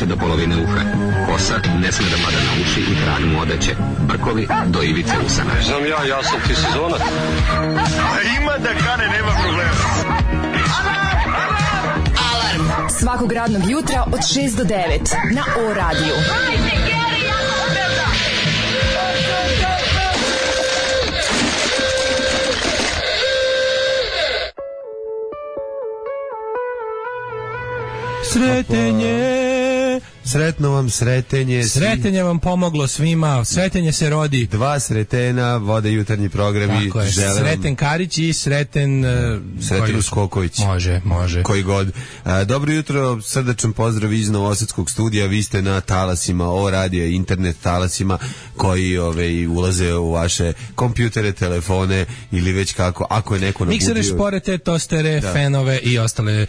više do polovine uha. Kosa ne sme da pada na uši i trag mu odeće. Brkovi do ivice usana. Znam ja sam ti sezona. Ima da kane, nema problema. Alarm svakog radnog jutra od 6 do 9 na O radiju. Sretenje. Sretno vam sretenje. Sretenje vam pomoglo svima. Sretenje se rodi. Dva sretena vode jutarnji programi. Tako je. Sreten Karić i Sreten Uskoković. Može. Koji god. Dobro jutro, srdačan pozdrav iz Novosadskog studija. Vi ste na talasima O radija, internet talasima koji ulaze u vaše kompjutere, telefone ili već kako. Ako je neko nabudio... Miksere, šporete, tostere, fenove i ostale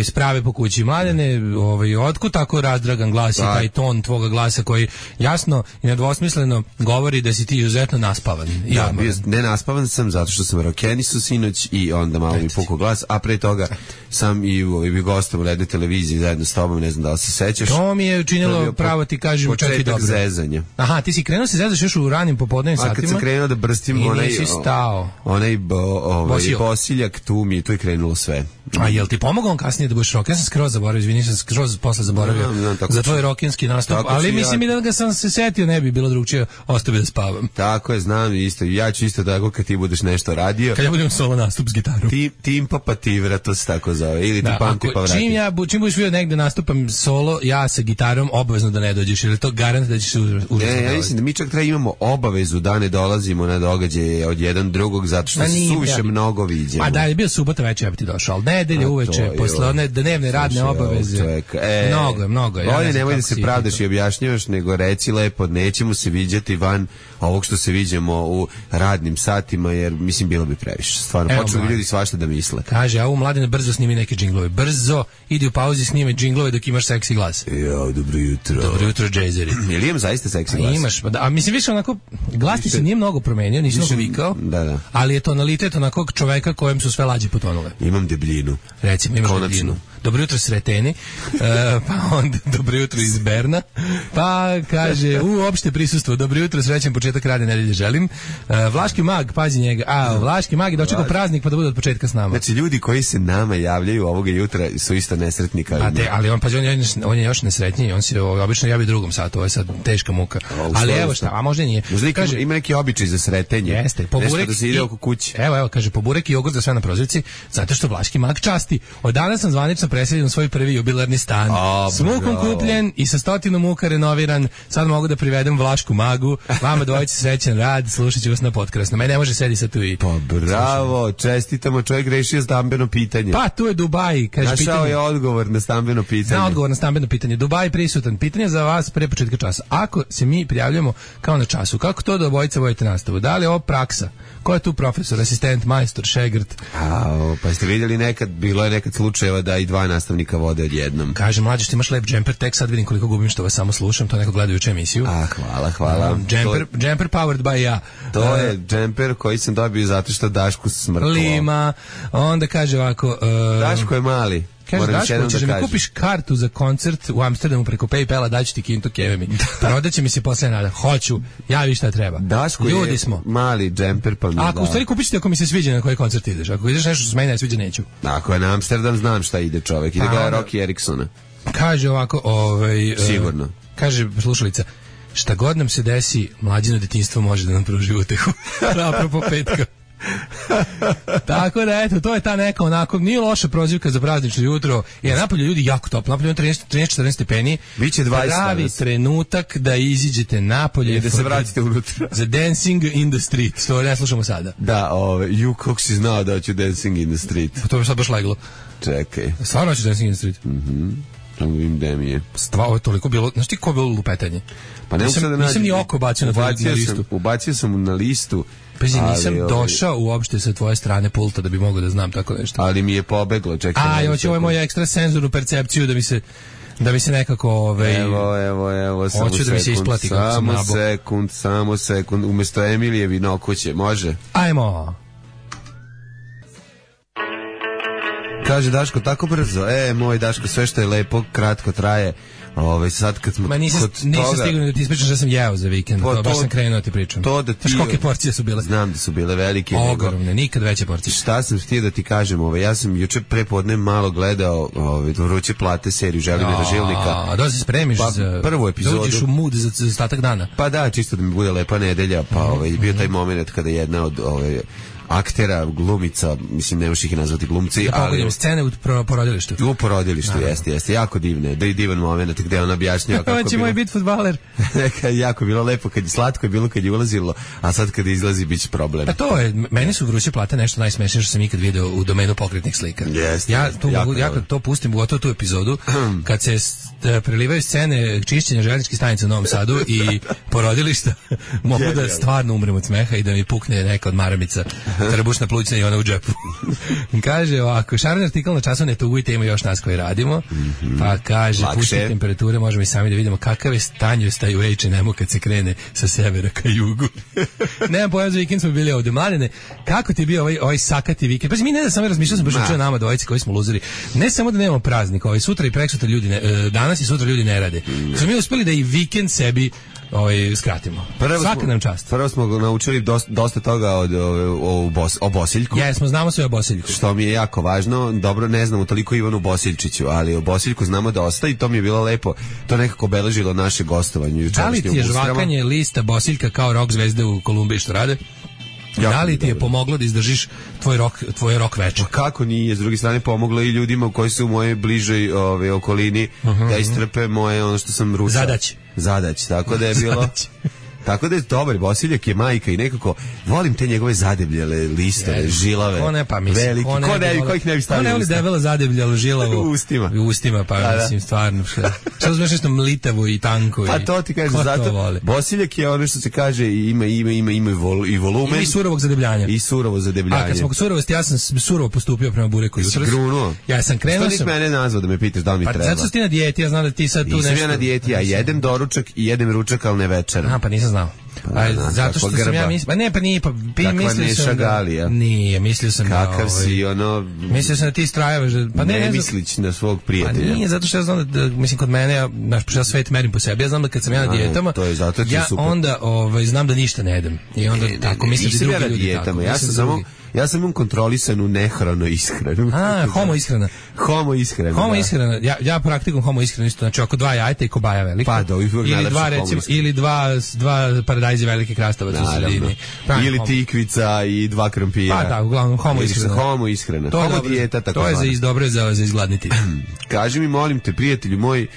sprave po kući. Mladene, otkud tako razdragan glas i taj ton tvoga glasa koji jasno i nedvosmisleno govori da si ti izuzetno naspavan. Ne naspavan sam zato što sam rokenisao sinoć i onda malo mi pukao glas, a pre toga sam i gostom u jednoj televiziji zajedno s tobom, ne znam da li se sećaš. To mi je učinilo pravo ti kažem čak i dobro. Početak zezanja. Aha, ti si krenuo se zezaš još u ranim popodnevnim satima. A kad sam krenuo da brstim onaj bosiljak, tu je krenulo sve. A jel ti pomogao on kasnije da budeš rock? Ja sam skroz zaboravio, izvini, sam skroz posle zaboravio za tvoj rokinski nastup, ali mislim i da ga sam se setio, ne bi bilo drugčije, ostao bi da spavam. Tako je, znam isto, ja ću isto tako kad ti budeš nešto radio. Kad ja budem solo nastup s gitarom. Timpa pativra, to se tako zove, ili ti pamti pa vrati. Čim budeš vidio negde nastupam solo, ja sa gitarom, obavezno da ne dođeš, jer je to garant da ćeš se užasno. Ja mislim da mi čak treba imamo obavezu da ne dolazimo na događaje od jedan drugog, zato što se suviše mnogo viđemo. A da je bio subota večer, ja bi ti došao, ali nedelje uveče, posle one dnevne radne obaveze. Mnogo je. Bolje nemoj da se pravdaš i objašnjavaš, nego reci lepo, nećemo se viđati van ovog što se viđemo u radnim satima, jer mislim bilo bi previše. Stvarno, počnu ljudi svašta da misle. Kaže, a u Mladine brzo snimi neke džinglove. Brzo, idi u pauzi, snime džinglove dok imaš seksi glas. Dobro jutro. Dobro jutro, džejzeri. Jel imam zaista seksi glas? Imaš, a mislim više onako, glas ti se nije mnogo promenio, nisi mnogo vikao, ali je tonalitet onakog čoveka kojem su sve lađe potonule. Imam debljinu. Recimo, imaš debljinu. Dobro jutro Sreteni, pa onda dobro jutro iz Berna, pa kaže uopšte prisustvo, dobro jutro, srećan početak radne nedelje želim. Vlaški mag, pazi njega, Vlaški mag je dočekao praznik pa da bude od početka s nama. Znači ljudi koji se nama javljaju ovoga jutra su isto nesretni kao i mi. Ali on je još nesretniji, on se obično javi u drugom satu, ovo je sad teška muka. Ali evo šta, a možda nije. Kaže, ima neki običaj za sretenje. Jeste, poburek da se ide oko kuće. Evo, kaže, poburek i jogurt za sve na prozirci, zato što Vlaški mag časti. Od danas sam zvanično preseljen u svoj prvi jubilarni stan. S mukom kupljen i sa 100 muka renoviran. Sad mogu da privedem Vlašku magu. Vama dvojice srećan rad, slušat ću vas na potkrasno. Mene ne može sedi sad tu i... Pa bravo, čestitamo, čovjek rešio stambeno pitanje. Pa tu je Dubaj, kaže pitanje. Našao je odgovor na stambeno pitanje. Odgovor na stambeno pitanje. Dubaj prisutan. Pitanje za vas pre početka časa. Ako se mi prijavljamo kao na času, kako to da obojice vodite nastavu? Da li je ovo praksa? Ko je tu profesor, asistent, majstor, šegrt? Pa ste vidjeli bilo je nekad slučajeva da i dva nastavnika vode odjednom. Kaže, mlađe, što imaš lep džemper, tek sad vidim koliko gubim što vas samo slušam, to neko gledajući emisiju. Hvala. Džemper powered by ja. To je džemper koji sam dobio zato što Dašku smrklo. Lima, onda kaže ovako... Daško je mali. Kaže, Daško, ćeš mi kupiš kartu za koncert u Amsterdamu preko PayPala, daću ti kintu keve mi. Prodaće mi se posle nada. Hoću, javi šta treba. Daško ljudi smo. Mali džemper pa mi da. Ako u stvari kupiš ti ako mi se sviđa na koji koncert ideš. Ako ideš nešto što se meni ne sviđa, neću. Ako je na Amsterdam, znam šta ide čovek. Ide gleda Rocky Eriksona. Kaže ovako, sigurno. Kaže slušalica, šta god nam se desi, mlađino detinjstvo može da nam pruži utehu. Apropo petka. Tako da eto, to je ta neka onako, nije loša prozivka za praznično jutro, jer napolju ljudi jako toplo, napolju 13-14 stepeni, biće 20 pravi trenutak da iziđete napolje i da se vratite unutra za Dancing in the Street, to ne slušamo sada. Da, kako si znao da hoću Dancing in the Street? Pa to bi sad baš leglo. Čekaj. Stvarno hoću Dancing in the Street? Tamo vidim gde mi je. Ovo je toliko bilo, znaš ti ko je bilo lupetanje? Pa nisam ni oko bacio na tvoju listu. Ubacio sam na listu. Nisam došao uopšte sa tvoje strane pulta da bi mogao da znam tako nešto. Ali mi je pobeglo, čekaj. Hoće ovo moju ekstra senzornu percepciju da mi se nekako Evo, hoću da mi se isplati samo sekund, umesto Emilije Vinokuće, može? Ajmo. Kaže Daško, tako brzo. Moj Daško, sve što je lepo, kratko traje. Sad kad smo nisam stigao da ti ispričam što sam jeo za vikend, baš sam krenuo da ti pričam. To da ti... Kolike porcije su bile? Znam da su bile velike. Ogromne, nikad veće porcije. Šta sam htio da ti kažem, ja sam juče prepodne malo gledao Vruće plate seriju Želimira Žilnika. Da se spremiš za prvu epizodu. Da uđeš u mood za ostatak dana. Pa da, čisto da mi bude lepa nedelja, pa bio taj moment kada jedna od aktera, glumica, mislim, ne možeš ih nazvati glumci, ali... scene u porodilištu. U porodilištu, jeste, jako divne, divan moment gde on objašnjava kako bilo... moj bit fudbaler. Jako bilo lepo, slatko je bilo kad je ulazilo, a sad kad izlazi bit će problem. Pa to je, meni su Vruće plate nešto najsmešnije što sam ikad video u domenu pokretnih slika. Ja kad to pustim, gotovo tu epizodu, kad se prelivaju scene čišćenja željezničkih stanica u Novom Sadu i porodilišta, mogu da stvarno umrem od smeha i da mi pukne neka od maramica trbušna plućna i ona u džepu. Kaže ovako, šareni artikl na časovne tugujte, ima još nas koji radimo, pa kaže, pušti temperature, možemo i sami da vidimo kakav je stanjostaj u H&M-u kad se krene sa severa ka jugu. Nemam pojam, za vikend smo bili ovde. Mladene, kako ti je bio ovaj sakati vikend? Pa mi ne da samo razmišljao sam baš učeo nama dvojici koji smo luzeri. Ne samo da nemamo praznik, sutra i preksutra ljudi danas i sutra ljudi ne rade. Smo mi uspeli da i vikend sebi skratimo. Svaka nam čast. Prvo smo naučili dosta toga o Bosiljku. Jesmo, znamo sve o Bosiljku. Što mi je jako važno. Dobro, ne znamo toliko Ivanu Bosiljčiću, ali o Bosiljku znamo dosta i to mi je bilo lepo. To nekako obeležilo naše gostovanje. Da li ti je žvakanje lista Bosiljka kao rock zvezde u Kolumbiji što rade? Da li ti je pomoglo da izdržiš tvoj rok veče? Pa kako nije, s druge strane pomoglo i ljudima koji su u mojoj bližoj okolini da istrpe moje ono što sam rušao. Zadać, tako da je bilo... Tako da je dobar, Bosiljak je majka i nekako volim te njegove zadebljale listove, žilave, veliki, kojih ne bi stavili ne voli debelo zadebljalo žilavo u ustima, pa mislim stvarno što znaš nešto mlitavo i tanko. Pa to ti kažem, zato Bosiljak je ono što se kaže ima i volumen. I surovog zadebljanja. A kad smo kod surovosti, ja sam surovo postupio prema bureku jutros. Ja sam krenuo. Što mene nazvao da me pitaš da li mi treba? Pa zato što ti na dijeti, ja znam da ti sad tu nešto. Nisam ja na dijeti, ja jedem doručak i jedem ručak, ali ne večeram. Pa nisam znao. Zato što sam ja mislio, mislio sam šagalija. Nije, mislio sam kakav si mislio sam da ti strajavaš pa ne mislić na svog prijatelja. Pa nije, zato što ja znam da mislim kod mene, ja svet merim po sebi, ja znam da kad sam ja na dijetama, ja onda znam da ništa ne jedem i onda tako mislim da drugi ljudi tako. Ja sam imam kontrolisanu nehranu ishranu. Homo ishrana. Homo ishrana. Ja praktikujem homo ishranu isto, znači oko 2 jajeta i kobaja velika. Pa da, ili dva paradajza velike krastavaca u sredini. Ili tikvica i 2 krompira. Pa da, uglavnom homo ishrana. Homo dijeta tako. To je dobro za izgladniti. Kaži mi, molim te, prijatelju moj,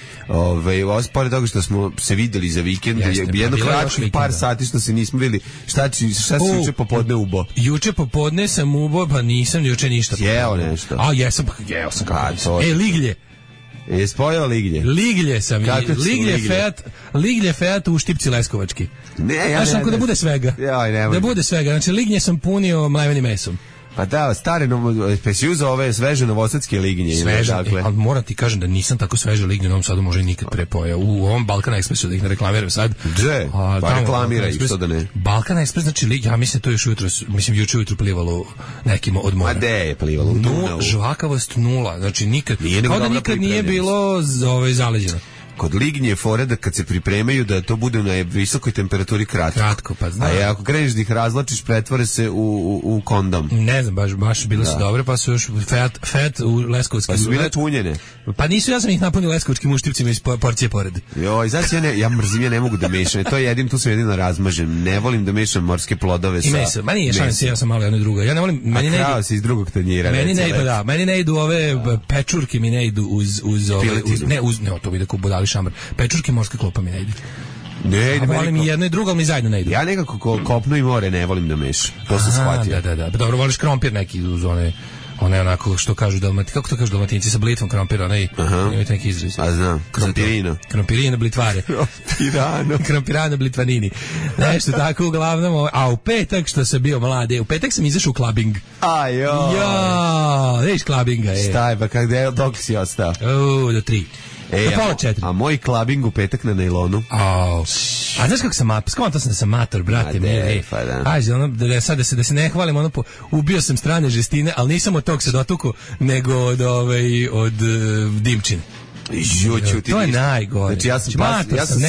pored toga što smo se videli za vikend, jedno kratkih par sati što se nismo videli, šta si juče popodne ubo? Juče popodne sam ubo, pa nisam juče ništa. Jeo nešto? Jeo sam kako. Liglje. Jesi pojeo liglje? Liglje sam. Liglje Feat u Štipci Leskovački. Znaš, da bude svega. Da bude svega. Znači, lignje sam punio mlevenim mesom. Pa da, stare, si uzao ove sveže novosadske lignje. Sveže, ali moram ti kažem da nisam tako sveže lignje u Novom Sadu, možda i nikad prepojao. U ovom Balkan Expressu, da ih ne reklamiram sad. Dže, pa reklamira ih, što da ne. Balkan Express, znači, ja mislim to još jutro, juče ujutro plivalo nekima od mora. A de je plivalo? Žvakavost 0, znači nikad, kao da nikad nije bilo zaleđeno. Kod lignje fore da kad se pripremaju da to bude na visokoj temperaturi kratko. Pa znam. A ako kreneš da ih razlačiš, pretvore se u kondom. Ne znam, baš bile su dobre, pa su još Feat u Leskovskim. Pa su bile tunjene. Pa nisu, ja sam ih napunio Leskovskim uštipcima iz porcije pored. Joj, znači ja mrzim, ja ne mogu da mešam. To je tu sam jedino razmažem. Ne volim da mešam morske plodove sa mesom. Ma nije šanse, ja sam malo jedno i drugo. Ja ne volim, meni ne idu. Si iz drugog tanjira. Meni ne idu ove pečurke, mi ne idu uz to bi da budali šamar. Pečurke morske klopa mi ne ide. Volim i jedno i drugo, ali mi zajedno ne idu. Ja nekako kopno i more ne volim da mešam. To sam shvatio. Da. Dobro, voliš krompir neki uz one onako što kažu Dalmatinci, kako to kažu Dalmatinci, sa blitvom krompira, imate neki izraz. A znam, krompirino blitvare. Krompirano blitvanini. Nešto tako, uglavnom, a u petak što sam bio mlade, u petak sam izašao u klabing. Ajoj. Viš klabinga, Šta je, pa dok si ostao? Do 3. pola 4. A moj klabing u petak na nailonu. A znaš kako sam skonto sam da sam mator, brate mili. Ajde, ono, da se ne hvalim, ono, ubio sam strane žestine, ali nisam od tog se dotuku, nego od Dimčine. To je najgore. Znači ja sam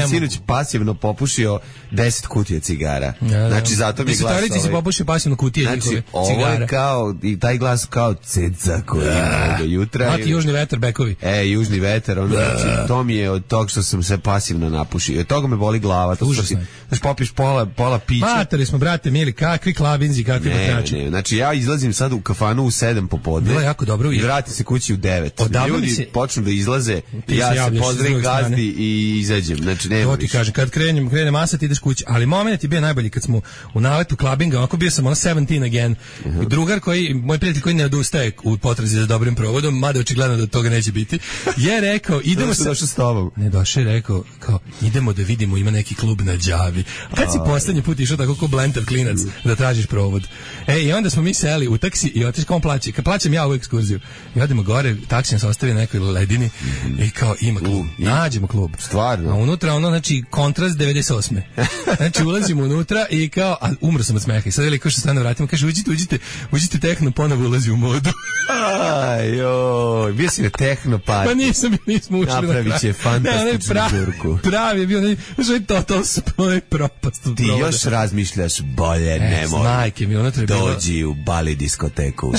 sinoć pasivno popušio 10 kutija cigara. Znači zato mi glas ovaj. Si popušio pasivno kutije znači, njihove ovo cigara. Je kao, i taj glas kao ceca koji ima do jutra. Mati južni vetar, bekovi. Južni vetar, ono, znači, to mi je od tog što sam se pasivno napušio. Od toga me boli glava. To užasno. Znači popiš pola pića. Matori smo, brate mili, kakvi klabinzi, kakvi bakrači. Ne, znači ja izlazim sad u kafanu u 7 popodne. Bilo je jako dobro. I vrati se kući u 9. Ljudi počnu da izlaze, ja se pozdravim gazdi i izađem. Znači, nema to ti kažem, kad krene masa, ti ideš kući. Ali moment je bio najbolji kad smo u naletu klabinga, onako bio sam 17 again. Drugar moj prijatelj koji ne odustaje u potrazi za dobrim provodom, mada očigledno da toga neće biti, je rekao, idemo došao s tobom. Ne, došao je rekao, kao, idemo da vidimo, ima neki klub na Đavi. Kad si poslednji put išao tako ko blentav klinac da tražiš provod? I onda smo mi seli u taksi i otišli, kao on plaća. Kad plaćam ja ovu ekskurziju. I odemo gore, taksi nas ostavi na nekoj ledini i kao, ima klub. Nađemo klub. Stvarno. A unutra ono, znači, kontrast 98. Znači, ulazimo unutra i kao, a umro sam od smeha. I sad je kao što stane vratimo, kaže, uđite tehno, ponovo ulazi u modu. Ajoj, bio si na tehno party. Pa nismo ušli na kraju. Napravit će fantastičnu žurku. Pravi je bio, znači, total propast. Ti još razmišljaš bolje, nemoj. Majke mi, unutra je bilo. Dođi u Bali diskoteku.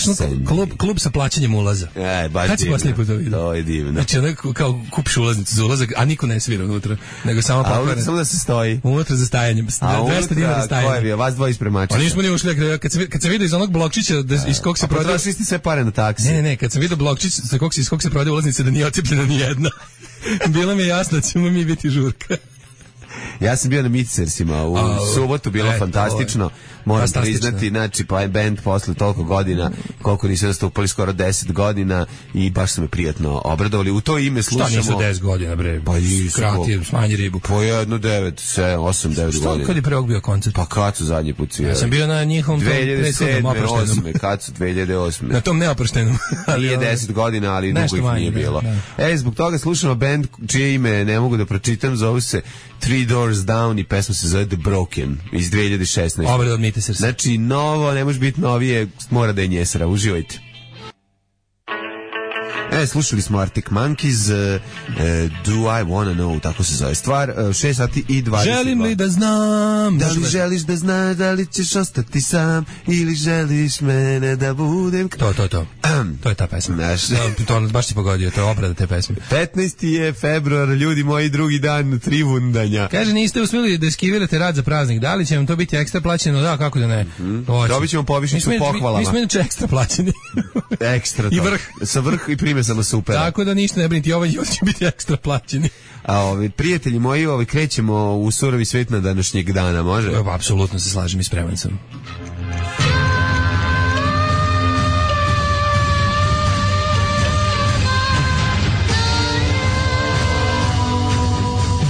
Klub sa plaćanjem ulaza. Baš kad si poslije put to vidio? To je divno. Znači, onako kao kupiš ulaznicu za ulazak, a niko ne svira unutra, nego samo pokvaren. Samo da se stoji. Unutra za stajanjem. 200 dinara stajanje. Ko je bio? Vas dvoje ispremačića. Pa nismo ni ušli, kad se vidi iz onog blokčića iz kog se prodaje. Potrošili ste sve pare na taksi. Ne, kad sam vidio blokčić iz kog se prodaje ulaznice da nije otcepljena ni jedna. Bilo mi je jasno da ćemo mi biti žurka. Ja sam bio na Mitsersima u subotu, bilo fantastično. Moram priznati, znači, pa je band posle toliko godina, koliko nisu nastupali, skoro 10 godina i baš su me prijatno obradovali. U to ime slušamo... Šta nisu 10 godina, bre? Pa nisu. Krati, smanji ribu. Po 1, 9, 7, 8, 9 godina. Što kad je pre ovog bio koncert? Pa kad su zadnji put svirali? Ja sam bio na njihovom 2007, 2008, kad su 2008. Na tom neoproštenom. Nije 10 godina, ali dugo ih nije bilo. Zbog toga slušamo band čije ime ne mogu da pročitam, zovu se Three Doors Down i pesma se zove The Broken iz 2016. Obrad od Mitsersima. Znači, novo, ne može biti novije, mora da je njesara. Uživajte. Slušali smo Arctic Monkeys, Do I Wanna Know, tako se zove stvar, 6 sati i 20. Želim li da znam? Da li želiš da znaš, da li ćeš ostati sam, ili želiš mene da budem... To je ta pesma. To baš ti pogodio, to je obrada te pesme. 15. je februar, ljudi moji, drugi dan trivundanja. Kaže, niste uspjeli da eskivirate rad za praznik, da li će vam to biti ekstra plaćeno? Da, kako da ne? Dobit ćemo povišnicu pohvalama. Mi smo inače ekstra plaćeni. Ekstra to. I vrh. Sa vrh i prime samo super. Tako da ništa ne brinite, ovaj će biti ekstra plaćeni. A prijatelji moji, krećemo u surovi svet na današnjeg dana, može? Apsolutno se slažem i spreman sam.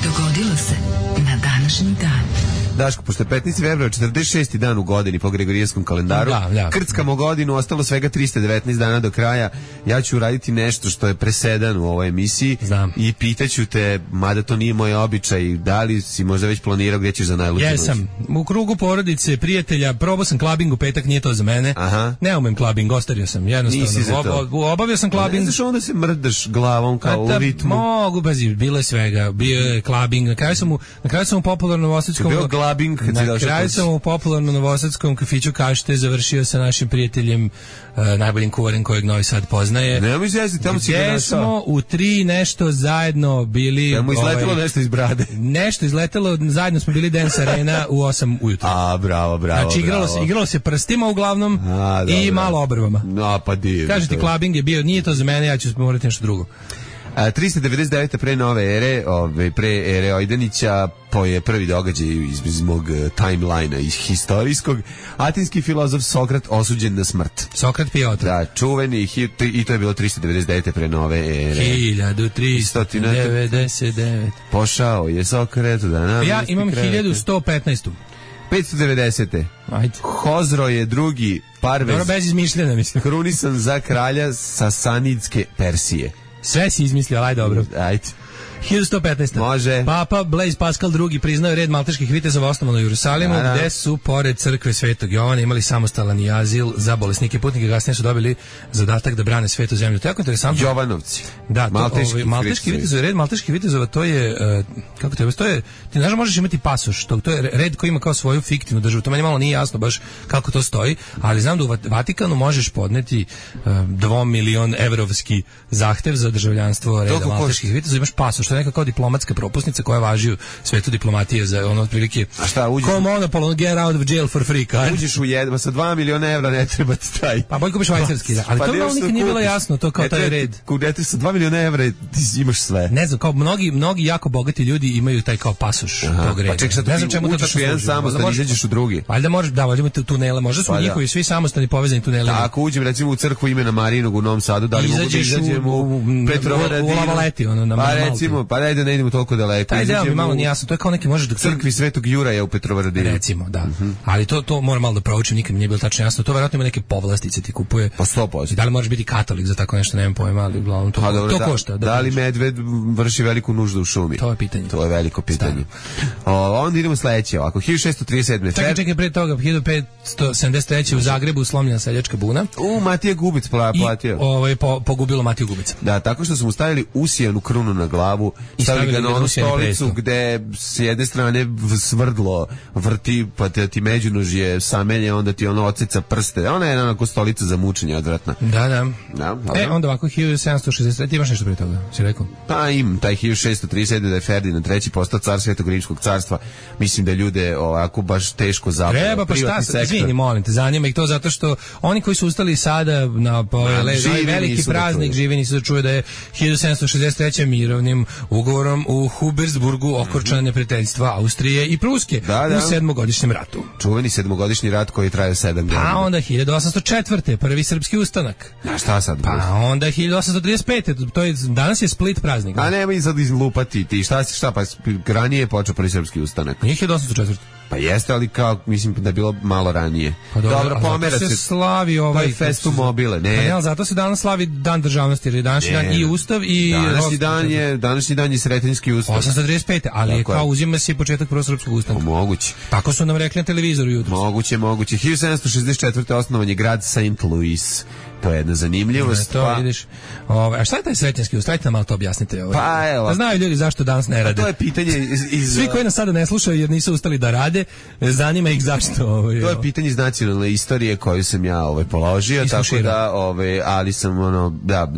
Dogodilo se na današnji dan. Daško, pošto je 15. februar, 46. dan u godini po Gregorijanskom kalendaru, krckamo godinu, ostalo svega 319 dana do kraja. Ja ću uraditi nešto što je presedan u ovoj emisiji. Znam. I pitaću te, mada to nije moj običaj, da li si možda već planirao gdje ćeš za najluđu noć? Jesam. U krugu porodice, prijatelja, probao sam klabing u petak, nije to za mene. Aha. Ne umem klabing, ostario sam. Jednostavno. Obavio sam klabing. Ne znaš onda se mrdaš glavom kao u ritmu? Mogu, bilo je svega. Bio je klabing. Na kraju sam u popularnom novosadskom... Na kraju sam u popularnom novosadskom kafiću Kašte završio sa našim prijateljem, najboljim kuvarem kojeg Novi Sad poznaje. Nemoj izjeziti, tamo si ga našao. Gdje smo u 3 nešto zajedno bili... Tamo izletelo nešto iz brade. Nešto izletelo, zajedno smo bili Dance Arena u 8 ujutru. Bravo. Znači igralo se prstima uglavnom i malo obrvama. Pa divno. Kaže ti, klabing je bio, nije to za mene, ja ću morati nešto drugo. 399. pre nove ere, pre ere Ojdanića, je prvi događaj iz mog timelina, iz historijskog. Atinski filozof Sokrat osuđen na smrt. Sokrat pije otrov. Da, čuveni, i to je bilo 399. pre nove ere. 1399. Pošao je Sokrat da namesti. Ja imam 1115. 590. Ajde. Hozro je drugi parvez. Dobro, bez izmišljena, mislim. Krunisan za kralja Sasanidske Persije. Sve si izmislio, aj dobro. Ajde. 1115. Može. Papa Blaise Pascal II priznao je red malteških vitezova osnovan u Jerusalimu, gde su pored crkve Svetog Jovana imali samostalan azil za bolesnike i putnike, kasnije su dobili zadatak da brane svetu zemlju. To je jako interesantno. Jovanovci. Da, malteški vitezovi, red malteških vitezova, to je kako to je, ti znaš, možeš imati pasoš, to je red koji ima kao svoju fiktivnu državu. To meni malo nije jasno baš kako to stoji, ali znam da u Vatikanu možeš podneti 2 miliona evrovski zahtev za državljanstvo reda malteških vitezova, imaš pasoš, što je neka kao diplomatska propusnica koja važi u svetu diplomatije za ono otprilike. A šta, uđeš? Kao monopol, get out of jail for free card. Uđeš u jedva sa 2 miliona evra, ne treba ti taj. Pa bolj kupiš švajcarski, da. Ali to malo nikad nije bilo jasno, to kao taj red. Kudete sa 2 miliona evra ti imaš sve. Ne znam, kao mnogi jako bogati ljudi imaju taj kao pasoš tog reda. Pa ček, sad ne znam čemu to uđeš u jedan samostan, izađeš u drugi. Valjda možeš, da, valjda imate tunele, možda su njihovi svi samostani povezani tunelima. Ako uđem recimo u crkvu imena Marinog u Novom Sadu, da li mogu da izađem u Petrovaradinu? U Lavaleti, ono, na Malti. Pa recimo, pa ne idemo toliko daleko. Taj deo mi malo nije jasno, to je kao neki možeš da crkvi Svetog Juraja u Petrovaradinu. Recimo, da. Ali to moram malo da proučim, nikad mi nije bilo tačno jasno. To verovatno ima neke povlastice ti kupuje. Pa 100%. Da li možeš biti katolik za tako nešto, nemam pojma, ali uglavnom to košta. Da li medved vrši veliku nuždu u šumi? To je pitanje. To je veliko pitanje. Onda idemo sledeće, ovako 1637. Čekaj, pre toga 1573. u Zagrebu slomljena seljačka buna. Matija Gubic platio. I pogubilo Matiju Gubica. Da, tako što su mu stavili usijanu krunu na glavu, stavili ga na onu stolicu gde s jedne strane svrdlo vrti, pa ti međunožje samelje, onda ti ono oceca prste. Ona je onako stolica za mučenje odvratna. Da. Onda ovako 1763. Imaš nešto prije toga, si rekao? Pa im, taj 1637. da je Ferdinand III. Postao car Svetog Rimskog carstva. Mislim da ljude ovako baš teško zapravo. Treba, pa šta, izvini, molim te, zanima ih to zato što oni koji su ustali sada na veliki praznik živi nisu da čuje da je 1763. mirovnim ugovorom u Hubersburgu okončana neprijateljstva Austrije i Pruske u sedmogodišnjem ratu. Čuveni sedmogodišnji rat koji traje 7 godina. Pa onda 1804. prvi srpski ustanak. A šta sad? Pa onda 1835. To je, danas je Split praznik. A nemoj sad izlupati ti. Šta pa ranije je počeo prvi srpski ustanak. Nije 1804. Pa jeste, ali kao, mislim da je bilo malo ranije. Pa dobro, pomera se slavi ovaj festu mobile, ne. Pa ne, ali zato se danas slavi dan državnosti, jer je današnji dan i ustav i današnji dan je Sretenjski ustav. 835. Ali je kao uzima se početak prvog srpskog ustanka. Moguće. Tako su nam rekli na televizoru jutros. Moguće. 1764. osnovan je grad St. Louis. To je jedna zanimljivost. To vidiš. A šta je taj Sretenjski ustav? Ajte nam malo to objasnite. Pa evo. Da znaju ljudi zašto danas ne rade. To je pitanje Svi koji nas sada ne slušaju jer nisu ustali da rade, zanima ih zašto. To je pitanje iz nacionalne istorije koju sam ja položio, tako da ali sam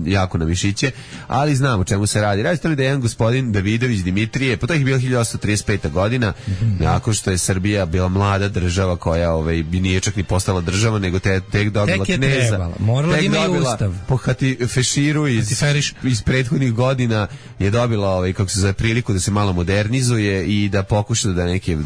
jako na mišiće, ali znam o čemu se radi. Radite li da je jedan gospodin Davidović Dimitrije, pa to je bilo 1835. godina, nakon što je Srbija bila mlada država koja nije čak ni postala država, nego tek dobila kneza. Morala ima i ustav. Po Feširu iz prethodnih godina je dobila kako se zove priliku da se malo modernizuje i da pokuša da neke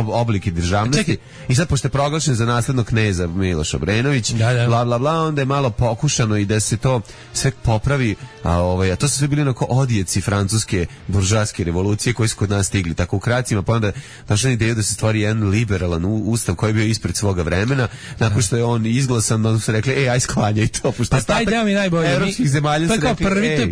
oblike državnosti. I sad pošto je proglašen za naslednog kneza Miloš Obrenović, bla bla bla, onda je malo pokušano i da se to sve popravi, a to su sve bili onako odjeci francuske buržoaske revolucije koji su kod nas stigli tako u kracima, pa onda došla ideja da se stvori jedan liberalan ustav koji je bio ispred svoga vremena. Nakon što je on izglasan, onda su rekli aj sklanjaj to, pošto pa taj deo mi najbolje. Evropskih zemalja to je kao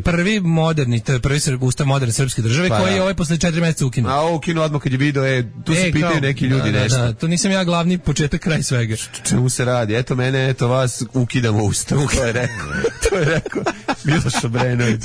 prvi moderni, to je prvi ustav moderne srpske države koji je posle 4 meseca ukinuo. A ukinuo odmah kad je video tu se pitaju neki ljudi nešto. Da, to nisam ja glavni početak kraj svega. Čemu se radi? Eto mene, eto vas, ukidamo ustav. To je rekao Miloš Obrenović.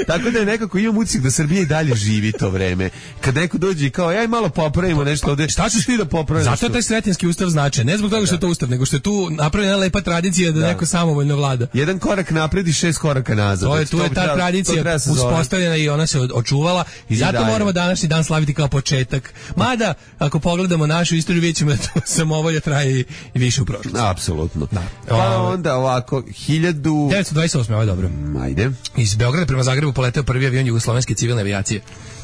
Tako da je nekako imam utisak da Srbija i dalje živi to vreme. Kad neko dođe i kao, aj malo popravimo nešto ovde. Šta ćeš ti da popraviš? Zato je taj Sretenski ustav značajan. Ne zbog toga što je to ustav, nego što je tu napravljena lepa tradicija da neko samovoljno vlada. Jedan korak napred i 6 koraka nazad. Tu je ta tradicija uspostavljena i ona se očuvala i zato moramo današnji dan slaviti kao početak. Mada, ako pogledamo našu istoriju, vidjet ćemo da to samovolja traje i više u prošlosti. Apsolutno. Pa onda ovako, 1928. Ovo je dobro. Ajde. Iz Beograda prema Zagrebu poleteo prvi avion jugoslovenske civilne avijacije.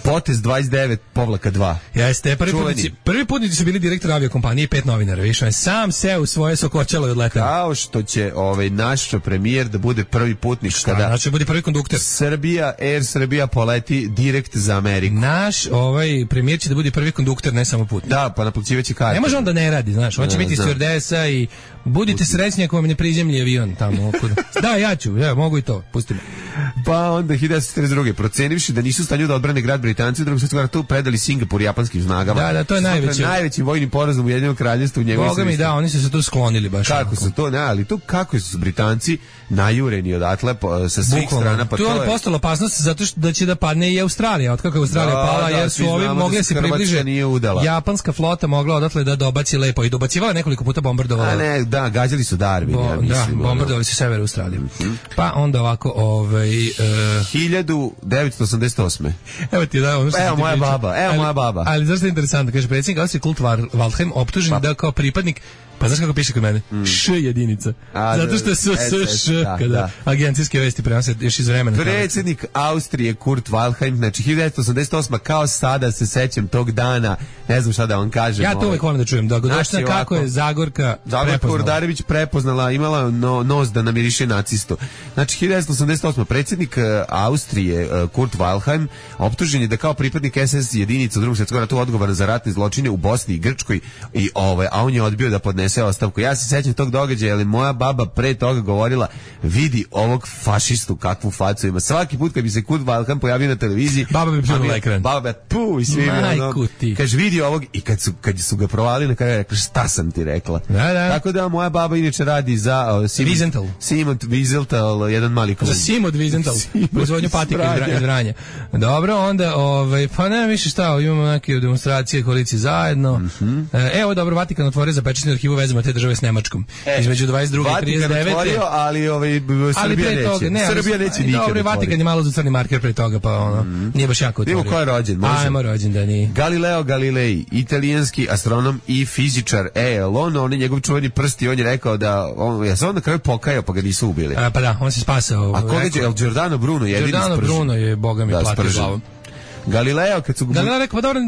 Potez 29-2. Jeste, prvi putnici su bili direktor aviokompanije i 5 novinara, više on je sam seo u svoje sokočalo i odletao. Kao što će naš premijer da bude prvi putnik kada znači bude prvi kondukter. Air Srbija poleti direkt za Ameriku. Naš premijer će da bude prvi kondukter, ne samo putnik. Da, pa naplaćivaće karte. Ne može on da ne radi, znaš, on će biti stewardesa i budite srećni ako vam ne prizemlji avion tamo okuda. Da, ja ću, mogu i to, pusti me. Pa onda 1942. procenivši da nisu u stanju da odbrane grad Britanci u drugom svjetskom ratu, predali Singapur japanskim snagama. Da, to je najveći vojni porazum u Ujedinjenom kraljevstvu. Boga mi da, oni su se tu sklonili baš. Kako su to, ali to kako su Britanci najureni odatle sa svih strana, pa tu je postala opasnost zato što da će da padne i Australija, otkako je Australija pala, jer su ovi mogli se približe. Japanska flota mogla odatle da dobaci lepo i dobacivala nekoliko puta bombardovala. A ne, da, gađali su Darwin, ja mislim. Da, bombardovali su sever Australije. Pa onda ovako, 1988. Evo ti da, ono što evo moja baba. Ali zašto je interesantno, kaže predsjednik Austrije Kurt Waldheim optužen da kao pripadnik, pa znaš kako piše kod mene? Š jedinica. Zato što su kada agencijske vesti prenose još iz vremena. Predsjednik Austrije Kurt Waldheim, znači 1988. kao sada se sećam tog dana, ne znam šta da vam kažem. Ja to uvek volim da čujem, dogodovština kako je Zagorka Urdarević prepoznala, imala nos da namiriše nacistu. Znači 1988. predsjednik Austrije Kurt Waldheim optužen je da kao pripadnik SS jedinica u drugom svjetskom ratu odgovoran za ratne zločine u Bosni i Grčkoj a on je odbio da podnese ostavku. Ja se sećam tog događaja, ali moja baba pre toga govorila, vidi ovog fašistu kakvu facu ima. Svaki put kad bi se Kurt Waldheim pojavio na televiziji, baba bi pljunula ekran. Baba i svi kaže vidi ovog i kad su ga provalili na kraju rekla šta sam ti rekla. Da. Tako da moja baba inače radi za Simon Wiesenthal, jedan mali klub. Za Simon Wiesenthal, proizvodnju patika iz Vranja. Dobro, onda pa ne više šta, imamo neke demonstracije koalicije zajedno. Evo dobro, Vatikan otvorio zapečatenu arhivu vezama te države s Nemačkom. Između 22 i 39. Vatikan otvorio, ali Srbija neće nikad. Dobro, Vatikan je malo za crni marker pre toga, pa nije baš jako otvorio. Idemo ko je rođen? Ajmo rođendani. Galileo Galilei, italijanski astronom i fizičar. On je njegov čuveni prsti, on je rekao da ja se on na kraju pokajao pa ga nisu ubili. Pa da, on se spasao. A koga je Giordano Bruno jedini sprži? Giordano Bruno je, boga mi, platio glavom. Galileo kad su Galileo rekao, pa dobro,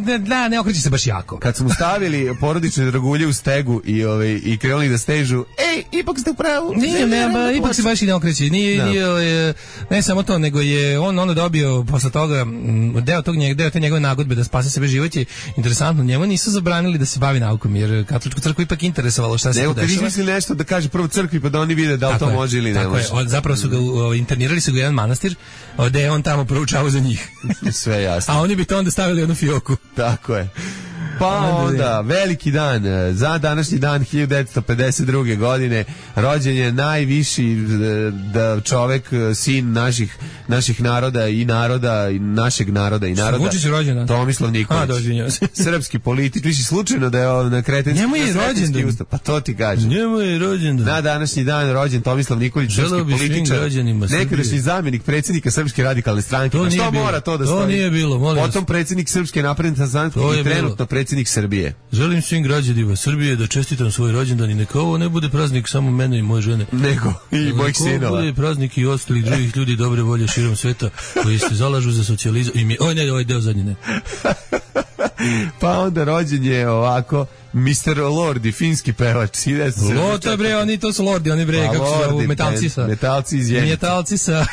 ne okreći se baš jako. Kad su mu stavili porodične dragulje u stegu i krenuli da stežu, ipak ste u pravu. Ipak se baš i ne okreći. Nije, ne samo to, nego je on dobio posle toga deo te njegove nagodbe da spase sebe život je interesantno. Njemu nisu zabranili da se bavi naukom, jer katoličku crkvu ipak interesovalo šta se tu dešava. Kad izmisli nešto da kaže prvo crkvi pa da oni vide da li to može ili ne može. Zapravo su ga internirali su ga jedan manastir, gde je on tamo proučavao za njih. Sve jasno. A oni bi to onda stavili jednu fioku. Tako je. Pa onda, veliki dan, za današnji dan 1952. godine, rođen je najviši čovek, sin naših naroda i našeg naroda i naroda. Vučić je rođen dan. Tomislav Nikolić. Srpski politik, viši slučajno da je na kretenski. Njemu je rođen dan. Pa to ti kažem. Njemu je rođen dan. Na današnji dan rođen Tomislav Nikolić, srpski političar, nekadašnji zamjenik predsjednika Srpske radikalne stranke. Što mora to da stoji? To nije bilo, molim vas. Potom predsjednik Srpske napredne stranke i trenutno predsjednik Srbije. Želim svim građanima Srbije da čestitam svoj rođendan i neka ovo ne bude praznik samo mene i moje žene. Nego i mojih sinova. Neka bude praznik i ostalih drugih ljudi dobre volje širom sveta koji se zalažu za socijalizam. Ovaj deo zadnji ne. Pa onda rođen je ovako Mr. Lordi, finski pevač. To bre, to su Lordi, oni bre, kako se zovu, metalci iz Jenice. Metalci sa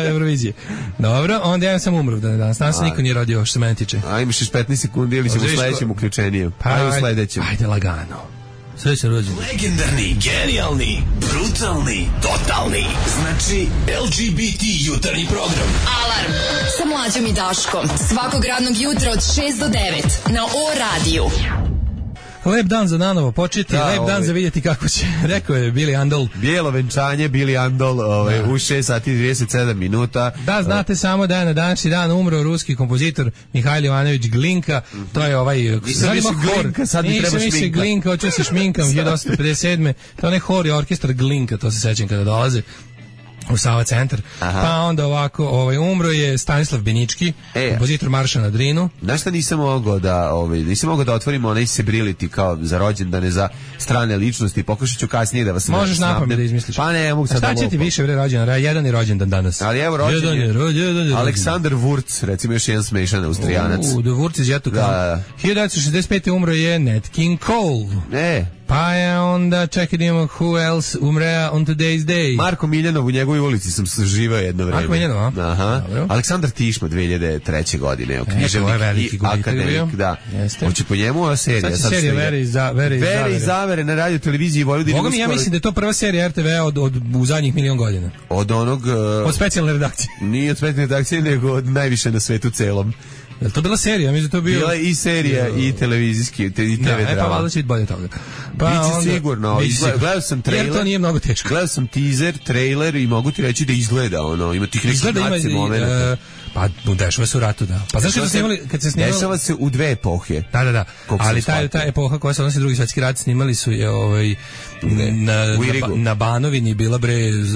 Eurovizije. Dobro, onda ja sam umro danas. Danas niko nije rodio što se mene tiče. A imaš još 15 sekundi ili ćemo u sledećem uključeniju? Ajde u sledećem. Ajde lagano. Sve se rođen. Legendarni, genijalni, brutalni, totalni. Znači, LGBT jutarnji program. Alarm sa Mlađom i Daškom. Svakog radnog jutra od 6 do 9 na O-radiju. Lep dan za nanovo početi, lep dan za vidjeti kako će, rekao je Billy Andol. Bijelo venčanje, Billy Andol, u 6 sati 37 minuta. Da, znate samo da je na današnji dan umro ruski kompozitor Mihajl Ivanović Glinka, to je ovaj... Nisam Glinka, sad mi treba šminka. Glinka, hoću se šminkam, 1857. To je onaj hor i orkestar Glinka, to se sećam kada dolaze. u Sava centar. Pa onda ovako, umro je Stanislav Benički, kompozitor Marša na Drinu. Znaš šta nisam mogao da otvorim onaj Sebrility kao za rođendane za strane ličnosti, pokušat ću kasnije da vas možeš napamet da izmisliš. Pa ne, mogu sad da šta će ti više rođendan? Jedan je rođendan danas. Ali evo rođendan Aleksandar Wurz, recimo još jedan smešan Austrijanac. The Wurz iz Jatu. 1965. umro je Nat King Cole. Pa je onda, čekaj da imamo who else umrea on today's day. Marko Miljanov, u njegovoj ulici sam živao jedno vreme. Marko Miljanov, aha. Aleksandar Tišma, 2003. godine, književnik i akademik, da. Hoće po njemu ova serija. Sad serija Vere i Zavere na radio televiziji Vojvodine. Boga mi, ja mislim da je to prva serija RTV od u zadnjih milion godina. Od specijalne redakcije. Nije od specijalne redakcije, nego od najviše na svetu celom. Je li to bila serija? Mislim da to bio... Bila i serija i televizijski, i TV drama. Pa valjda će biti bolje toga. Biće sigurno. Gledao sam trailer. Jer to nije mnogo teško. Gledao sam teaser, trailer i mogu ti reći da izgleda ima tih nekih naci momenta. Pa dešava se u ratu, da. Pa znaš kad se snimali... Dešava se u dve epohe. Da. Ali ta epoha koja se odnosi Drugi svjetski rat, snimali su je na Banovini bila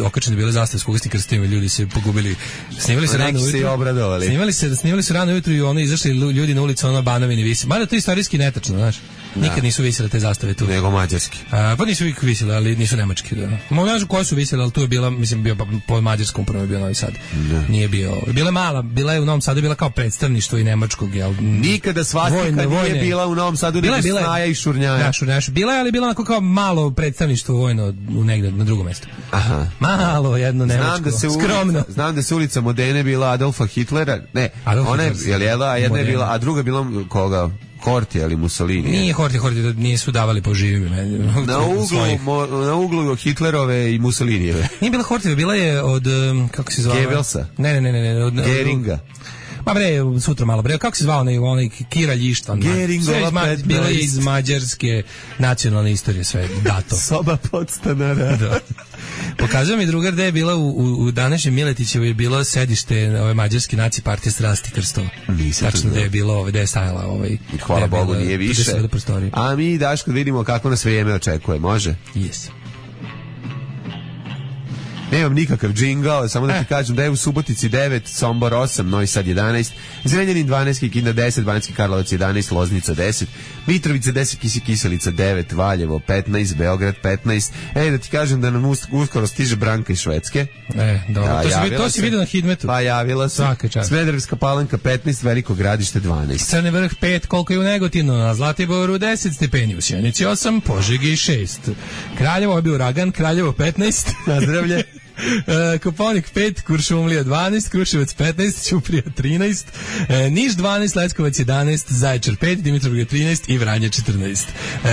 okačene bile zastave s kugasnim krstovima, ljudi se pogubili. Snimali se rano ujutru. Se obradovali. Snimali su rano ujutru i izašli ljudi na ulicu, Banovini visi. Mada to je istorijski netačno, znaš. Nikad nisu visile te zastave tu. Nego mađarski. Pa nisu uvijek visile, ali nisu nemački. Da. Možda koje su visile, ali tu je bila, mislim, bio po mađarskom prvo je bio Novi Sad. Nije bio. Bila je u Novom Sadu, bila kao predstavništvo i nemačkog. Nikada svastika nije bila u Novom Sadu, nego Snaja i Šurnjaja. Bila je, ali bila onako kao malo predstavništvo vojno negde na drugom mjestu. Aha. Malo, jedno nemačko. Skromno. Znam da se ulica Modene bila Adolfa Hitlera. Ne, ona je jedna je bila, a druga je bila koga? Hortija ili Mussolini? Nije Hortija, nisu davali po živim. Na uglu Hitlerove i Mussolinijeve. Nije bila Hortija, bila je od, kako se zvala? Goebbelsa? Ne. Od Geringa. Ma sutra malo kako se zvao onaj Kiralj Ištvan? Bilo je iz mađarske nacionalne istorije sve dato. Soba podstanara. Da. Pokazuje mi drugar da je bila u današnjem Miletićevu je bilo sedište ove mađarske naci partije Strasti Krstova. Tačno da je bilo da je stajala hvala Bogu nije više. A mi Daško vidimo kako nas vrijeme očekuje, može? Yes. Nemam nikakav džingao, samo da ti kažem da je u Subotici 9, Sombor 8, Novi Sad 11, Zrenjanin 12, Kikinda 10, Banjski Karlovac 11, Loznica 10, Mitrovica 10, Kiselica 9, Valjevo 15, Beograd 15. Da ti kažem da nam uskoro stiže Branka iz Švedske. Dobro. To si vidio na Hidmetu. Pa javila se. Smederevska Palanka 15, Veliko Gradište 12. Crni Vrh 5, koliko je u Negotinu, na Zlatiboru 10 stepeni, u Sjenici 8, Požegi 6. Kraljevo je bio uragan, Kraljevo 15, nazdravlje. Koponik 5, Kuršumlija 12, Kruševac 15, Ćuprija 13, Niš 12, Leskovac 11, Zaječar 5, Dimitrovgrad 13 i Vranje 14.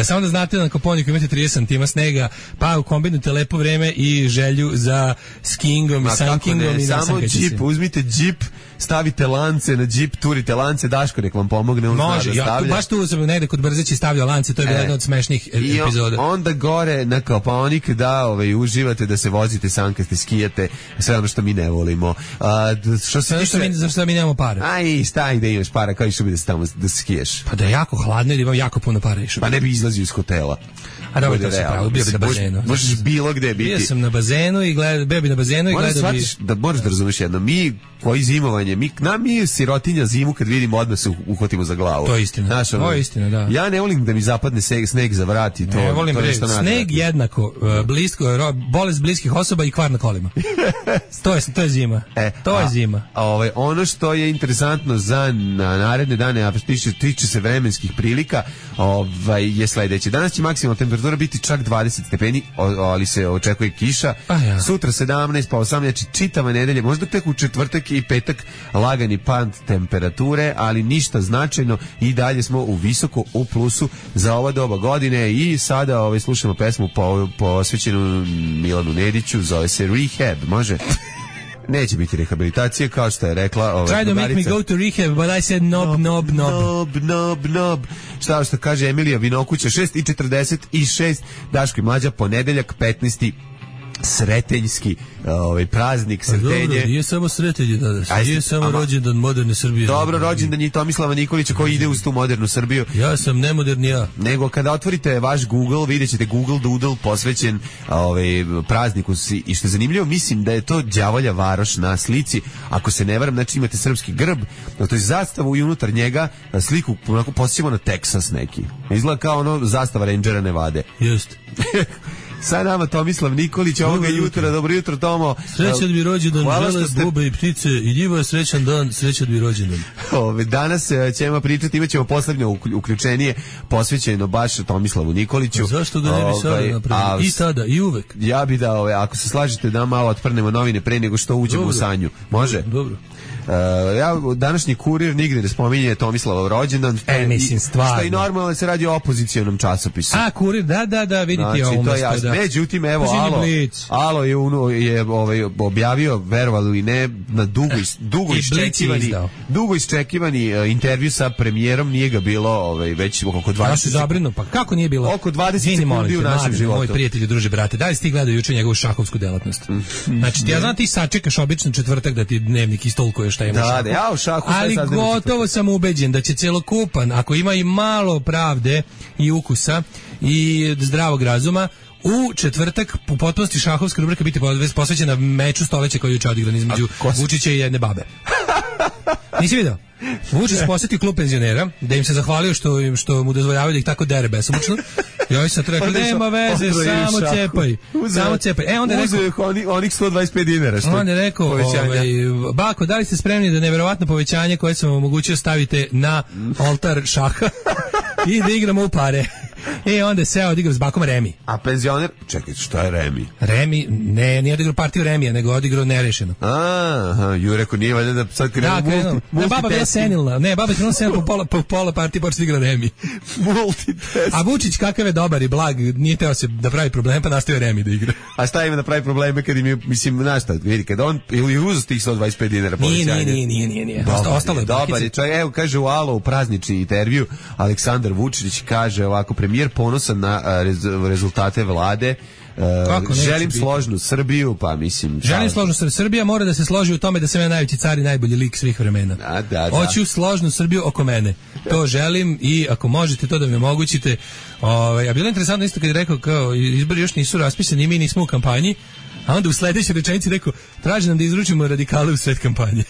Samo da znate da na Koponiku imate 30 cm snega, pa kombinujte lepo vreme i želju za skingom i sankingom. Samo džip, uzmite džip, stavite lance na džip, turite lance, Daško nek vam pomogne. Može, baš tu sam negde kod Brzeći stavljao lance, to je bila jedna od smešnih epizoda. I onda gore na Koponik da uživate da se vozite sankaste, skijate, sve ono što mi ne volimo. Zašto mi nemamo para? Aj, staj da imaš para, kao išao bi da se tamo da skiješ. Pa da je jako hladno i da imam jako puno para išao. Pa ne bi izlazio iz hotela. A dobro, to se pravo, bio bi na bazenu. Možeš bilo gde biti. Bio sam na bazenu i bio bi na bazenu i gledao bi... Moraš da razumeš jedno, mi koji zimovanje, mi sirotinja zimu kad vidimo odmah se uhvatimo za glavu. To je istina, to je istina, da. Ja ne volim da mi zapadne sneg za vrat i to. Ne volim sneg jednako, bolest bliskih osoba i kvar na kolima. To je zima. To je zima. Ono što je interesantno za naredne dane, a tiče se vremenskih prilika, je sledeće. Danas će maksimalna temperatura biti čak 20 stepeni, ali se očekuje kiša. Sutra 17, pa 18, znači čitava nedelja, možda tek u četvrtak i petak lagani pad temperature, ali ništa značajno i dalje smo u visoko u plusu za ova doba godine i sada slušamo pesmu posvećenu Milanu Nediću, zove se Rehab, može? Neće biti rehabilitacije, kao što je rekla Try to make me go to rehab, but I said nob. Što kaže Emilija Vinokuća, 6:46, Daško i Mlađa, ponedeljak, 15. sretenjski praznik, Sretenje. Dobro, nije samo Sretenje danas, nije samo rođendan moderne Srbije. Dobro, rođendan je Tomislava Nikolića koji ide uz tu modernu Srbiju. Ja sam nemoderni ja. Nego kada otvorite vaš Google, vidjet ćete Google Doodle posvećen prazniku. I što je zanimljivo, mislim da je to đavolja varoš na slici. Ako se ne varam, znači imate srpski grb, to je zastavu i unutar njega sliku onako posjećamo na Teksas neki. Izgleda kao ono zastava Rangera Nevade. Jeste. Sa nama Tomislav Nikolić ovoga jutra. Dobro jutro, Tomo. Srećan mi rođendan, žele, bube i ptice i njivo je srećan dan, srećan mi rođendan. Danas ćemo pričati, imat ćemo poslednje uključenije posvećeno baš Tomislavu Nikoliću. A zašto ga ne bi sada napravili? I sada, i uvek. Ja bi da, ako se slažete, da malo otprnemo novine pre nego što uđemo u sanju. Može? Dobro. Današnji Kurir nigde ne spominje Tomislavov rođendan. Mislim, stvarno. Što i normalno se radi o opozicionom časopisu. A, Kurir, da, vidite znači, ovo. To je jasno. Međutim, evo, Alo je objavio, verovali ili ne, na dugo iščekivani intervju sa premijerom, nije ga bilo već oko 20. Ja se zabrinu, pa kako nije bilo? Oko 20 sekundi u našem životu. Moj prijatelj, druže, brate, da li si ti gledao juče njegovu šahovsku delatnost? Znači, ja znam ti sačekaš obično četvrtak da ti dnevnik istolkuje šta ima šahu. Ja u šahu, ali gotovo sam ubeđen da će celokupan, ako ima i malo pravde i ukusa i zdravog razuma, u četvrtak u potpunosti šahovska rubrika biti posvećena meču stoleća koji je juče odigran između Vučića i jedne babe. Nisi vidio? Vučić posjetio klub penzionera, da im se zahvalio što mu dozvoljavaju da ih tako dere besomučno. I ovaj sad rekao, nema veze, samo cepaj. Onda je rekao, onih 125 dinara. Onda je rekao, bako, da li ste spremni da neverovatno povećanje koje sam vam omogućio stavite na oltar šaha i da igramo u pare. Onda je seo odigrao s bakom Remi. A penzioner? Čekaj, što je Remi? Remi, nije odigrao partiju Remija, nego odigrao nerešeno. Ju rekao, nije valjda da sad krenuo baba bila senilna. Ne, baba je krenuo senilna po pola partije, početi igra Remi. Multitest. A Vučić kakav je dobar i blag, nije teo se da pravi problem, pa nastavio Remi da igra. A šta ima da pravi probleme kad im je, mislim, znaš šta, vidi, kad on ili uzeo tih 125 dinara povećanja? Nije. Ostalo je dobar je čovjek. Evo, kaže u Alo, u praznični intervju, Aleksandar Vučić kaže ovako, premijer ponosan na rezultate vlade. Želim složnu Srbiju, pa mislim... Želim složnu Srbiju. Srbija mora da se složi u tome da sam ja najveći car i najbolji lik svih vremena. Hoću složnu Srbiju oko mene. To želim i ako možete to da mi omogućite. A bilo je interesantno isto kad je rekao kao izbori još nisu raspisani, mi nismo u kampanji, a onda u sledećoj rečenici rekao traži nam da izručimo radikale u sred kampanje.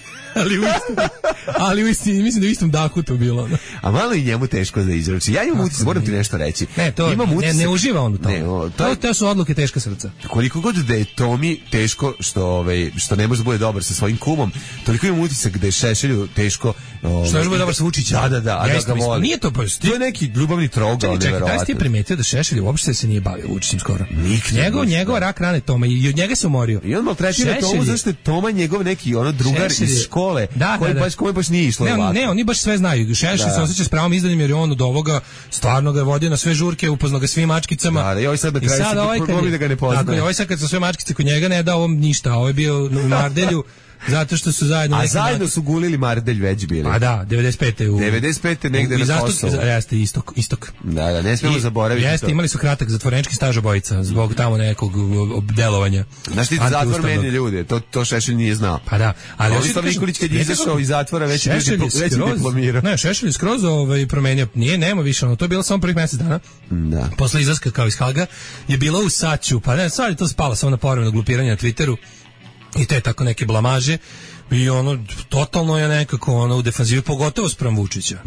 ali u istini, mislim da u istom dahu to bilo. No. A malo i njemu teško da izruči. Ja imam utisak, moram ti nešto reći. Ne uživa on u tome. To su odluke teška srca. Koliko god da je Tomi teško što ne može da bude dobar sa svojim kumom, toliko imam utisak da je Šešelju teško što ne može da bude dobar sa Vučićem. Da, a da ga voli. Nije to baš. To je neki ljubavni trogao, neverovatno. Čekaj, da si ti primetio da Šešelj uopšte se nije bavio Vučićem skoro. Njegova rak rane Toma i od njega se umorio. I on maltretira Tomu zašto je Toma njegov neki drugar iz škole koji baš nije išlo ovako. Ne, oni baš sve znaju. Šešelj se osjeća s pravom izdanim jer je on od ovoga stvarno ga vodio na sve žurke, upoznao ga svim mačkicama. I ovaj sad na kraju se da ga ne poznaje. Tako, ovaj sad kad su sve mačkice kod njega ne dao ovom ništa, a ovaj bio u Mardelju. Zato što su zajedno... A zajedno su gulili Mardelj već bili. A da, 95. negde na Kosovu. Jeste, istok. Da, ne smijemo zaboraviti to. Jeste, imali su kratak zatvorenički staž obojica, zbog tamo nekog delovanja. Znaš ti, zatvor meni ljude, to Šešelj nije znao. Pa da. Ali Tomislav Nikolić kad je izašao iz zatvora već je diplomirao. Ne, Šešelj je skroz promenio, nema više, to je bilo samo prvih mjesec dana. Da. Posle izlaska kao iz Haga je bilo u Saću, pa ne, sad je to spalo samo na povremeno glupiranje na Twitteru. I te tako neke blamaže i totalno je nekako u defanzivi, pogotovo spram Vučića.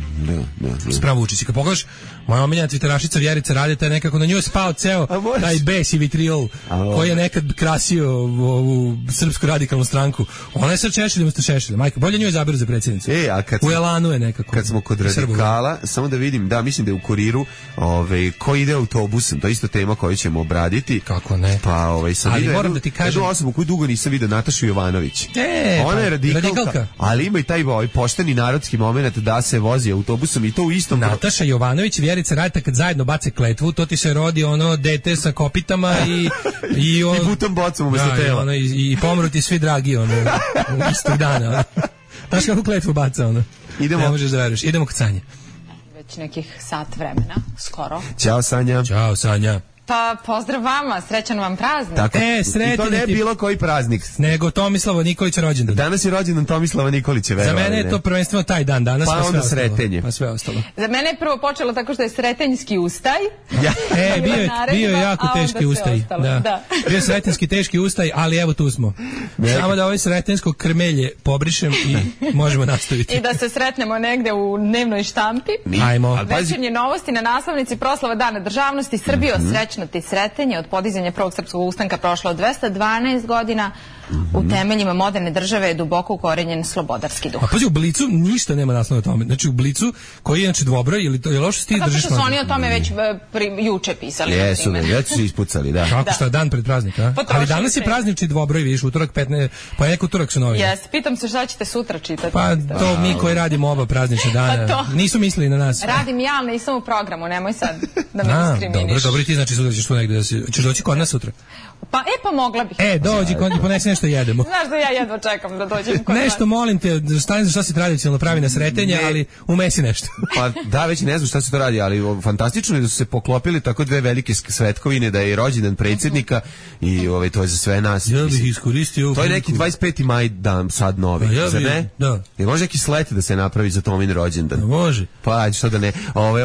Spram Vučića. Kad pogledaš, moja omiljena twitterašica Vjerica Radeta je nekako na njoj spao ceo taj bes i vitriol koji je nekad krasio ovu srpsku radikalnu stranku. Ona je sad Šešelj umesto Šešelja. Majka, bolje njoj izaberu za predsjednicu. U Elanu je nekako. Kad smo kod radikala, samo da vidim, mislim da je u Kuriru ko ide autobusom, to je isto tema koju ćemo obraditi. Kako ne? Pa sam ali moram da ti kažem, jednu osobu koju dugo nisam vidio, Natašu Jovanović. Ona je radikalka, ali ima i taj pošteni narodski moment da se vozi autobusom i to u istom... Nataša Jovanović, Vjerica Radeta kad zajedno bace kletvu, to ti se rodi dete sa kopitama i butom bocom umesto tela. I pomru ti svi dragi istog dana. Znaš kako kletvu baca Idemo. Ne možeš da veruješ. Idemo kod Sanje. Već nekih sat vremena, skoro. Ćao Sanja. Ćao Sanja. Pa pozdrav vama, srećan vam praznik. Tako, sretan i to ne ti- bilo koji praznik. Nego Tomislava Nikolića rođendan. Danas je rođendan Tomislava Nikolića, Za verovali, mene je ne? to prvenstveno taj dan danas, Pa sve onda ostalo. Sretenje. Pa sve ostalo. Za mene je prvo počelo tako što je Sretenjski ustaj. Ja. Bio je jako a onda teški sve ustaj. ostalo, Da. da. Bio je sretenski teški ustaj, ali evo tu smo. Samo da ovaj sretensko krmelje pobrišem i možemo nastaviti. I da se sretnemo negde u dnevnoj štampi. Ajmo. Ali pazi, Večernje novosti na naslovnici proslava Dana državnosti. Srbijo, srećno ti sretenje. Od podizanja prvog srpskog ustanka prošlo 212 godina. U temeljima moderne države je duboko ukorenjen slobodarski duh. A pazi, u Blicu ništa nema naslova o tome. Znači u Blicu, koji je inače dvobroj, ili to je loše ti Zato držiš što su mlađe? oni o tome već juče pisali. Jesu, na primjer. već su ispucali, da. Kako šta, dan pred praznik, a? Potrošili Ali danas je ste. praznični dvobroj, vidiš, utorak 15, pa neko utorak su novi. Jes, pitam se šta ćete sutra čitati. Pa to mi koji radimo oba praznične dana, Pa to. nisu mislili na nas. Radim ja, ali nisam u programu, nemoj sad da me A, diskriminiš. dobro, ti znači sutra ćeš tu negde da si, ćeš doći kod nas sutra. Pa mogla bih. Dođi kod i ponesi nešto jedemo. Znaš da ja jedva čekam da dođem kod Nešto molim te, stani za šta se tradicionalno pravi na Sretenje, Ne. ali umesi nešto. Pa da, već ne znam šta se to radi, ali fantastično je da su se poklopili tako dve velike svetkovine, da je rođendan predsjednika i to je za sve nas. Ja bih Mislim, iskoristio... to je neki 25. maj dan sad novi, Pa ja zar bih, ne? da. Je može neki slet da se napravi za Tomin rođendan? Može. Pa ajde, što da ne.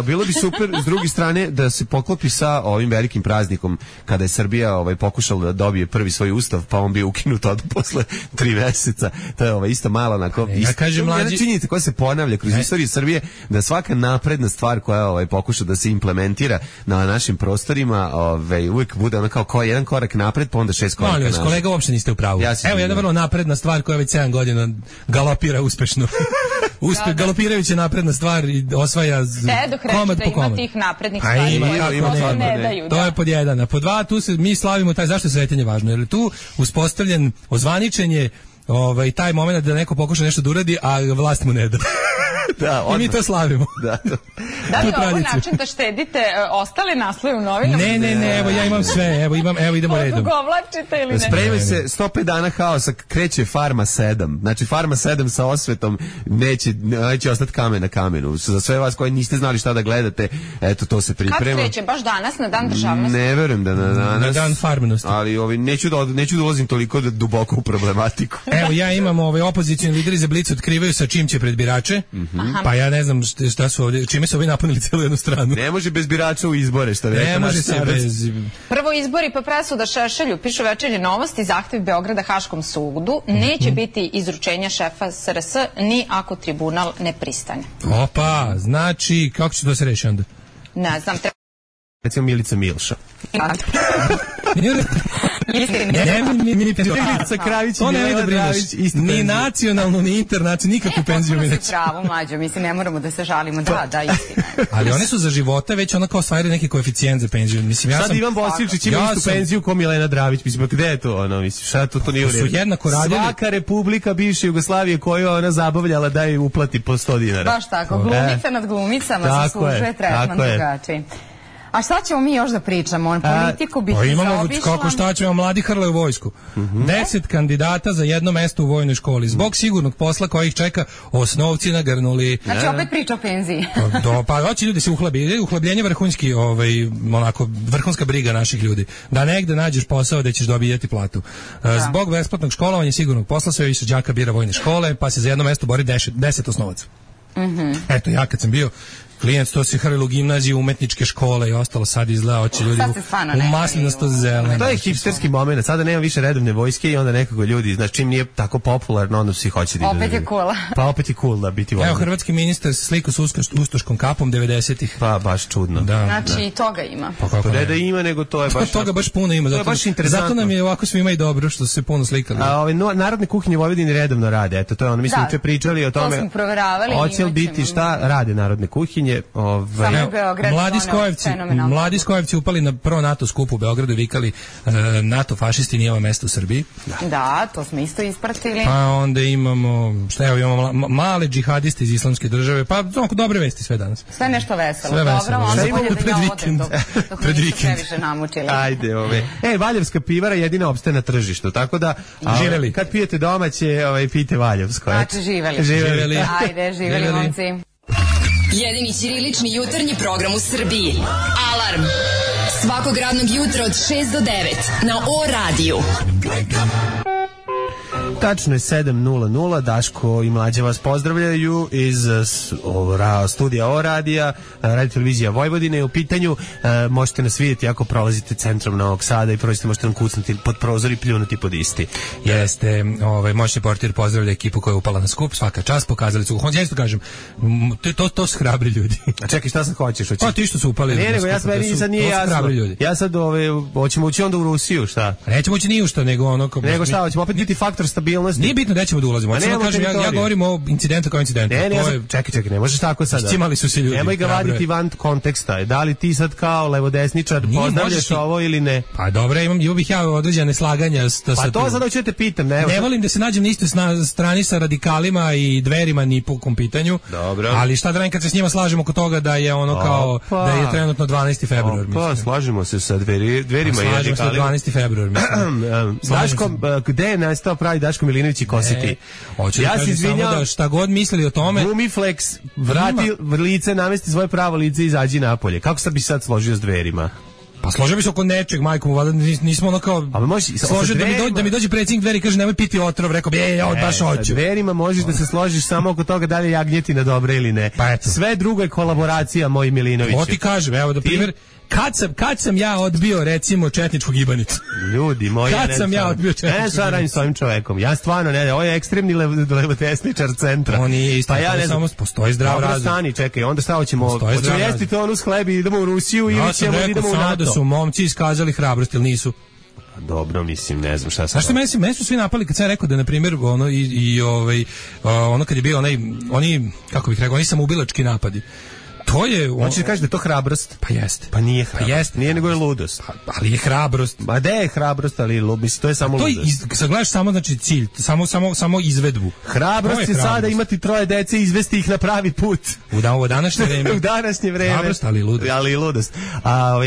Bilo bi super s druge strane da se poklopi sa ovim velikim praznikom kada je Srbija pokušala da dobije prvi svoj ustav, pa on bio ukinut od posle 3 meseca. To je isto malo onako. Ja kažem mlađi- Jedna činjenica koja se ponavlja kroz istoriju Srbije, da svaka napredna stvar koja pokuša da se implementira na našim prostorima, uvijek bude ono kao jedan korak napred, pa onda 6 koraka Molim vas, nazad. kolega, uopšte niste u pravu. Ja se Evo jedna izvinjavam. vrlo napredna stvar koja već 7 godina galopira uspešno. Galopirajuća napredna stvar i osvaja Dok komad reći po da ima komad. tih naprednih Pa stvari ima, koje kako prosto nema. ne daju. To da. je pod jedan. A pod dva, tu se mi slavimo taj, zašto je Sretenje važno? Jer je tu uspostavljen ozvaničenje taj moment da neko pokuša nešto da uradi, a vlast mu ne da. Da, I mi to slavimo. Da. Da li je tu ovo tradiciju. način da štedite ostale naslove u novinama? Ne, evo ja imam sve, evo idemo redom. Odugovlačite ili ne? Spremaj se, 105 dana haosa, kreće Farma 7. Znači Farma 7 sa osvetom neće ostati kamen na kamenu. Za sve vas koji niste znali šta da gledate, eto to se Kad priprema. kreće? Baš danas, na dan državnosti? Ne verujem da na danas. Na dan farmenosti. Ali neću da ulazim toliko duboko u problematiku. Evo ja imam opozicioni lideri za Blic otkrivaju sa čim će pred birače. Pa ja ne znam šta su ovdje, čime su ovi napunili cijelu jednu stranu. Ne može bez birača u izbore, što bi rekao Ne može naš se starac. bez... Prvo izbori pa presuda Šešelju, pišu Večernje novosti, zahtev Beograda Haškom sudu, neće biti izručenja šefa SRS ni ako tribunal ne pristane. Opa, znači, kako će to se reši onda? Ne znam, Recimo Milica Milša. Milica Kravić i To ne Milena da brineš. Dravić, isto Ni penziju. nacionalnu, ni internacionalnu, nikakvu penziju mi potpuno neće. si pravo, mlađo, mislim, ne moramo da se žalimo, da, istina. Ali oni su za života već ono kao osvajali neki koeficijent za penziju. Mislim, ja Sad sam... Ivan Bosiličić ima Ja istu sam- penziju ko Milena Dravić. Mislim, pa gde je to ono? Mislim, šta to nije u Su redu. jednako radili. Svaka republika bivše Jugoslavije koju ona zabavljala da je uplati po 100 dinara. Baš tako, glumica nad glumicama Tako zaslužuje je, tretman tako je. drugačiji. A šta ćemo mi još da pričamo? Politiku bih Pa imamo, zaobišla. kako šta ćemo, mladi hrle u vojsku. 10 kandidata za jedno mesto u vojnoj školi. Zbog sigurnog posla koji ih čeka, osnovci nagrnuli. Znači, opet priča o penziji. Pa hoće ljudi se uhlabljenje vrhunski, onako, vrhunska briga naših ljudi. Da negde nađeš posao da ćeš dobijati platu. Zbog besplatnog školovanja i sigurnog posla sve više đaka bira vojne škole, pa se za jedno mesto bori 10 osnovaca. Eto, ja kad sam bio klijent, to se hrlilo u gimnaziju, umetničke škole i ostalo, sad izgleda, hoće ljudi Sad se stvarno u ne maslinasto zelene. To je hipsterski moment. Sada nema više redovne vojske i onda nekako ljudi, znači čim nije tako popularno, onda svi hoće da idu. Opet je cool. Pa opet je cool da biti vojnik. Evo, hrvatski ministar se slikao s ustoškom kapom 90-ih. Pa baš čudno. Da. Znači, i toga ima. Pa kako To ne ne? da ima, nego to je baš... Toga baš puno ima. To je Zato, baš interesantno. zato nam je ovako svima i dobro što su se puno slikali. A ove narodne kuhinje u Vojvodini redovno rade. Eto, to je ono, mi smo Da, juče pričali o to tome. smo proveravali, Hoće li imat biti ćemo. šta rade narodne kuhinje? Samo Evo, Beograd mladi doneo Skojevci, fenomenalno. mladi Skojevci upali na prvo NATO skupu u Beogradu i vikali NATO fašisti nije ovo mesto u Srbiji. Da, to smo isto ispratili. Pa onda imamo, imamo male džihadiste iz islamske države, pa dobre vesti sve danas. Sve nešto veselo. Sve Dobro, veselo. onda Šta bolje imamo da pred ja odem vikend? dok Pred me nisu vikend. previše namučili. Ajde, Valjevska pivara jedina opstaje na tržištu, tako da Živeli. kad pijete domaće, pijte Valjevsko. Znači, živeli. Živeli. Ajde, živeli, momci. Jedini ćirilični jutarnji program u Srbiji. Alarm Svakog radnog jutra od 6 do 9 na O-radiju. Tačno je 7:00, Daško i Mlađa vas pozdravljaju iz studija O-radija, Radio televizija Vojvodine je u pitanju. Možete nas vidjeti ako prolazite centrom Novog Sada i prođete, možete nam kucnuti pod prozor i pljunuti pod isti. Jeste, moćni portir pozdravlja ekipu koja je upala na skup, svaka čast, pokazali su. Ja isto kažem, to su hrabri ljudi. A čekaj, šta sad hoćeš? Pa ti što su upali. Ne, nego ja sad nije jasno. Ja sad hoćemo ući onda u Rusiju, šta? Nećemo ući ni u šta, nego ono... Nego šta, hoćemo opet biti faktor stabilnosti. Nije bitno da ćemo da ulazimo. Ja govorim o incidentu kao incidentu. Čekaj, ne možeš tako sada. Iscimali su se ljudi. Nemoj ga vaditi van konteksta. Da li ti sad kao levodesničar pozdravljaš ovo ili ne? Pa dobro, imao bih ja određene neslaganja. Pa to sad hoću da te pitam. Ne volim da se nađem na istoj strani sa radikalima i dverima ni po kom pitanju. Dobro. Ali šta da radim kad se s njima slažemo oko toga da je ono kao da je trenutno 12. februar. Pa slažemo se sa dverima i radikalima. Slažemo se 12. februar, mislim. Daško, gde je nastao pravi Daško Milinović i Kositi? Ja se izvinjam da šta god mislili o tome. Gumiflex, vrati lice, namesti svoje pravo lice i izađi napolje. Kako sad bi sad složio s dverima? Pa složio bi se oko nečeg, majko, valjda nismo ono kao... A može složio da mi dođe predsjednik Dveri i kaže nemoj piti otrov, rekao bi ja baš hoću. Sa Dverima možeš da se složiš samo oko toga da li je jagnjetina dobra ili ne. Pa eto. Sve drugo je kolaboracija, moj Milinović. To ti kažem, evo da primjer... Kad sam ja odbio recimo četničku gibanicu? Ljudi moji, kad sam ja odbio četničku gibanicu? Ne, sad radim s ovim čovekom. Ja stvarno ne, ovo je ekstremni levodesničar centra. On nije isto, pa ja ne samo postoji zdrav razum. Stani, čekaj, onda šta hoćemo jesti to onu s hlebi i idemo u Rusiju ili ćemo da idemo u NATO? Ja sam rekao samo da su momci iskazali hrabrost, ili nisu? Dobro, mislim, ne znam šta sam. Znaš što meni su svi napali kad sam rekao da na primjer ono ono kad je bio oni kako bih rekao, oni samoubilački napadi. To je... Hoćeš da kažeš da je to hrabrost? Pa jeste. Pa nije hrabrost. Pa jeste. Nije, nego je ludost. Ali je hrabrost. Ma da je hrabrost, ali ludost, to je samo ludost. Sad gledaš samo, znači, cilj, samo izvedbu. Hrabrost je sada imati 3 dece i izvesti ih na pravi put. U današnje vreme. U današnje vreme. Hrabrost, ali i ludost. Ali i ludost.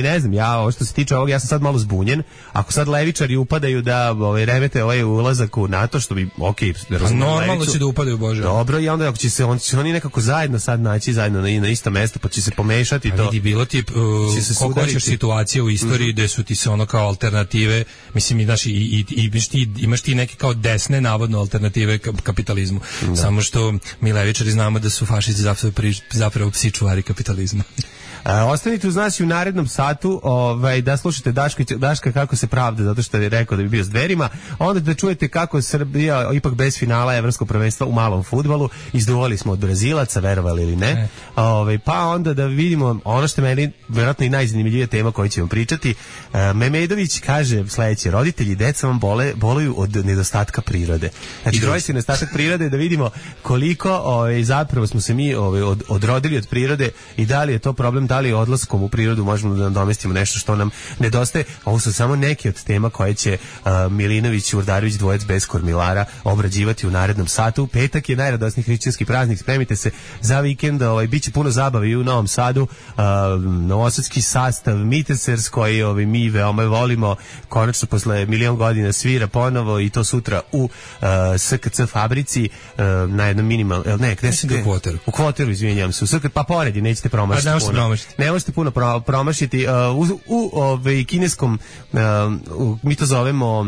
Ne znam, ovo što se tiče ovog, ja sam sad malo zbunjen. Ako sad levičari upadaju da remete ovaj ulazak u NATO, što bi, okej, normalno će da upadaju, Bože. Dobro, i onda ako će se oni nekako zajedno sad naći zajedno na isto mesto, pa će se pomešati to. Vidi, bilo ti koliko hoćeš situacije u istoriji gde su ti se ono kao alternative, mislim, imaš ti neke kao desne navodno alternative kapitalizmu. Da. Samo što mi levičari znamo da su fašisti zapravo psi čuvari kapitalizma. Ostanite uz nas i u narednom satu da slušate Daška kako se pravda, zato što je rekao da bi bio s Dverima, onda da čujete kako je Srbija ipak bez finala evropskog prvenstva u malom fudbalu, izduvali smo od Brazilaca, verovali ili ne, pa onda da vidimo ono što je meni vjerojatno i najzanimljivija tema koju ćemo pričati. Memedović kaže sledeće: roditelji deca vam boluju od nedostatka prirode. Znači roditelji nedostatak prirode, da vidimo koliko zapravo smo se mi odrodili od prirode i da li je to problem, da li odlaskom u prirodu možemo da nadomestimo nešto što nam nedostaje. Ovo su samo neke od tema koje će Milinović i Urdarević, dvojec bez kormilara, obrađivati u narednom satu. Petak je najradosniji hrišćanski praznik, spremite se za vikend, biće puno zabave i u Novom Sadu. Novosadski sastav Mitesers koji mi veoma volimo, konačno posle milion godina svira ponovo i to sutra u SKC fabrici na jednom minimal, u Kvoteru, izvinjavam se, pa poredi, nećete promašiti puno. Ne možete puno promašiti. U kineskom, mi to zovemo,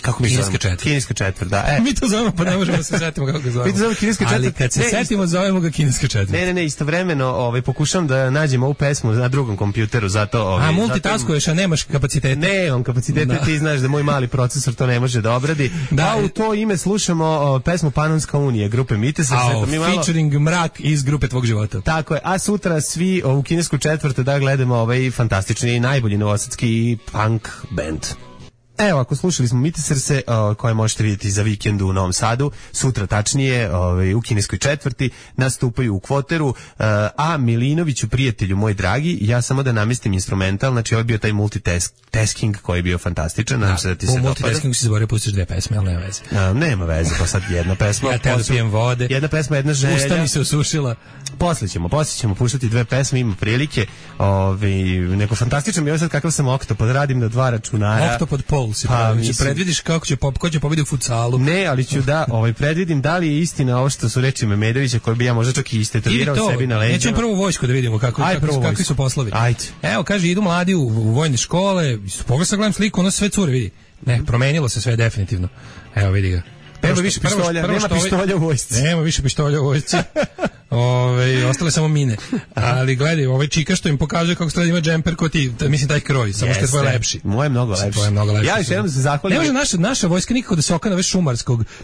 kako mi zovemo? Kineska četvrt, da. Mi to zovemo, pa ne možemo da se setimo kako ga zovemo. Mi to zovemo kineska četvrt. Ali kad se setimo, zovemo ga kineska četvrt. Ne, istovremeno pokušam da nađem ovu pesmu na drugom kompjuteru, zato... multitaskuješ, a nemaš kapacitete. Nemam kapacitete, ti znaš da moj mali procesor to ne može da obradi. Da, u to ime slušamo pesmu Panonska unija, grupe Mitesers. Featuring Mrak iz grupe Tvog života. Tako je, a sutra svi u kinesku četvrtu da gledamo fantastični i najbolji novosadski punk band. Evo, ako slušali smo Miteserse, koje možete vidjeti za vikend u Novom Sadu, sutra tačnije u kineskoj četvrti, nastupaju u Kvoteru, a Milinoviću, prijatelju moj dragi, ja samo da namestim instrumental, znači ovo je bio taj multitasking koji je bio fantastičan, nadam se da ti se dopada. U multitaskingu si zaboravio pustiš 2 pesme, ali nema veze. Nema veze, pa sad jedna pesma. Ja te da pijem vode. Jedna pesma, jedna želja. Usta mi se osušila. Poslije ćemo puštati 2 pesme, ima prilike. Neko fantastičan, ja sad kakav sam oktopod, radim na 2 računara. Oktopod Pol. futbol si predvidiš kako će ko će pobediti u futsalu. Ne, ali ću da predvidim da li je istina ovo što su reči Memedovića, koji bi ja možda čak i istetovirao sebi na leđima. Nećemo prvo vojsku da vidimo kakvi su poslovi. Ajde. Evo, kaže, idu mladi u vojne škole, pogledaj sad gledam sliku, ono sve cure, vidi. Ne, promenilo se sve definitivno. Evo, vidi ga. Nema više pištolja, nema pištolja u vojsci. Nema više pištolja u vojsci. Ostale samo mine. Ali gledaj, ovaj čika što im pokazuje kako se ima džemper ko ti, mislim taj kroj, samo što je tvoj lepši. Moj je mnogo lepši. Ja još jednom se zahvalim. Ne može naša vojska nikako da se okana već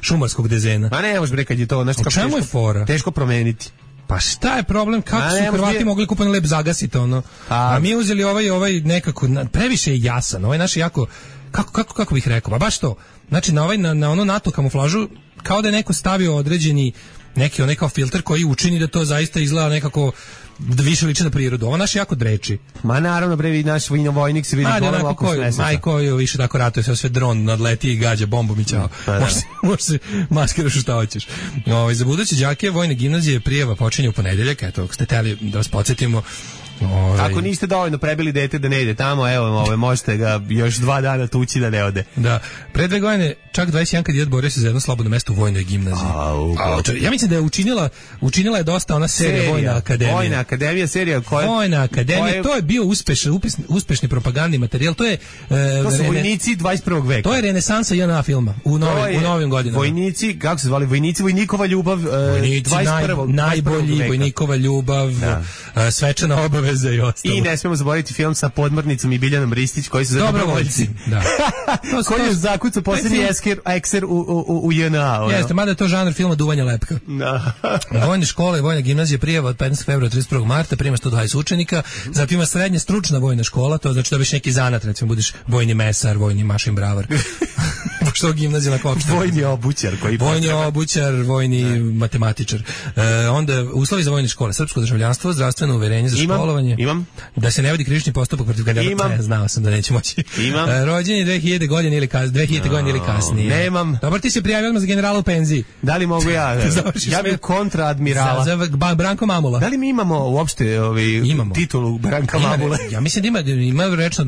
šumarskog dezena. Ma ne može bre kad je to nešto čemu je fora? Teško promeniti. Pa šta je problem, kako su Hrvati mogli kupani lep zagasiti ono? A mi uzeli ovaj nekako, previše je jasan, ovaj naš jako, kako bih rekao, pa baš to, znači na ono NATO kamuflažu, kao da je neko stavio određeni neki onaj kao filter koji učini da to zaista izgleda nekako da više liči na prirodu. Ovo naš jako dreči. Ma naravno bre, naš vojnik se vidi ponovno oko svesa. Majko je više tako ratuje, sve dron nadleti i gađa bombom i ćao. Može se maskiraš šta hoćeš. Za buduće đake vojne gimnazije prijava počinje u ponedeljak, eto, ako ste hteli da vas podsjetimo. Ako niste dovoljno prebili dete da ne ide tamo, evo, možete ga još 2 dana tući da ne ode. Da. Pre 2 godine čak 21 kandidat borio se za jedno slobodno mesto u vojnoj gimnaziji. Ja mislim da je učinila je dosta ona serija Vojna akademija. Vojna akademija serija koja... Vojna akademija, to je bio uspešni propagandni materijal, to su vojnici 21. veka. To je renesansa JNA filma u novim godinama. Vojnici, kako se zvali? Vojnikova ljubav, 21. Najbolji, Vojnikova ljubav, svečana obaveza i ostalo. I ne smemo zaboraviti film sa Podmornicom i Biljanom Ristić, koji su za dobrovoljci. Da. Koji je zakucao posljednji ekser u JNA. Jeste, mada je to žanr filma Duvanja lepka. Vojne škole, vojna gimnazija prijava od 15. februara 31. marta, prima 120 učenika, zatim ima srednja stručna vojna škola, to znači da biš neki zanat, recimo budeš vojni mesar, vojni mašin bravar. Što gimnazija na kopštu. Vojni obućar koji vojni obućar, vojni matematičar. Onda uslovi za vojne škole, srpsko državljanstvo, zdravstveno uverenje za školovanje. Imam. Da se ne vodi krivični postupak protiv kandidata. Znao sam da neće moći. Imam. Rođenje 2000 godine ili kasnije. Nemam. Dobar, ti se prijavio odmah za generala u penziji. Da li mogu ja? Ja bih kontraadmirala. Za Branko Mamula. Da li mi imamo uopšte titulu Branka Mamula? Ja mislim da ima rečna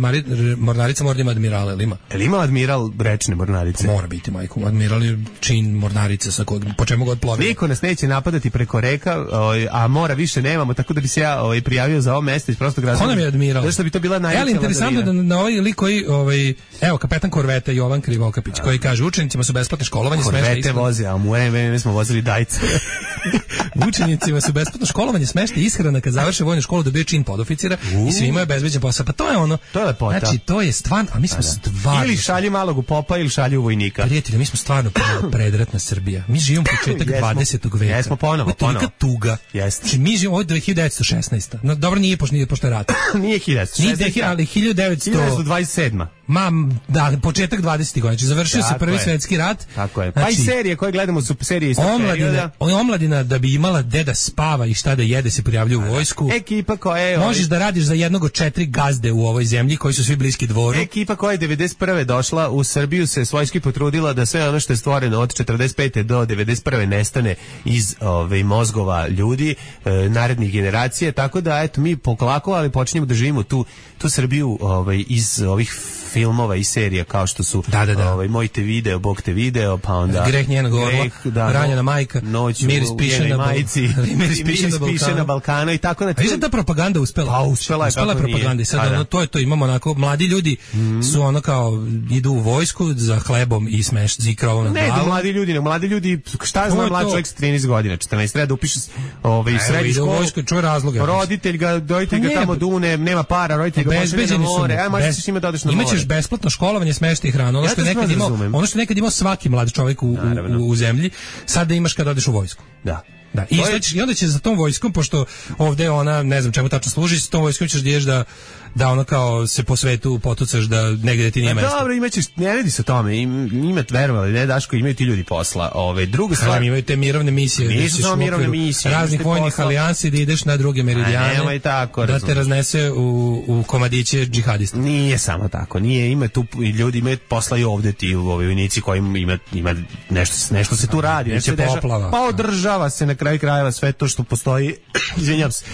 mornarica, mora da ima admirala, ili ima? Ili ima admiral rečne mornarice? Mora biti, majko. Admiral je čin mornarice po čemu god plovi. Niko nas neće napadati preko reka, a mora više nemamo, tako da bi se ja prijavio za ovo mesto iz prostog razloga. Ko nam je admiral? Zašto bi to bila najveća vladarina? Interesantno da na ovaj lik koji, evo, kapetan korveta Jovan Krivokapić, koji kaže, učenicima su besplatno školovanje, smešta ishrana. Korvete voze, a u vreme smo vozili dajce. Učenicima su besplatno školovanje, smešta ishrana, kad završe vojnu školu dobije čin podoficira i svi imaju bezbeđen posao. Pa to je ono. To je lepota. Znači, to je stvarno, a mi smo stvarno. Ili šalju malog u popa ili šalju vojnika. Prijatelji, mi smo stvarno predratna Srbija. Mi živimo početak 20. veka. Jesmo ponovo. Tolika tuga. Jeste. Mi živimo od 1916. No, dobro, nije pošto je rat. Nije 1916. Ali 1927. Da, početak 20. godina. Znači, završio se Prvi svjetski rat. Tako je. Pa i serije koje gledamo su serije iz tog perioda. Omladina da bi imala gde da spava i šta da jede se prijavljuje u vojsku. Ekipa koja je... Možeš da radiš za jednog od 4 gazde u ovoj zemlji koji su svi bliski dvoru. Ekipa koja je 91. došla u Srbiju se svojski potrudila da sve ono što je stvoreno od 45. do 91. nestane iz mozgova ljudi, narednih generacija, tako da eto mi polako, ali počinjemo da živimo tu Srbiju iz ovih filmova i serija kao što su Moj te video, Bog te video, pa onda Greh njenog orla, Ranjena majka, Miris piše na Balkanu i tako. A je ta propaganda uspela? Pa uspela je propaganda. I sad to imamo onako, mladi ljudi su ono kao idu u vojsku za hlebom i za krovom nad glavom. Ne, mladi ljudi, šta zna mlad čovjek sa 13 godina, 14, treba da upiše srednju školu, roditelj ga tamo dune, nema para, roditelj ga pošalje na more, možeš s njima da odeš na more. Imaćeš besplatno školovanje, smešta i hranu. Ono što je nekad imao svaki mlad čovjek u zemlji, sad da imaš kada odeš u vojsku. Da. I onda će za tom vojskom, pošto ovde ona, ne znam čemu tačno služi, s tom vojskom ćeš da ideš da ono kao se po svetu potucaš da negde ti nije mesto. Dobro, imaćeš, ne radi se o tome, imate verovali, ne Daško, imaju ti ljudi posla. Druga stvar, imaju te mirovne misije. Nisu samo mirovne misije. Raznih vojnih alijansi da ideš na druge meridijane, da te raznese u komadiće džihadista. Nije samo tako, ima tu ljudi, imaju posla i ovde ti vojnici koji ima nešto se tu radi. Poplava. Pa održava se na kraju krajeva sve to što postoji, izvinjam se.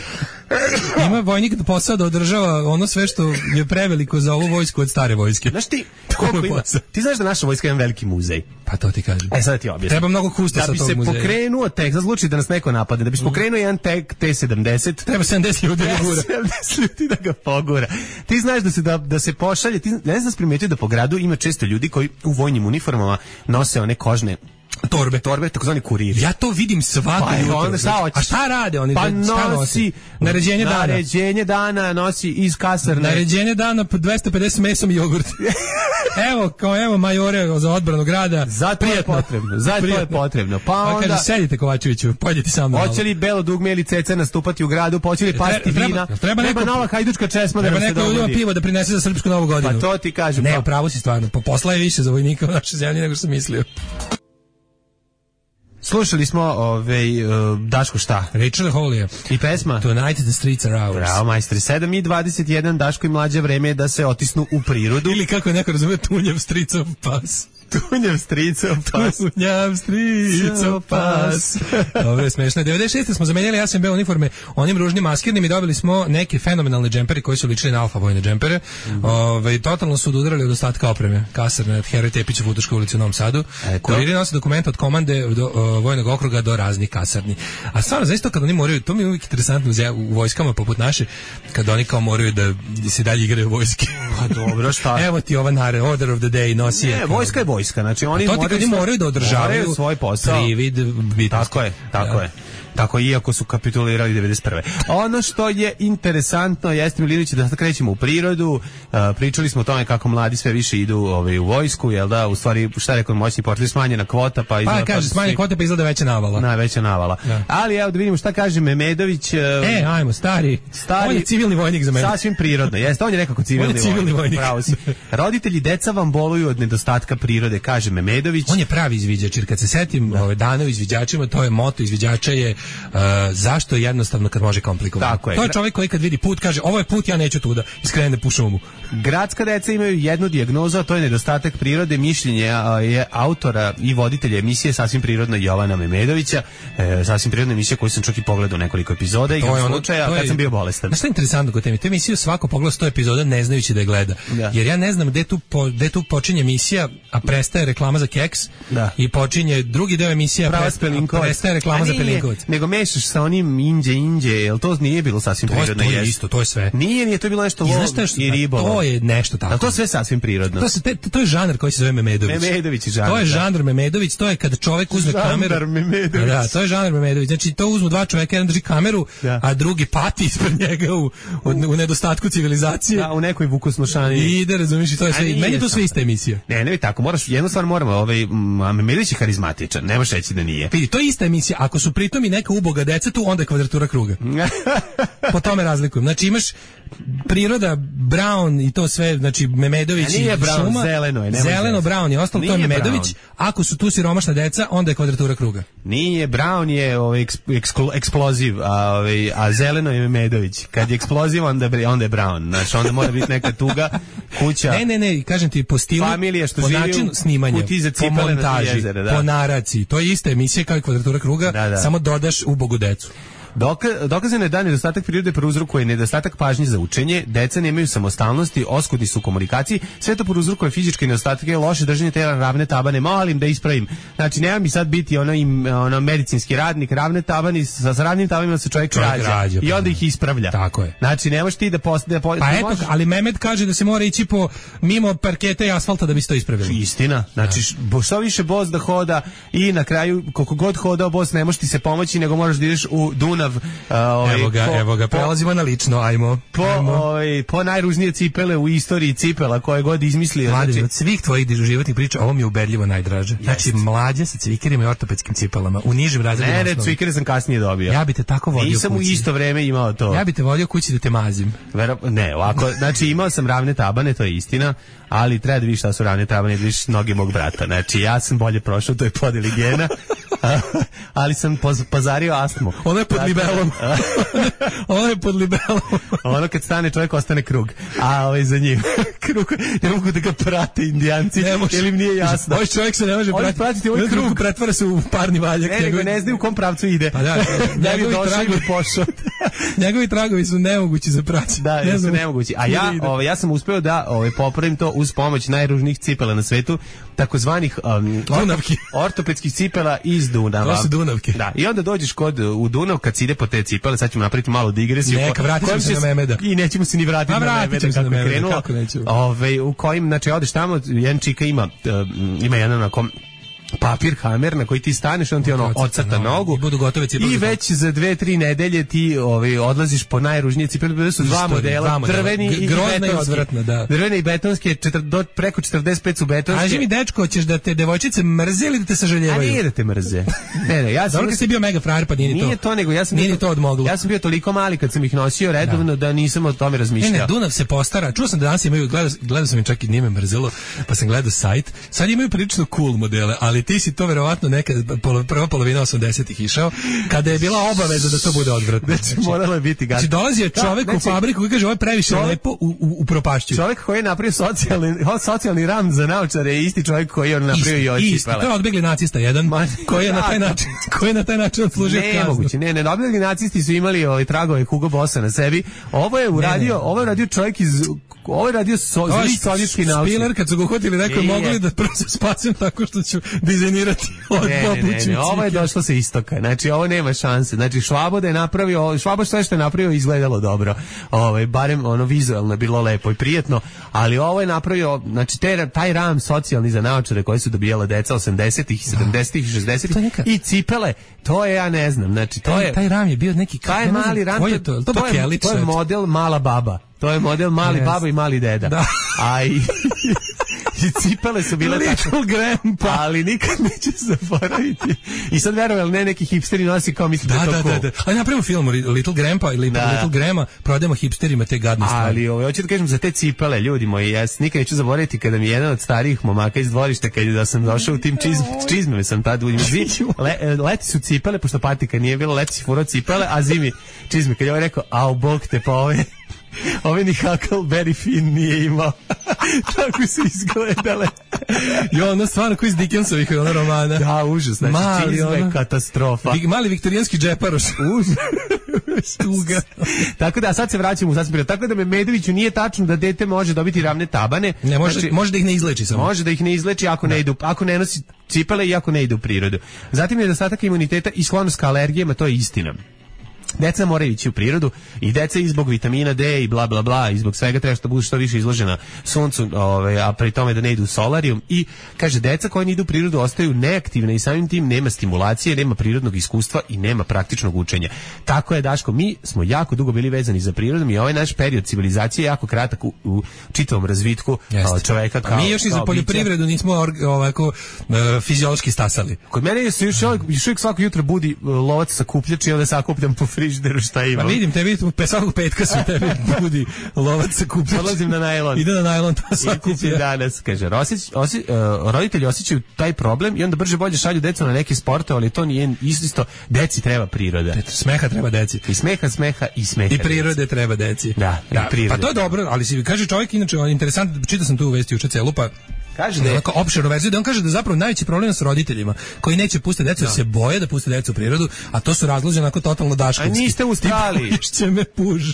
Ima vojnik da posao da održava ono sve što je preveliko za ovu vojsku od stare vojske. Znaš ti, koliko ima? Ti znaš da naša vojska ima veliki muzej. Pa to ti kažem. Sada ti objasnim. Treba mnogo kustosa tog muzeja. Da bi se pokrenuo tek, sad slučaj da nas neko napade, da bi se pokrenuo jedan tek T-70, treba 70 ljudi da gura. 70 ljudi da ga pogura. Ti znaš da se pošalje, ti ne znaš primetio da po gradu ima često ljudi koji u vojnim uniformama nose one kožne torbe, takozvani kuriri. Ja to vidim svako jutro. A šta rade oni? Pa nosi naređenje dana nosi iz kasarne. Naređenje dana 250 mesom i jogurt. evo majore za odbranu grada. Zato je potrebno. Pa onda kaže sedite Kovačeviću, pođite sa mnom. Hoće li belo dugme ili ceca nastupati u gradu, hoće li pasti vina? Treba nova hajdučka česma da se dogodi. Treba neko pivo da prinese za srpsku novu godinu. Pa to ti kažem. Ne, upravo si stvarno. Posla je više za vojnika u našoj zemlji nego što sam mislio. Slušali smo Daško šta? Rachel Holly i pesma Tonight the Streets Are Ours. Bravo, majstri. 7:21, Daško i mlađe, vreme je da se otisnu u prirodu. Ili kako je neko razumije, tunjav stricov pas. Tunjav stricov pas. Dobro je smešno. 96. smo zamenjali SMB uniforme onim ružnim maskirnim i dobili smo neke fenomenalne džempere koji su ličili na alfa vojne džempere. Totalno su odudarali od ostatka opreme. Kasarne od Heroj Tepić u Futoškoj ulici u Novom Sadu. Kuriri nose dokumenta od komande do vojnog okruga do raznih kasarni. A stvarno, zaista kad oni moraju, to mi je uvijek interesantno u vojskama poput naše, kad oni kao moraju da se dalje igraju vojske. Pa dobro, šta? Evo ti ova Order of the Day nosi. Ne, vojska je vojska, znači oni moraju da održavaju svoj posao. Privid bitnosti. Tako je. Tako, iako su kapitulirali 91. Ono što je interesantno jeste, Milinović, da sad krećemo u prirodu. Pričali smo o tome kako mladi sve više idu u vojsku, jel da? U stvari, šta rekao moćni portfelj, smanjena kvota, pa kaže smanjena kvota, pa izgleda veća navala. Veća navala. Ja. Ali evo da vidimo šta kaže Memedović. Ajmo, stari. On je civilni vojnik za mene. Sasvim prirodno. Jeste, on je nekako civilni vojnik. Pravo si. Roditelji deca vam boluju od nedostatka prirode, kaže Memedović. On je pravi izviđač, jer kad se setim dana izviđačima, to je moto izviđača je zašto je jednostavno kad može komplikovano. To je čovjek koji kad vidi put kaže ovo je put, ja neću tuda, iskrene po šumu. Gradska deca imaju jednu dijagnozu, a to je nedostatak prirode. Mišljenje je autora i voditelja emisije Sasvim prirodno Jovana Memedovića. Sasvim prirodna emisija koju sam čak i pogledao nekoliko epizoda i slučaja kad sam bio bolestan. Znaš šta je interesantno kod teme? Tu emisiju svako pogleda 100 epizoda ne znajući da je gleda. Da. Jer ja ne znam gde tu počinje emisija, a prestaje reklama za keks i počinje drugi deo emisije, a prestaje reklama za Pelinkovac. Nego mešaš sa onim inđe, jel to nije bilo sasvim prirodno? To je isto, to je sve. Nije, to je bilo nešto lov i ribolov. To je nešto tako. Ali to sve sasvim prirodno. To je žanr koji se zove Memedović. Memedović je žanr. To je žanr Memedović, to je kad čovjek uzme kameru. Da, to je žanr Memedović. Znači to uzmu dva čovjeka, jedan drži kameru, a drugi pati ispred njega u nedostatku civilizacije. Da, u nekoj vukosnošani. I ide, razumiješ, to je sve. Meni to sve ista emisija. Ne, tako, jednu stvar moramo, Memedović je harizmatičan, nemaš reći da nije. Vidi, to je ista emisija. Ako su pritom i neka uboga deca tu, onda je kvadratura kruga. Po tome razlikujem. Znači imaš priroda, Brown i to sve, znači Memedović i Brown, šuma. Zeleno, Brown je ostalo, to je Memedović. Brown. Ako su tu siromašna deca, onda je kvadratura kruga. Nije, Brown je eksploziv, a zeleno je Memedović. Kad je eksploziv, onda je Brown. Znači, onda mora biti neka tuga, kuća. Ne, kažem ti, po stilu, po načinu snimanja, po montaži, po naraciji. To je ista emisija kao i kvadratura kruga, samo dodaš ubogu decu. Dokazano je da nedostatak prirode prouzrokuje nedostatak pažnje za učenje, deca nemaju samostalnosti, oskudni su u komunikaciji, sve to prouzrokuje fizičke nedostatke, loše držanje tela, ravne tabane, molim da ispravim. Znači, nema mi sad biti ono medicinski radnik, ravne tabani, sa ravnim tabanima se čovjek rađa i onda ih ispravlja. Tako je. Znači, nemaš ti da Pa eto, ali Mehmet kaže da se mora ići mimo parketa i asfalta da bi se to ispravili. Istina. Znači, što više bos da hoda i na kraju, koliko god hodao bos, ne može ti se pomoći, nego moraš da ideš u Dunav. Evo ga, prelazimo na lično, ajmo. Po najružnije cipele u istoriji cipela koje god izmislio. Mlađe, od svih tvojih životnih priča, ovo mi je ubedljivo najdraže. Znači, mlađe sa cvikerima i ortopedskim cipelama, u nižim razredima osnovne. Ne, cvikere sam kasnije dobio. Ja bi te tako vodio kući. Nisam u isto vreme imao to. Ja bi te vodio kući da te mazim. Ne, ovako, znači imao sam ravne tabane, to je istina, ali treba da vidiš šta su ravne tabane, da vidiš noge mog brata. Znači, ja sam bolje prošao, to je podeli gena, ali sam pazario astmu. Ono je pod libelom. Ono je pod libelom. Ono kad stane čovjek ostane krug. A za njim. krug, ne mogu da ga prate Indijanci, jer im nije jasno. Ovaj čovjek se ne može pratiti ovaj krug, pretvara se u parni valjak. Ne znaju u kom pravcu ide. Pa da, njegovi tragovi su nemogući za praćenje. Da, su nemogući. A ja sam uspeo da popravim to uz pomoć najružnijih cipela na svetu, takozvanih ortopedskih cipela iz Dunava. To su Dunavke. Da, i onda dođeš u Dunav kad se ide po te cipele, sad ćemo napraviti malu digresiju. Neka, vratit ćemo se na Memeda. I nećemo se ni vratiti na Memeda kako je krenulo. U kojim, znači, odeš tamo, jedan čika ima jedan onako papir, hamer na koji ti staneš, on ti ocrta nogu i već za 2-3 nedelje ti odlaziš po najružnije cipele. Bili su dva modela, drveni i betonski. Drvene i betonske, preko 45 su betonske. Kaži mi, dečko, hoćeš da te devojčice mrze ili da te sažaljevaju? A nije da te mrze. Ne, ja sam... Dobro kad si bio mega frajer, pa nije ni to. Nije to, nego ja sam... Nije ni to odmoglo. Ja sam bio toliko mali kad sam ih nosio redovno da nisam o tome razmišljao. Ne, Dunav se postara. Čuo sam da danas imaju, gledao sam im čak i nije me mrzelo, pa sam gledao sajt. Sad imaju prilično cool modele, ali ti si to verovatno nekad prva polovina 80-ih išao, kada je bila obaveza da to bude odvratno. Znači, moralo je biti gadno. Znači, dolazio čovek u fabriku koji kaže, ovo je previše lepo, u propašću. Čovek koji je napravio socijalni ram za naočare je isti čovek koji je on napravio i oči. Isti, to je odbegli nacista jedan, koji je na taj način odslužio kaznu. Nemoguće, ne, odbegli nacisti su imali tragove Hugo Bossa na sebi. Ovo je uradio čovjek iz... Ovo je radio sovjetski naučnik. Spiller, kad su ga uhvatili, rekao, mogli da prvo se spasim tako što ću dizajnirati od popuću. Ne, ovo je došlo sa istoka. Znači, ovo nema šanse. Znači, Švabo da je napravio, Švabo sve što je napravio izgledalo dobro. Barem vizualno je bilo lepo i prijetno, ali ovo je napravio, znači, taj ram socijalni za naočare koje su dobijala deca 80-ih, 70-ih, 60-ih i cipele, to je, ja ne znam, znači, to je... Taj ram je bio neki... Taj mali ram, to je model mala baba. To je model mali baba i mali deda. Da. I cipele su bile Little Grandpa. Ali nikad neće zaboraviti. I sad verovali, ne, neki hipsteri nosi kao misli da je to cool. Da. Ali napravimo film Little Grandpa ili Little Grandma, prodajemo hipsterima te gadne stvari. Ali hoću da kažem za te cipele, ljudi moji, ja nikad neću zaboraviti kada mi jedan od starijih momaka iz dvorišta, da sam došao u tim čizmeme sam tad leti su cipele, pošto patika nije bilo, leti si furao cipele, a zimi čizme. Kad je ovaj rekao, au, bog te, pa ove ni Huckleberry Finn nije imao. Tako su izgledale. Ono stvarno koji iz Dickensovih romana. Da, užas. Znači, čizme, katastrofa. Mali viktorijanski džeparoš. Užas. Tuga. Tako da, sad se vraćamo u sasvim. Tako da Medoviću nije tačno da dete može dobiti ravne tabane. Ne, može da ih ne izleči samo. Može da ih ne izleči ako ne nosi cipele i ako ne ide u prirodu. Zatim je nedostatak imuniteta i sklonost ka alergijama, to je istina. Deca moraju ići u prirodu i deca i zbog vitamina D i bla bla bla i zbog svega treba što budu što više izložena suncu, a pri tome da ne idu u solarijum. I kaže, deca koja ne idu u prirodu ostaju neaktivne i samim tim nema stimulacije, nema prirodnog iskustva i nema praktičnog učenja. Tako je, Daško, mi smo jako dugo bili vezani za prirodom i ovaj naš period civilizacije je jako kratak u čitavom razvitku čoveka kao mi još i za poljoprivredu nismo ovako fiziološki stasali. Kod mene se još uvijek svako jutro budi lovac sakupljač i onda sakupljam po frižideru šta ima. Pa vidim, tebi svakog petka se tebi budi lovac sakupljač. Odlazim na najlon. Ide na najlon, to sakuplja. Danas, kaže, roditelji osjećaju taj problem i onda brže bolje šalju decu na neke sportove, ali to nije isto. Deci treba priroda. Smeha treba deci. I smeha i smeha. I prirode treba deci. Da, i prirode. Pa to je dobro, ali si kaže čovjek, inače, interesantno, čitao sam tu u vesti juče celu, pa kaže da je opširnu verziju, da on kaže da zapravo najveći problem s roditeljima koji neće pustiti decu, jer se boje da puste decu u prirodu, a to su razloži onako totalno daškovski. A niste u Australiji.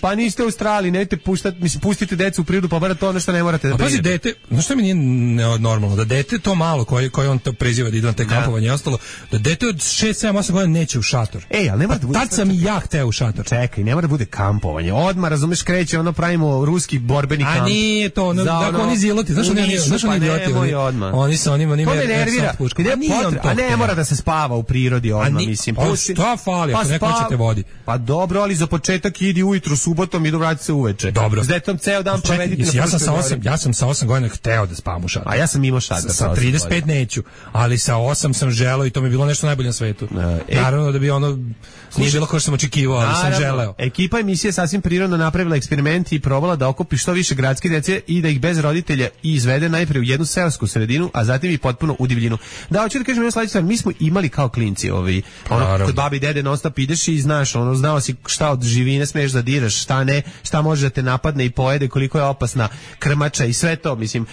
Pa niste u Australiji, nemojte puštati, mislim, pustite decu u prirodu, pa bar to ono što ne morate da brinete. Pazi, dete, znaš što mi nije normalno, da dete to malo koje on to preziva da ide na te kampovanje i ostalo, da dete od 6, 7, 8 godina neće u šator. Ali ne mora da bude. Tad sam i ja hteo u šator. Čekaj, ne mora da bude kampovanje. Odmah, razumeš, kreće, pravimo ruski borbeni kamp. A nije to, dakle oni ziloti, znaš oni idioti. Oni to me nervira. A ne mora da se spava u prirodi odmah, mislim. Pa šta fali, ako neko hoćete vodi. Pa dobro, ali za početak idi ujutru subotom i vrati se uveče. Dobro. S detom ceo dan provedite na ja sam sa 8 godina hteo da spavam u šatoru. A ja sam imao šator. Sa 35 neću, ali sa 8 sam želeo i to mi je bilo nešto najbolje na svetu. Naravno da bi nije bilo kao što sam očekivao, ali sam želeo. Ekipa emisije sasvim prirodno napravila eksperiment i probala da okupi što više gradske dece i da ih bez roditelja izvede najprije u jednu seosku sredinu, a zatim i potpuno u divljinu. Da, hoću da kažem jednu sledeću stvar, mi smo imali kao klinci, kod babi i dede non stop ideš i znaš, znao si šta od živine smeš da diraš, šta ne, šta može da te napadne i pojede, koliko je opasna krmača i sve to, mislim,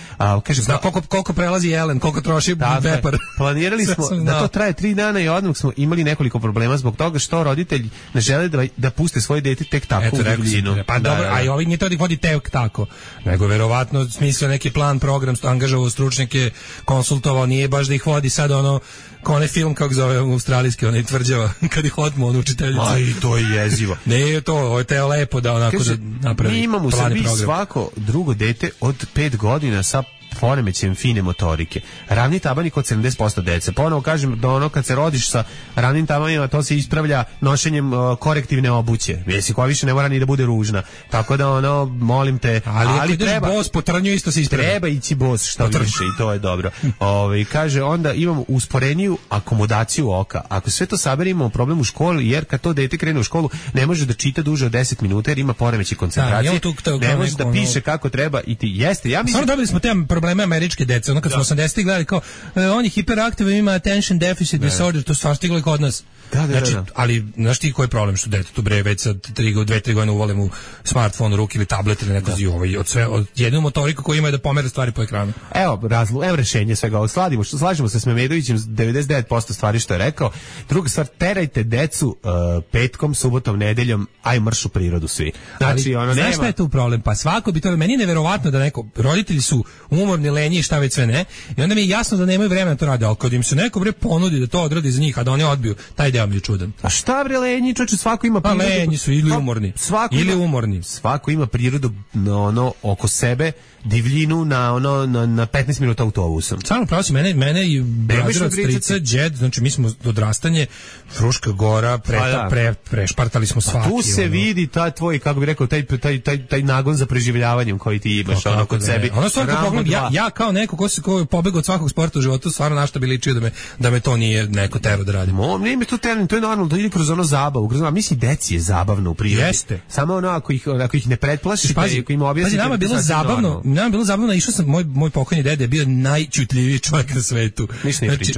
kaže, zna koliko prelazi jelen, koliko troši vepar. Planirali smo da to traje 3 dana i odmah smo imali nekoliko problema zbog toga što roditelji ne žele da puste svoje dete tek tako u divljinu. Pa dobro, a i ovi nije to da ih vodi tek tako, nego verovatno smislio neki plan, program, angažovao stručnjake, konsultovao, nije baš da ih vodi sad kao onaj film, kako zove australijski, onaj tvrđava, kad ih otmu on učiteljicu. Aj, to je jezivo. Ne, ovo je teo lepo da onako kaže, da napravi. Mi imamo u Srbiji svako drugo dete od 5 godina sa poremećajem fine motorike. Ravni tabani kod 70% dece. Ponovo kažem da kad se rodiš sa ravnim tabanima, to se ispravlja nošenjem korektivne obuće. Jesi koja više ne mora ni da bude ružna. Tako da molim te, ali treba bos po trnju isto se ispravlja. Treba ići bos što više i to je dobro. Kaže onda imamo usporeniju akomodaciju oka. Ako sve to saberimo, problem u školi, jer kad to dete krene u školu ne može da čita duže od 10 minuta jer ima poremećaj koncentracije. Ne može da piše kako treba i ti jeste. Ja mislim dobili smo te probleme američke dece, kad smo 80-ih gledali kao on je hiperaktivan, ima attention deficit disorder, to stvar stiglo i kod nas. Znači, ali znaš ti koji je problem što dete tu bre već sa 2-3 godine uvole mu smartfon u ruke ili tablet ili neko od jednu motoriku koju ima da pomera stvari po ekranu. Evo rešenje svega ovog. Slažemo se s Memedovićem 99% stvari što je rekao. Druga stvar, terajte decu petkom, subotom, nedeljom, aj marš u prirodu svi. Znači, znaš šta je tu problem? Pa svako bi to, meni je neverovatno da roditelji su umorni, lenji i šta već sve ne, i onda mi je jasno da nemaju vremena to rade, ali kad im se neko ponudi da to odradi za njih, a da oni odbiju, taj deo mi je čudan. A šta bre lenji, čoče, svako ima prirodu. Pa lenji su ili umorni. Svako ima prirodu oko sebe, divljinu na 15 minuta autobusom. Stvarno pravo si, mene i brazir od strica, džed, znači mi smo odrastanje, Fruška Gora, prešpartali smo svaki. Tu se vidi taj tvoj, kako bi rekao, taj nagon za preživljavanjem koji ti imaš kod sebi. Ja kao neko ko je pobegao od svakog sporta u životu, stvarno našta bi ličio da me to nije neko tero da radim. Nije mi to tero, to je normalno, da ide kroz zabavu. Mislim, deci je zabavno u prirodi. Jeste. Samo ako ih ne pretplašiš, ako im objasnite. Nama je bilo zabavno, išao sam, moj pokojni dede je bio najčutljiviji čovjek na svetu.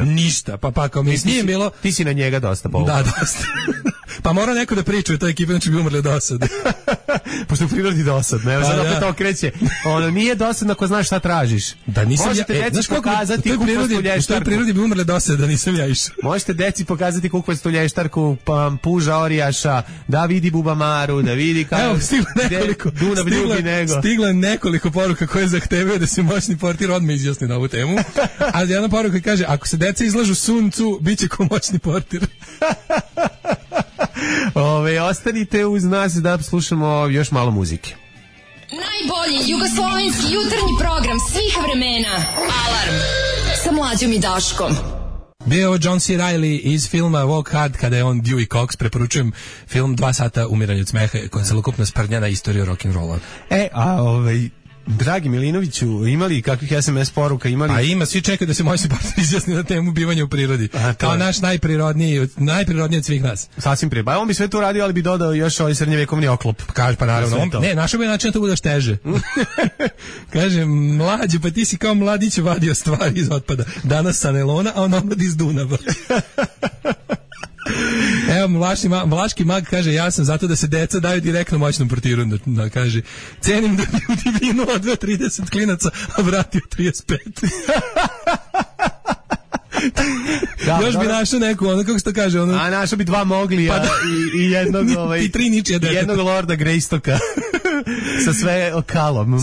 Ništa, pa kao mi nije bilo. Ti si na njega dosta povukao. Da, dosta. Pa mora neko da priča u toj ekipi, znači bi umrli od dosade. Pošto u prirodi dosadno, evo sad opet okreće. Nije dosadno ako znaš šta tražiš. Da nisam možete deci pokazati kukvastu lještarku. U toj prirodi bi umrli dosade, da nisam ja išao. Možete deci pokazati kukvastu lještarku, puža orijaša, da vidi Bubamaru, da vidi kako. Evo, stiglo nekoliko poruka koje zahtevaju da se moćni portir odmah izjasni na ovu temu. A jedna poruka kaže, ako se deca izlažu suncu, bit će ko moćni portir. Ostanite uz nas da slušamo još malo muzike. Najbolji jugoslovenski jutarnji program svih vremena. Alarm sa Mlađom i Daškom. Bio je ovo John C. Reilly iz filma Walk Hard, kada je on Dewey Cox. Preporučujem film 2 sata umiranja od smeha, koja je celokupna sprdnjana istorija rock'n'rolla. Dragi Milinoviću, imali kakvih SMS poruka? A ima, svi čekaju da se moćni partner izjasni na temu bivanja u prirodi. Kao naš najprirodniji od svih nas. Sasvim prije. Pa on bi sve to radio, ali bi dodao još ovaj srednjevekovni oklop. Kaže, pa naravno. Našao bi način da to budeš teže. Kaže, mlađe, pa ti si kao mladić vadio stvari iz otpada. Danas sa nelona, a on omlad iz Dunava. Evo, Vlaški mag kaže, ja sam zato da se deca daju direktno moćnom portiru, da kaže, cenim da bi u divinu odveo 30 klinaca, a vratio 35. Još bi našao neku, kako se to kaže, a našao bi 2 Moglija i jednog i 3 ničija deta. Jednog Lorda Greystoka sa sve okalom.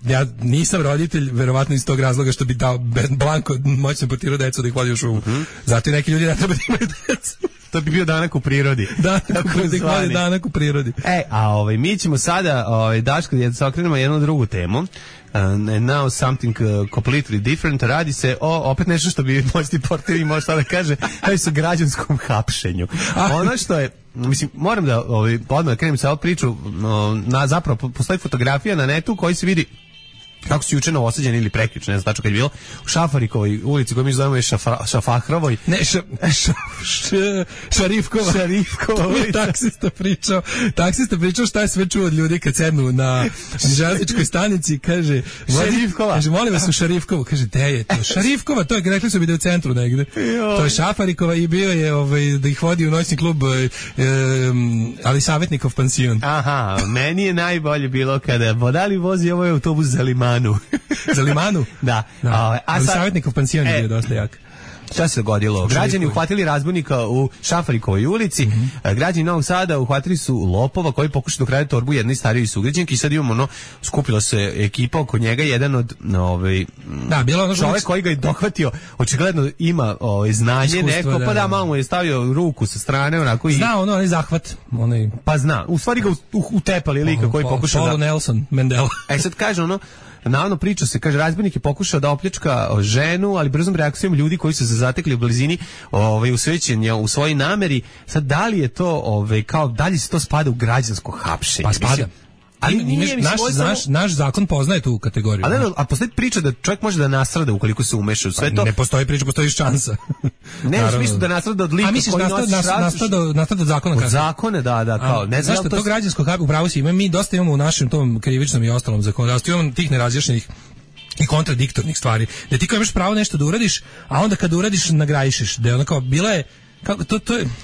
Ja nisam roditelj, verovatno iz tog razloga što bi dao blanko moćnom portiru decu da ih vodi u šumu. Zato i neki ljudi ne treba da imaju decu. To bi bio danak u prirodi. Danak u prirodi. Mi ćemo sada, Daško, da se okrenemo jednu drugu temu. And now something completely different. Radi se o opet nešto što bi moćni portir može sada da kaže, radi se o građanskom hapšenju. Ono što je, mislim, moram da odmah krenem sa ovu priču, zapravo postoji fotografija na netu koji se vidi kako su juče Novosađeni ili prekjuče, ne znam tačno kad je bilo, u Šafarikovoj ulici koju mi zovemo je Šafahrovoj. Ne, Šarifkova. Šarifkova ulica. Taksista pričao šta je sve čuo od ljudi kad sednu na železničkoj stanici, kaže Šarifkova. Kaže, molim vas u Šarifkovu. Kaže, gde je to? Šarifkova, to je, rekli su bi da je u centru negde. To je Šafarikova i bio je da ih vodi u noćni klub ali savjetnikov pansion. Aha, meni je najbolje bilo kada Bodali vozi ovaj autobus za Limanu. Za Limanu? Da. Ali savjetnikov pansion je bio dosta jak. Šta se dogodilo? Građani uhvatili razbojnika u Šafarikovoj ulici. Građani Novog Sada uhvatili su lopova koji pokušaju da ukrade torbu jednoj starijoj sugrađanki i sad imamo skupila se ekipa oko njega, jedan od čovjek koji ga je dohvatio, očigledno ima znanje iskustvo, neko, pa malo mu je stavio ruku sa strane onako i zna onaj zahvat, pa zna. U stvari ga utepali lika koji pokušao Paulo Nelson Mandela. Sad kaže navodno priča se, kaže, razbojnik je pokušao da opljačka ženu, ali brzom reakcijom ljudi koji su se zatekli u blizini usvećen je u svojoj nameri. Sad, da li je to, kao, da li se to spada u građansko hapšenje? Pa spada. Ali naš zakon poznaje tu kategoriju. A postoji priča da čovjek može da nasrada ukoliko se umeša u sve to. Ne postoji priča, postoji šansa. Ne, u smislu da nasrada od lika koji nosi nasrada od zakona. Od zakona, da, kao. Ne znam zašto to građansko hapšenje, upravo si, mi dosta imamo u našem tom krivičnom i ostalom zakonodavstvu, imamo tih nerazjašnjenih i kontradiktornih stvari, da ti kao imaš pravo nešto da uradiš, a onda kad uradiš nagrajišeš, da je ono kao bila je kako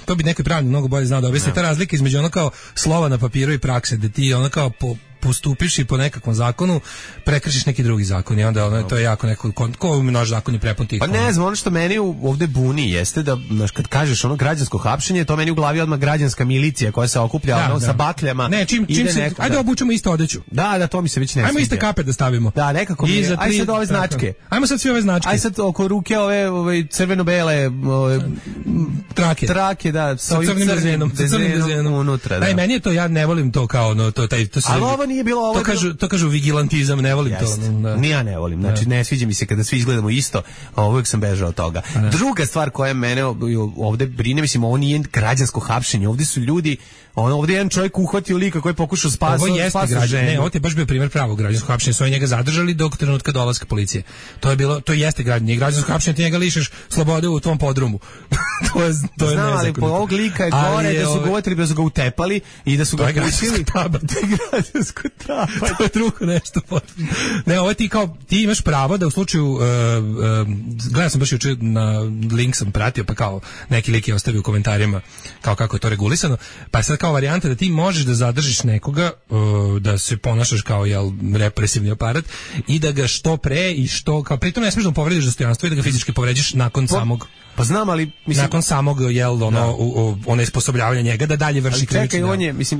to bi neki pravnik mnogo bolje znao da objasni ta razlika između ono kao slova na papiru i prakse, da ti ono kao postupiš i po nekakvom zakonu prekršiš neki drugi zakon i onda to je jako neko ko naš zakon je prepun tih. Pa ne znam, ono što meni ovde buni jeste da kad kažeš građansko hapšenje, to meni u glavi odmah građanska milicija koja se okuplja sa bakljama. Ne, čim se ajde obučemo isto odeću. Da, to mi se već ne sviđa. Ajmo iste kape da stavimo. Da, nekako mi. Ajde sad ove značke. Ajmo sad sve ove značke. Ajde sad oko ruke ove crveno-bele trake, da, sa crvenim dezenom unutra. Da, meni je to, ja ne volim to kao to se. Nije bilo ovo. To kažu vigilantizam, ne volim to. Ni ja ne volim. Znači ne sviđa mi se kada svi izgledamo isto, uvijek sam bežao od toga. Druga stvar koja mene ovde brine, mislim, ovo nije građansko hapšenje, ovde su ljudi, ovde je jedan čovjek uhvatio lika koji je pokušao spasiti ženu. Ne, ovo je baš bio primjer pravog građanskog hapšenja, su njega zadržali dok trenutka dolaska policije. To jeste građansko hapšenje, ti njega lišeš slobode u tvom podrumu. to je znam, ali po ovog lika je gore da su ga uvatili, da su ga utepali i da su ga pustili. Građansko trapa. To je drugo nešto. Ne, ovo ti imaš pravo da u slučaju gledao sam baš juče na link sam pratio, pa kao neki lik je ostavio u komentarima kao kako je to regulisano, pa je sad kao varijanta da ti možeš da zadržiš nekoga, da se ponašaš kao represivni aparat i da ga što pre i što, kao pritom ne smiješ da mu povrediš dostojanstvo i da ga fizički povređiš nakon samog. Pa znam, ali mislim nakon samog ono isposobljavanja njega da dalje vrši krivični. Čekaj,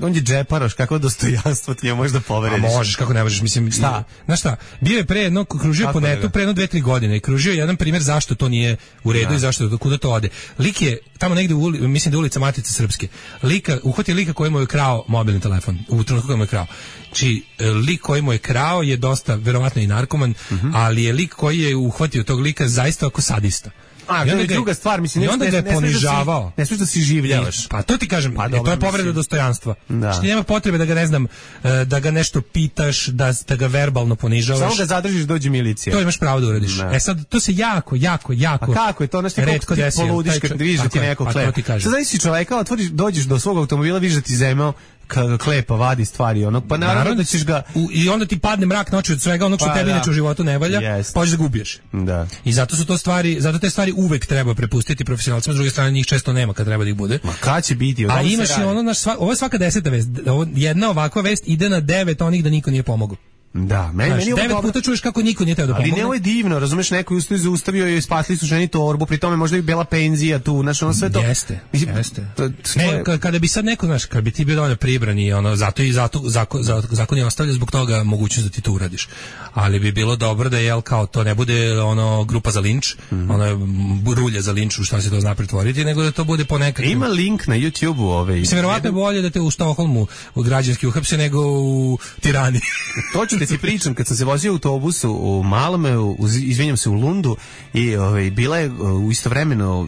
on je džeparoš, kako dostojanstvo ti je možda povrediš? A možeš, kako ne možeš, mislim. Znaš šta, bio je kružio po netu pre 2-3 godine i kružio jedan primjer zašto to nije u redu i zašto kuda to ode. Lik je tamo negde mislim da ulica Matice Srpske. Uhvatio lika koji mu je krao mobilni telefon u trenutku koji mu je krao. Znači, lik koji mu je krao je dosta verovatno i narkoman, ali je lik koji je uhvatio tog lika zaista ako sadista. To je druga stvar, mislim, ne smiješ da si življavaš. Pa to ti kažem, to je povreda dostojanstva. Znači, nema potrebe da ga, ne znam, da ga nešto pitaš, da ga verbalno ponižavaš. Samo ga zadržiš, dođe milicija. To imaš pravo da uradiš. Sad, to se jako a kako je to, znaš, retko desilo. Poludiš kad vidiš da ti neko klep. Sad zavisi čoveka, dođeš do svog automobila, vidiš da ti zemao klepa, vadi stvari, pa naravno da ćeš ga. I onda ti padne mrak noći od svega onog što tebi inače u životu ne valja, pa ćeš da gubiješ. Da. I zato su to stvari, zato te stvari uvek treba prepustiti profesionalcima, s druge strane njih često nema kad treba da ih bude. Ma kad će biti? A imaš i ovo je svaka 10. vest, jedna ovakva vest ide na 9 onih da niko nije pomogao. Da, meni 9 puta čuješ kako niko nije teo da pomogne. Ali ne, ovo je divno, razumeš, neko je zaustavio i spasili su ženi torbu, pri tome možda i bela penzija tu, znaš, ono sve to. Jeste. Ne, kada bi sad neko, znaš, kada bi ti bio dovoljno pribran i zato zakon je ostavlja zbog toga mogućnost da ti to uradiš. Ali bi bilo dobro da kao to ne bude grupa za linč, rulja za linč, u šta se to zna pretvoriti, nego da to bude ponekad. Ima link na YouTube-u Mislim, verovatno je bolje da te u Stokholmu građanski uhapse nego u Tirani. Da ti pričam, kad sam se vozio u autobusu u Malmeu, izvinjam se, u Lundu i bila je istovremeno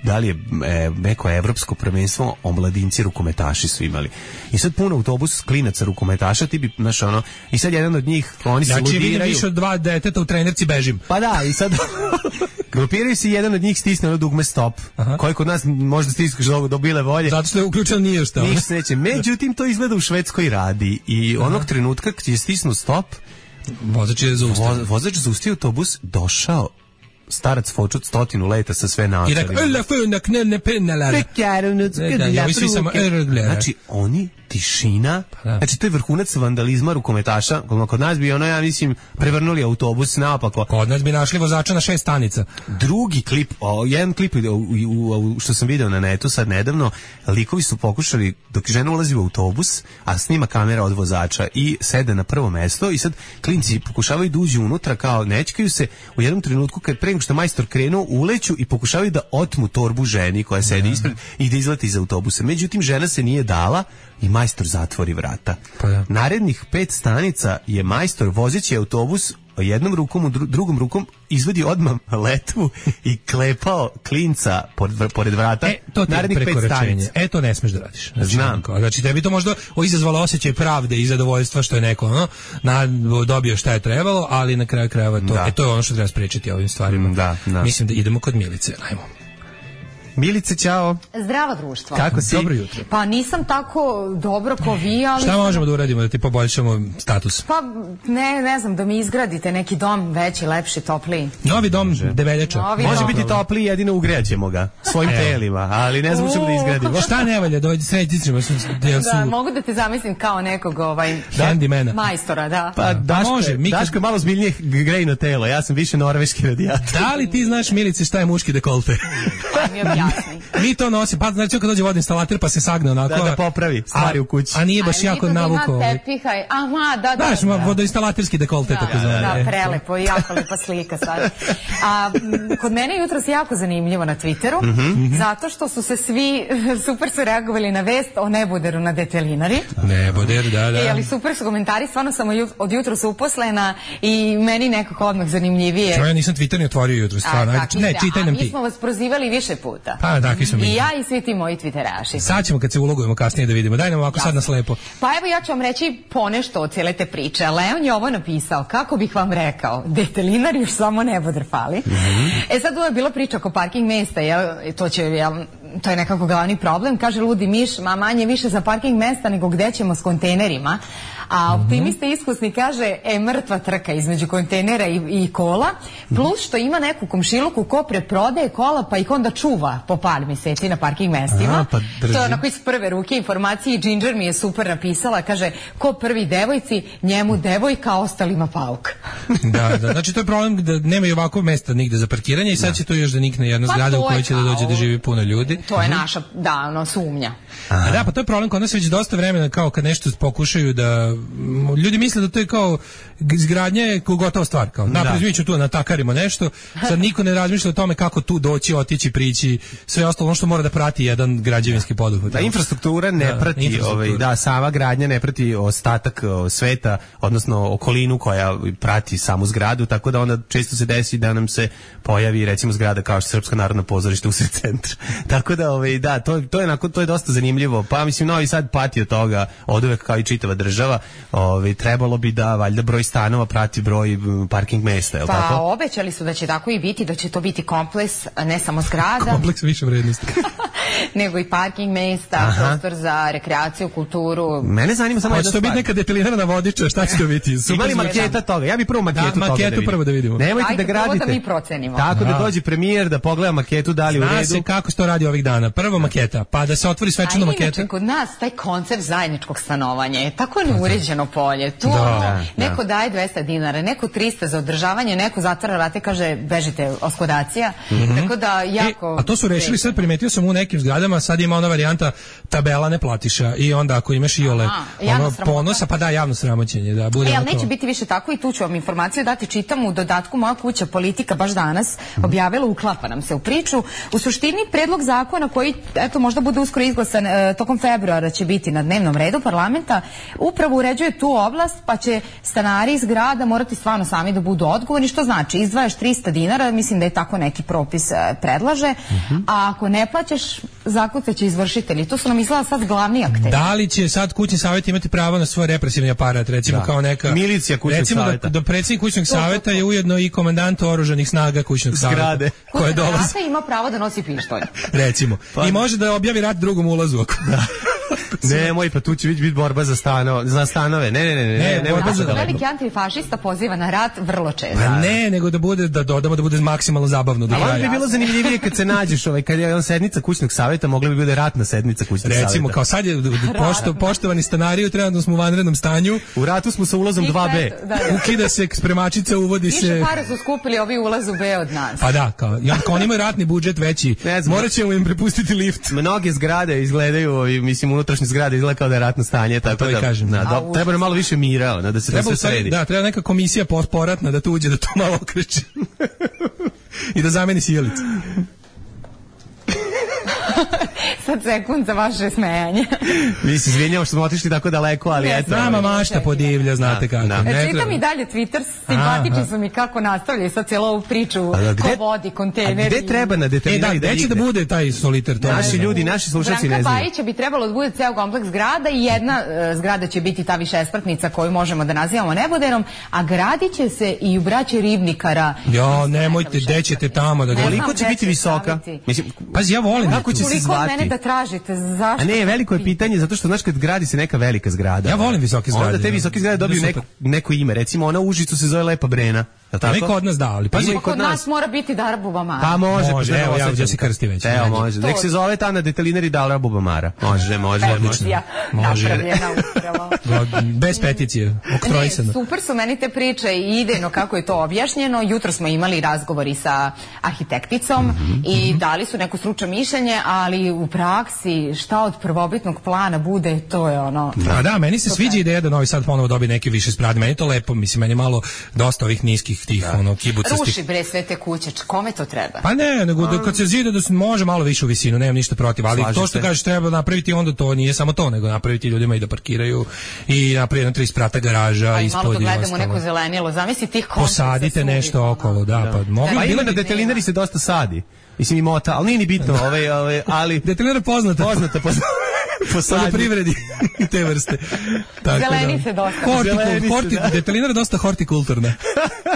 da li je neko evropsko prvenstvo, omladinci rukometaši su imali. I sad puno autobus klinaca rukometaša, ti bi, znaš, ono, i sad jedan od njih, oni se ludiraju. Znači, vidim više od 2 deteta u trenerci bežim. Pa da, i sad grupiraju se i jedan od njih stisne ono dugme stop, koji kod nas možda stiskaš do bile volje. Zato što je uključeno nije šta. Ništa se neće. Međutim, to izgleda u Švedskoj radi i onog trenutka kad je stisnu stop, vozač je zaustavio. Vozač zaustavio autobus, došao starac fočut 100 leta sa sve naočarima. I rekao, znači, oni tišina, znači to je vrhunac vandalizma rukometaša, kod nas bi ono, ja mislim, prevrnuli autobus naopako. Kod nas bi našli vozača na 6 stanica. Drugi klip, jedan klip što sam video na netu sad nedavno, likovi su pokušali, dok žena ulazi u autobus, a snima kamera od vozača i sede na prvo mesto i sad klinci pokušavaju da uđu unutra, kao nećkaju se, u jednom trenutku kad pre nego što majstor krenuo, uleću i pokušavaju da otmu torbu ženi koja sedi ispred i da izleti iz autobusa. Međutim, žena se nije dala i majstor zatvori vrata. Narednih 5 stanica je majstor vozeći autobus jednom rukom, drugom rukom izvodi odmah letvu i klepao klinca pored vrata. To ti je prekoračenje. To ne smeš da radiš. Znam. Znači, tebi to možda izazvalo osjećaj pravde i zadovoljstva što je neko dobio šta je trebalo, ali na kraju krajeva to je ono što treba sprečiti ovim stvarima. Mislim da idemo kod Milice. Ajmo. Milice, čao. Zdravo društvo. Kako si? Dobro jutro. Pa nisam tako dobro ko vi, ali... Šta možemo da uradimo da ti poboljšamo status? Pa ne znam, da mi izgradite neki dom veći, lepši, topliji. Novi dom Debeljača. Može biti topliji, jedino ugrećemo ga svojim telima, ali ne znam čemu da izgradimo. Šta ne valja, dojde srediti ćemo. Da, mogu da te zamislim kao nekog majstora, da. Pa Daško je malo zbiljnije grejno telo, ja sam više norveški radijator. Da li ti znaš, Milice, šta je muški dekolte? Mi to nosimo, pa znači kad dođe vodoinstalater pa se sagne onako da popravi stvari u kući. A nije baš jako navukao. Da. Vodoinstalaterski dekolte tako zvane. Da, prelepo i jako lepa slika sad. A kod mene jutros jako zanimljivo na Twitteru, zato što su se svi super su reagovali na vest o neboderu na Detelinari. Neboder, da. Ali super su komentari, stvarno sam od jutros uposlena i meni nekako odmah zanimljivije. Ja nisam Twitter ni otvorio jutros, stvarno. Ne, čitaj nam ti. Mi smo vas prozivali više puta. Pa, takvi smo mi. I ja i svi ti moji Twitteraši. Sad ćemo kad se ulogujemo kasnije da vidimo. Daj nam ovako sad na slepo. Pa evo ja ću vam reći ponešto od cijele te priče. Leon je ovo napisao, kako bih vam rekao, Detelinar još samo neboder fali. Sad ovo je bila priča oko parking mesta, to je nekako glavni problem. Kaže ludi miš, manje više za parking mesta nego gde ćemo s kontejnerima. A optimista iskusni kaže, mrtva trka između kontejnera i kola, plus što ima neku komšiluku ko preprodaje kola pa ih onda čuva po par mjeseci na parking mestima. To je onako iz prve ruke informacije i Ginger mi je super napisala, kaže, ko prvi devojci, njemu devojka, ostalima pauk. Da, znači to je problem da nemaju ovako mesta nigde za parkiranje i sad će to još da nikne jedna zgrada u kojoj će da dođe da živi puno ljudi. To je naša, sumnja. Da, pa to je problem kod nas već dosta vremena, kao kad nešto pokušaju da ljudi misle da to je kao izgradnja je gotova stvar, kao napred ću tu natakarimo nešto, sad niko ne razmišlja o tome kako tu doći, otići, prići, sve ostalo ono što mora da prati jedan građevinski poduhvat. Da, infrastruktura ne prati, sama gradnja ne prati ostatak sveta, odnosno okolinu koja prati samu zgradu, tako da onda često se desi da nam se pojavi recimo zgrada kao što Srpsko narodno pozorište usred centra. Tako da, to je dosta zanimljivo. Pa mislim Novi Sad pati od toga oduvek kao i čitava država. Trebalo bi da valjda broj stanova prati broj parking mesta, je li tako? Pa obećali su da će tako i biti, da će to biti kompleks, ne samo zgrada. Kompleks više vrednosti. Nego i parking mesta, prostor za rekreaciju, kulturu. Mene zanima samo jedna stvar. Hoće to biti neka Detelinarna vodiča, šta će to biti? Ima li maketa toga? Ja bih prvo maketu toga da vidimo. Nemojte da gradite. Prvo da mi procenimo. Tako da dođe premijer da pogleda maketu, da li u redu. Zna se kako se to radi ovih dana. Prvo maketa, pa da se otvori svečano maketa. Inače, kod nas taj koncept zajedničkog stanovanja je tako neuređeno polje. Tu neko daje 200 dinara, neko 300 za održavanje, neko zatvara vrate, kaže bežite oskodacija. Tako da jako... A to su rešili, sad primetio sam u nekim nekim zgradama, sad ima ona varijanta tabela ne platiša i onda ako imaš iole ponosa, pa da, javno sramoćenje. Da, bude ali neće biti više tako i tu ću vam informaciju dati, čitam u dodatku Moja kuća politika baš danas objavila, uklapa nam se u priču. U suštini predlog zakona koji, eto, možda bude uskoro izglasan tokom februara će biti na dnevnom redu parlamenta, upravo uređuje tu oblast, pa će stanari iz grada morati stvarno sami da budu odgovorni, što znači izdvajaš 300 dinara, mislim da je tako neki propis predlaže, a ako ne plaćaš, zakucaće izvršitelji. To su nam izgleda sad glavni akteri. Da li će sad kućni savjet imati pravo na svoj represivni aparat, recimo kao neka milicija kućnog savjeta? Da predsjednik kućnog savjeta je ujedno i komandant oružanih snaga kućnog savjeta. Koje dolazi. Ima pravo da nosi pištolj. Recimo. I može da objavi rat drugom ulazu. Nemoj, pa tu će biti borba za stanove. Ne, borba za veliki antifašista poziva na rat vrlo često. Ne, nego da bude, da dodamo da bude maksimalno zabavno do kraja. Ali bi bilo zanimljivije kad se nađeš, kad je on sednica kućnog savjeta, mogla bi bude ratna sednica kućnog savjeta. Recimo, kao sad je poštovani stanari, trenutno smo u vanrednom stanju. U ratu smo sa ulazom 2B. Ukida se spremačica, uvodi se... Više para su skupili ovi ulaz u B od nas. Pa da, kao oni imaju ratni budžet veći, morat ćemo im prepustiti lift. Mnoge zgrade izgledaju, mislim, unutrašnje zgrade izgleda kao da je ratno stanje, tako da kažem. Treba nam malo više mira, da se sve sredi. Da, treba neka komisija poratna da tu uđe, da to malo okreće. I da zameni sjelicu. Sad sekund za vaše smejanje. Mi se izvinjamo što smo otišli tako daleko, ali eto. Nama mašta podivlja, znate kako. Čitam i dalje Twitter, simpatični su mi kako nastavljaju sad cijelu ovu priču, ko vodi, kontejneri. Gde treba na detaljnari gde će da bude taj soliter? Naši ljudi, naši slušalci ne znaju. Branka Bajića bi trebalo da bude ceo kompleks zgrada i jedna zgrada će biti ta višespratnica koju možemo da nazivamo Neboderom, a gradit će se i u braći Ribnikara. Jo, nemojte, gde ćete tamo da gradite? Koliko će biti visoka? Pazi, ja volim. Kako će se zvati? Mene da tražite, zašto? A ne, veliko je pitanje, zato što znaš kad gradi se neka velika zgrada. Ja volim visoke zgrade. Onda te visoke zgrade dobiju neko ime. Recimo ona u Užicu se zove Lepa Brena. Neko od nas da, ali pazi, kod nas mora biti Darabubamara. Pa može, evo ja se krsti već. Evo može. Nek se zove ta na detalinari Darabubamara. Može. Napravljena upravo. Bez peticije, oktrojsano. Super su meni te priče i idejno kako je to objašnjeno. Jutro smo imali razgovori sa arhitekticom i dali su neko stručno mišljenje, ali u praksi šta od prvobitnog plana bude, to je ono... Da, meni se sviđa ideja da Novi Sad ponovo dobije neke više spratne. Meni je to lepo, mislim, meni je malo dosta ovih niskih tih kibucastih. Ruši bre sve te kuće, kome to treba? Pa ne, nego kad se zida da se može malo više u visinu, nemam ništa protiv, ali to što kažeš treba napraviti, onda to nije samo to, nego napraviti ljudima i da parkiraju i napraviti 3 sprata garaža ispod i malo da gledamo neko zelenilo, zamisli tih konca. Posadite nešto okolo, da, pa mogu. Pa ima na detalinari se dosta sadi. Mislim i mota, ali nije ni bitno, ali detalinari poznata. Po privredi i te vrste. Zelenice dosta. Detalinara dosta hortikulturna.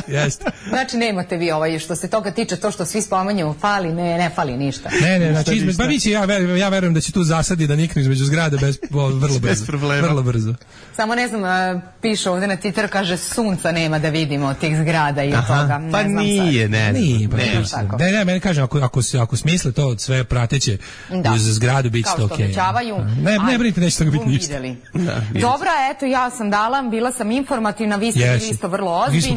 Jeste. Znači nemate vi što se toga tiče, to što svi spominjemo fali, ne fali ništa. Ne, znači pa biće, ja verujem da će tu zasadi da niknu između zgrade vrlo brzo. Samo ne znam, piše ovdje na Twitter, kaže sunca nema da vidimo od tih zgrada i od toga. Pa nije, ne. Ne, meni kažem, ako smisle to sve prateće uz zgradu, bit će to okej. Ne brinite, neće toga biti ništa. Dobro, eto, ja sam dala, bila sam informativna, vi ste bili isto vrlo ozbiljni. Mi smo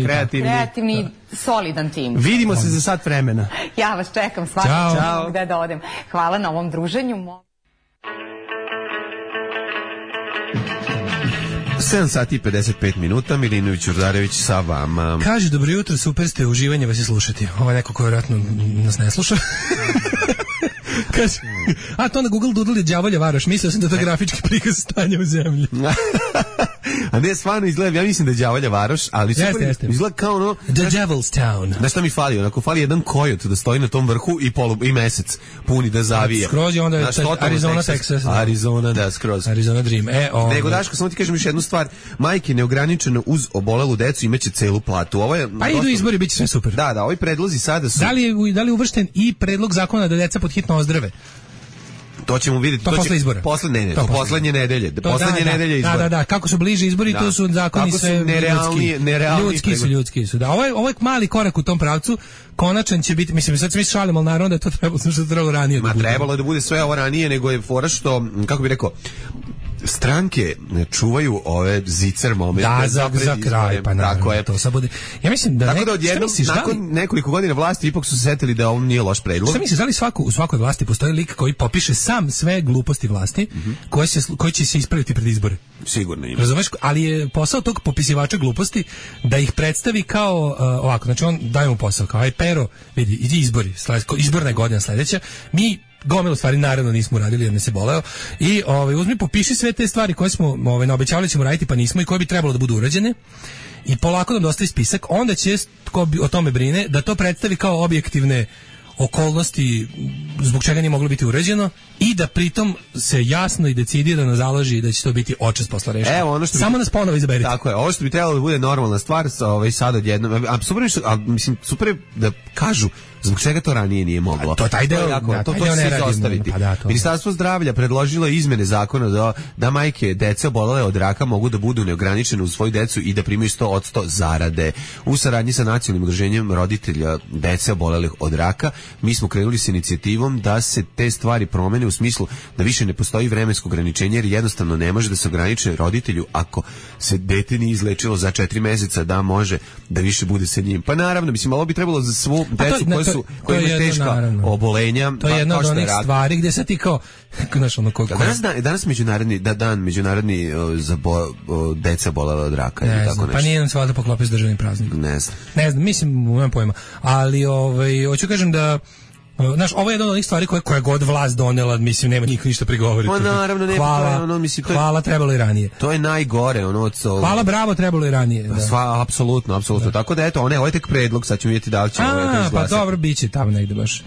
kreativni, solidan tim. Vidimo se za sat vremena. Ja vas čekam, svakako ću gde da odem. Hvala na ovom druženju. 7 sati i 55 minuta, Milinović Urdarević sa vama. Kaže, dobro jutro, super ste, uživanje vas je slušati. Ovo je neko ko vjerojatno nas ne sluša. Kaže, a to na Google Doodle je đavolja Varoš, mislio sam da to grafički prikaz stanja u zemlji. A ne, stvarno izgleda, ja mislim da je đavolja Varoš, ali izgleda kao ono... The Devil's Town. Znaš šta mi fali? Onako fali jedan kojot da stoji na tom vrhu i mesec puni da zavija. Skroz je onda Arizona, Texas. Arizona, da, skroz. Arizona Dream. Nego, Daško, samo ti kažem još jednu stvar. Majke neograničeno uz obolelu decu imaće celu platu. Ovo je... Pa idu izbori, bit će sve super. Da, ovi predlozi sada su... Da li je uvršten i predlog zakona da deca pod hitno ozdrave? To ćemo vidjeti. To posle izbora. To poslednje nedelje. Poslednje nedelje izbora. Da, kako su bliže izbori, tu su zakoni sve ljudski su. Da, ovo je mali korak u tom pravcu. Konačan će biti, mislim, sad se mi šalimo, ali naravno da je to trebalo ranije. Trebalo je da bude sve ovo ranije, nego je fora što, kako bih rekao, stranke čuvaju ove zicer momente za kraj, pa naravno, to sad bude. Ja mislim da tako da odjednom, nakon nekoliko godina vlasti ipak su se setili da ovo nije loš predlog. Šta misliš, da li u svakoj vlasti postoji lik koji popiše sam sve gluposti vlasti koji će se ispraviti pred izbore? Sigurno ima. Razumeš, ali je posao tog popisivača gluposti da ih predstavi kao ovako, znači on daje mu posao kao aj Pero, vidi, idi izbori, izborna je godina sledeća, mi gomilu stvari naravno nismo uradili jer ne se boleo i uzmi popiši sve te stvari koje smo naobećavali ćemo raditi pa nismo i koje bi trebalo da budu urađene i polako nam dostavi spisak, onda će ko o tome brine da to predstavi kao objektivne okolnosti zbog čega nije moglo biti urađeno i da pritom se jasno i decidirano založi da će to biti očas posla rešeno. Evo ono što samo nas ponovo izaberite. Tako je, ovo što bi trebalo da bude normalna stvar sad odjednom, mislim super je da kažu zbog čega to ranije nije moglo. To taj deo, to se izostaviti. Ministarstvo zdravlja predložilo izmene zakona da majke dece obolele od raka mogu da budu neograničene uz svoju decu i da primaju 100% zarade. U saradnji sa nacionalnim udruženjem roditelja dece obolelih od raka, mi smo krenuli s inicijativom da se te stvari promene u smislu da više ne postoji vremensko ograničenje jer jednostavno ne može da se ograniče roditelju ako se dete nije izlečilo za 4 meseca da može da više bude sa njim. Pa naravno, mislim, ovo bi trebalo za svu decu koji imaju teška obolenja. To je jedna od onih stvari gdje sad ti kao znaš ono danas međunarodni za deca bolele od raka. Ne znam, pa nije nam se valjda poklopio s državnim praznikom. Ne znam, mislim, nemam pojma. Ali hoću kažem da znaš, ovo je jedna od onih stvari koja god vlast donela, mislim, nema niko ništa prigovoriti. Pa naravno, ne, hvala, trebalo i ranije. To je najgore, hvala, bravo, trebalo i ranije. Apsolutno. Tako da, eto, ovo je tek predlog, sad ćemo vidjeti da li će pa dobro, bit će tamo negde baš.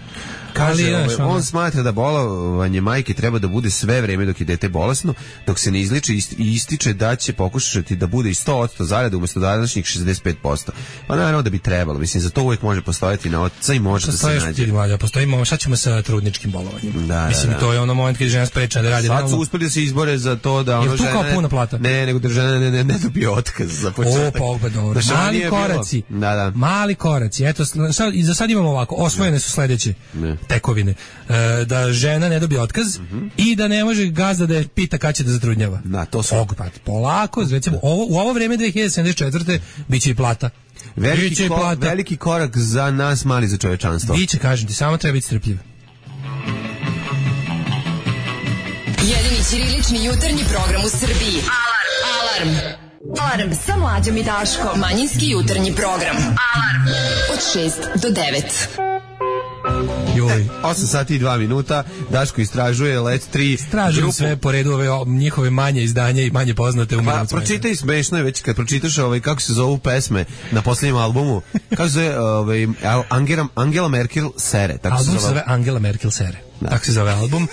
On smatra da bolovanje majke treba da bude sve vreme dok je dete bolesno, dok se ne izliči i ističe da će pokušati da bude i 100% zarade umjesto današnjih 65%. Pa naravno da bi trebalo, mislim, za to uvijek može postojati na oca i može da se nađe. Postojimo, šta ćemo sa trudničkim bolovanjem? Mislim, to je ono moment kad žena sprečena da radi. Sad su uspeli da se izbore za to da ono žena... Je tu kao puna plata? Ne, nego da žena ne dobije otkaz za početak. Dobro. Mali koraci. Mali koraci. Eto, i za sad imamo ovako, osvojene su sledeće tekovine. Da žena ne dobije otkaz i da ne može gazda da je pita kad će da zatrudnjava. Polako, recimo, u ovo vreme 2074. biće i plata. Veliki korak za nas, mali za čovečanstvo. Biće, kažem ti, samo treba biti strpljiv. Jedini ćirilični jutarnji program u Srbiji. Alarm sa Mlađom i Daškom. Manjinski jutarnji program. Alarm od 6 do 9. 8 sati i 2 minuta. Daško istražuje Let 3. Istražujem sve po redu ove njihove manje izdanja i manje poznate umetnice. Pročitaj, smešno je već kad pročitaš kako se zovu pesme na posljednjem albumu. Kako se zove Angela Merkel sere. Album se zove Angela Merkel sere. Tako se zove album.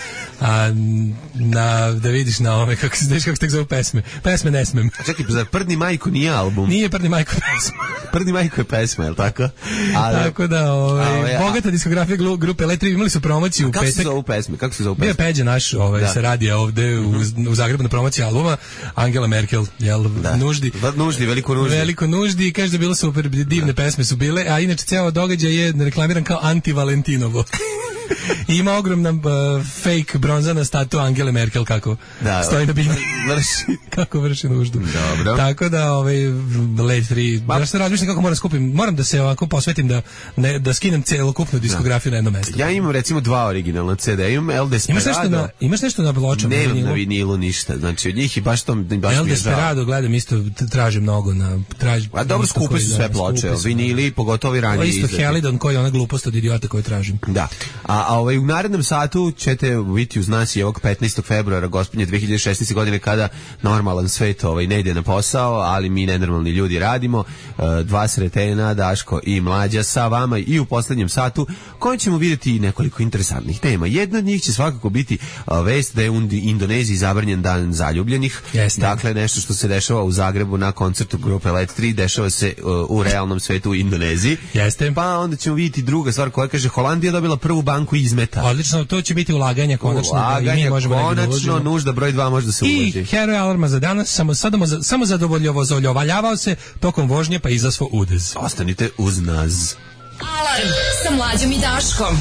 Da vidiš na ove, kako se tek zove pesme. Pesme ne smem. Čekaj, za Prdni majko nije album. Nije Prdni majko pesma. Prdni majko je pesma, je li tako? Tako da, bogata diskografija grupe Let 3, imali su promociju u petak. Kako se zove pesme? Bio je Peđa naš, se radija ovde u Zagrebu na promociji albuma. Angela Merkel, nuždi. Veliko nuždi, kaže da bilo super, divne pesme su bile, a inače ceo događaj je reklamiran kao anti-Valentinovo. I ima ogromna fake bronzana statua Angele Merkel kako stoji na bini. Kako vrši nuždu. Dobro. Tako da Let 3, ja se razmišljam kako moram skupim, moram da se ovako posvetim da skinem celokupnu diskografiju na jedno mesto. Ja imam recimo 2 originalna CD, imam El Desperado. Imaš nešto na pločama? Nemam na vinilu ništa, znači od njih i baš to baš El Desperado gledam isto, tražim mnogo a dobro, skupe su sve ploče, vinili, pogotovo i ranije izdati. Isto Helidon koji je ona glupost od idiota koju tražim. Da. A u narednom satu ćete biti uz nas i ovog 15. februara gospodnje 2016. godine kada normalan svet ne ide na posao, ali mi nenormalni ljudi radimo. 2 sretena, Daško i Mlađa sa vama i u poslednjem satu koji ćemo vidjeti nekoliko interesantnih tema. Jedna od njih će svakako biti vest da je u Indoneziji zabranjen dan zaljubljenih. Jeste. Dakle, nešto što se dešava u Zagrebu na koncertu grupe Let 3 dešava se u realnom svetu u Indoneziji. Jeste. Pa onda ćemo vidjeti druga stvar koja kaže Holandija dobila prvu banku izmeta. Odlično, to će biti ulaganje konačno. Konačno, nužda broj 2 može da se uloži. I heroj alarma za danas, samo zadovoljavaljavao se tokom vožnje pa izazvao udez. Ostanite uz nas. Alarm sa Mlađom i Daškom.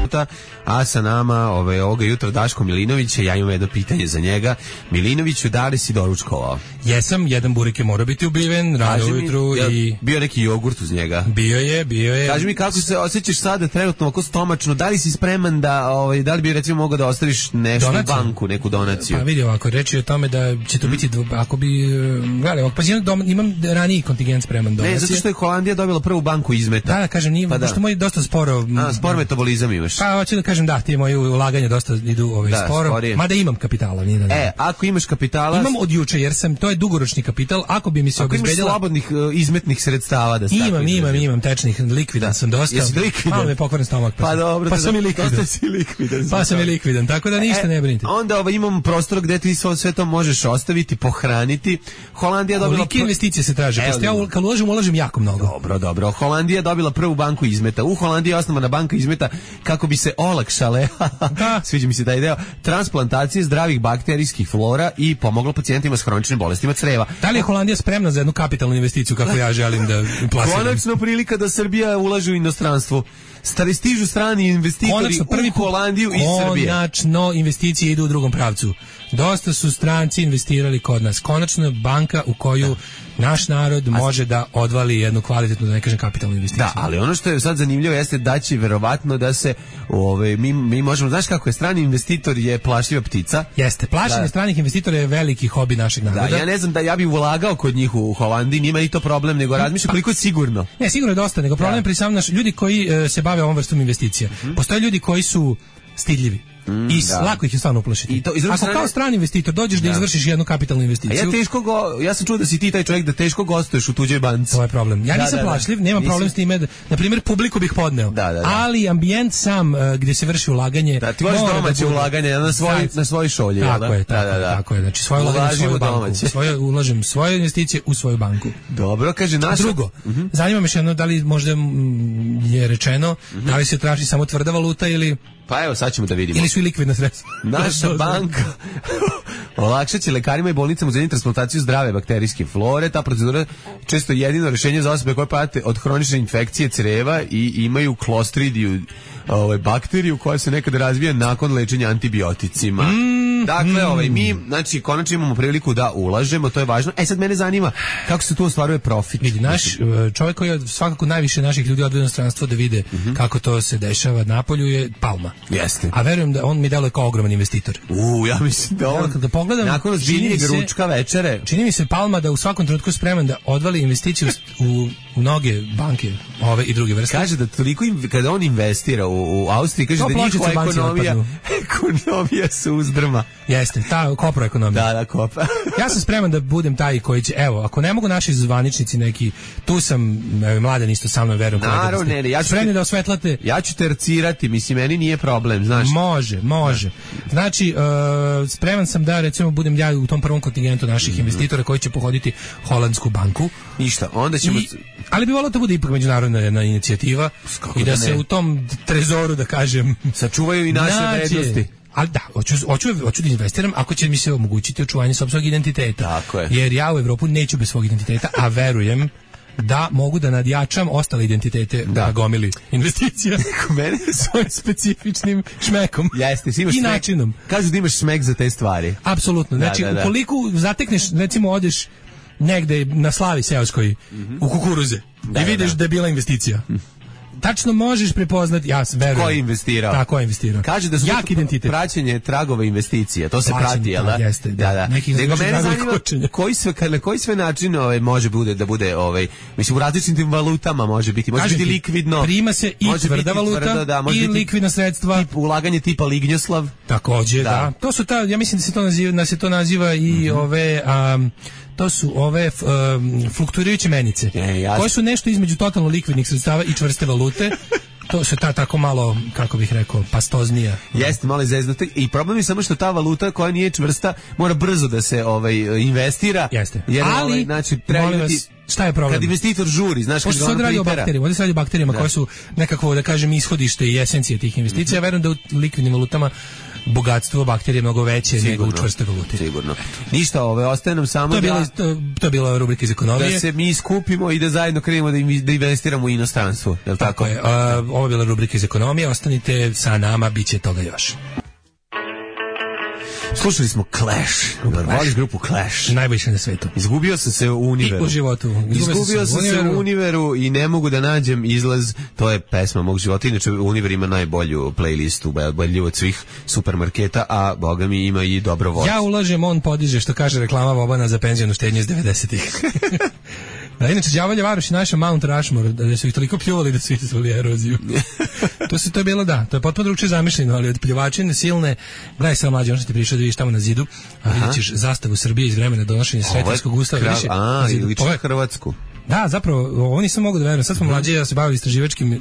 minuta, a sa nama ovoga jutra Daško Milinović, ja imam jedno pitanje za njega. Milinoviću, da li si doručkovao? Jesam, jedan burik je mora biti ubiven, rano ujutru i... Bio neki jogurt uz njega? Bio je. Kaži mi kako se osjećaš sada trenutno oko stomačno, da li si spreman da li bi recimo mogao da ostaviš nešto u banku, neku donaciju? Pa vidi ovako, reći je o tome da će to biti, ako bi, gledaj, pa imam raniji kontingent spreman donacije. Ne, zato što je Holandija dobila prvu banku izmeta. Da, kažem, nije, pošto moj dosta sporo... spor metabolizam imaš. Pa, hoću da kažem, ti moji ulaganja dosta idu sporo, sporije. mada imam kapitala. Ako imaš kapitala... Imam od juče, jer to je dugoročni kapital, ako bi mi se obezbedila... Ako imaš slobodnih izmetnih sredstava da stavim. Imam tečnih, likvidan sam dosta. Jesi likvidan? Malo me pokvaren stomak. Pa dobro. Pa sam i likvidan. Tako da ništa ne brinite. Onda imamo prostor gde ti sve to možeš ostaviti, pohraniti. Holandija dobila... Kolike investicije se traže? Pošto ja kad ulažem jako mnogo. Dobro. Holandija je dobila prvu banku izmeta. U Holandiji je osnovana banka izmeta kako bi se olakšale, sviđa mi se taj deo, transplantacije zdravih bakterijskih flora i pomoglo pacijentima s hroničnim bolestima creva. Da li je Holandija spremna za jednu kapitalnu investiciju kako ja želim da plasiram? Konačno prilika da Srbija ulaže u inostranstvo. Stižu strani investitori u Holandiju i Srbije. Konačno investicije idu u drugom pravcu. Dosta su stranci investirali kod nas. Konačno banka u koju naš narod može da odvali jednu kvalitetnu, da ne kažem kapitalnu investiciju. Da, ali ono što je sad zanimljivo jeste da će verovatno da se mi možemo, znaš kako je, strani investitor je plašljiva ptica. Jeste, plašenje stranih investitora je veliki hobi našeg naroda. Da, ja ne znam da ja bih ulagao kod njih u Holandiji, nima ni to problem, nego razmišljam koliko je sigurno. Ne, sigurno je dosta, nego problem pri sam ljudi koji se bave ovom vrstom investicija. Postoje ljudi koji su stidljivi. I lako ih je stvarno uplašiti. Ako kao strani investitor dođeš da izvršiš jednu kapitalnu investiciju. Ja sam čuo da si ti taj čovjek da teško gostuješ u tuđoj banci. To je problem. Ja nisam plašljiv, nemam problem s time. Na primjer, publiku bih podneo. Ali ambijent sam gdje se vrši ulaganje. Da, ti voliš domaće ulaganje na svoj šolji. Tako je. Znači, svoje ulaganje u svoju banku. Ulažem svoje investicije u svoju banku. Dobro, kaže naša... Drugo, zanima me še jedno, da li možda je rečeno, da li se traži samo tvrda valuta ili... Pa evo, sad ćemo da vidimo. Ili su i likvidna sredstva. Naša banka olakšat će lekarima i bolnicama uzeti transplantaciju zdrave bakterijske flore. Ta procedura često jedino rješenje za osobe koje pate od hronične infekcije creva i imaju klostridiju, bakteriju koja se nekada razvija nakon lečenja antibioticima. Dakle, mi, znači, konačno imamo priliku da ulažemo, to je važno. Sad mene zanima kako se tu ostvaruje profit. Vidi, naš čovjek koji je svakako najviše naših ljudi odveo u inostranstvo da vide kako to se dešava napolju je Palma. Jeste. A verujem da on mi deluje kao ogroman investitor. Ja mislim da on, kada pogledam, nakon ozbiljnijeg ručka večere, čini mi se Palma da u svakom trenutku spreman da odvali investiciju u mnoge banke, ove i druge vrste. Kaže da toliko kada on investira u Austriji, kaže da njihova ekonomija se uzdrma. Jeste, ta koproekonomija. Da, kopra. Ja sam spreman da budem taj koji će, evo, ako ne mogu naši zvaničnici neki, tu sam, Mladen isto sa mnom, verujem. Naravno, ja ću spremni da osvetlate. Ja ću tercirati, mislim, meni nije problem, znaš. Može. Znači, spreman sam da, recimo, budem ja u tom prvom kontingentu naših investitora koji će pohoditi Holandsku banku. Ništa, onda ćemo... Ali bi volio da bude ipak međunarodna jedna inicijativa i da se u tom trezoru, da kažem, sačuvaju i naše vrednosti. Ali da, hoću da investiram ako će mi se omogućiti očuvanje sopstvenog identiteta. Tako je. Jer ja u Evropu neću bez svog identiteta, a verujem da mogu da nadjačam ostale identitete na gomili investicija svojim specifičnim šmekom. Jeste, imaš i načinom. Kažu da imaš šmek za te stvari. Apsolutno. Znači, ukoliko zatekneš, recimo odeš negde na slavi seoskoj u kukuruze i vidiš da je bila investicija. Tačno možeš prepoznati, ja verujem. Ko je investirao? Tako je investirao. Kaže da su praćenje tragova investicija, to se prati, jel da? Jeste, da. Nego mene zanima koji sve način može da bude, mislim, u različitim valutama može biti biti likvidno. Prima se i tvrda valuta i likvidna sredstva. Ulaganje tipa Lignjoslav. Takođe, da. To su ja mislim da se to naziva i to su ove fluktuirajuće menice, koje su nešto između totalno likvidnih sredstava i čvrste valute. To se tako malo, kako bih rekao, pastoznija. Jeste, malo izeznuto. I problem je samo što ta valuta koja nije čvrsta mora brzo da se investira. Jeste. Jer, ali, znači, molim vas, šta je problem? Kad investitor žuri, znaš, Pošto se radi o bakterijama, ovdje se radi o bakterijama koje su nekakvo, da kažem, ishodište i esencije tih investicija. Ja verujem da u likvidnim valutama bogatstvo bakterije mnogo veće nego u čvrste valute. Sigurno. Ništa, ostaje nam samo to je bila rubrika iz ekonomije. Da se mi skupimo i da zajedno krenemo da investiramo u inostranstvo. Je li tako? Je. Ovo je bila rubrika iz ekonomije. Ostanite sa nama, bit će toga još. Slušali smo Clash. Voliš grupu Clash? Najbolji na svetu. Izgubio sam se u Univeru. I u životu. Izgubio sam se u Univeru i ne mogu da nađem izlaz. To je pesma mog života. Inače, Univer ima najbolju playlistu, bolju od svih supermarketa, a boga mi ima i dobro voz. Ja ulažem, on podiže, što kaže reklama Vobana za penzijonu štednju iz 90-ih. Da, inače, Đavolja Varoš i naša Mount Rushmore, da su ih toliko pljuvali da su izazvali eroziju. To je bilo, da, to je potpuno drugčije zamišljeno, ali od pljuvačine silne, gledaj samo mlađe, ono što ti prišao da vidiš tamo na zidu, a vidjet ćeš zastavu Srbije iz vremena donošenja Sretenskog ustava. Liči Hrvatsku. Da, zapravo, ovo nisam mogu da verujem. Sad smo mlađi, ja se bavili istraživačkim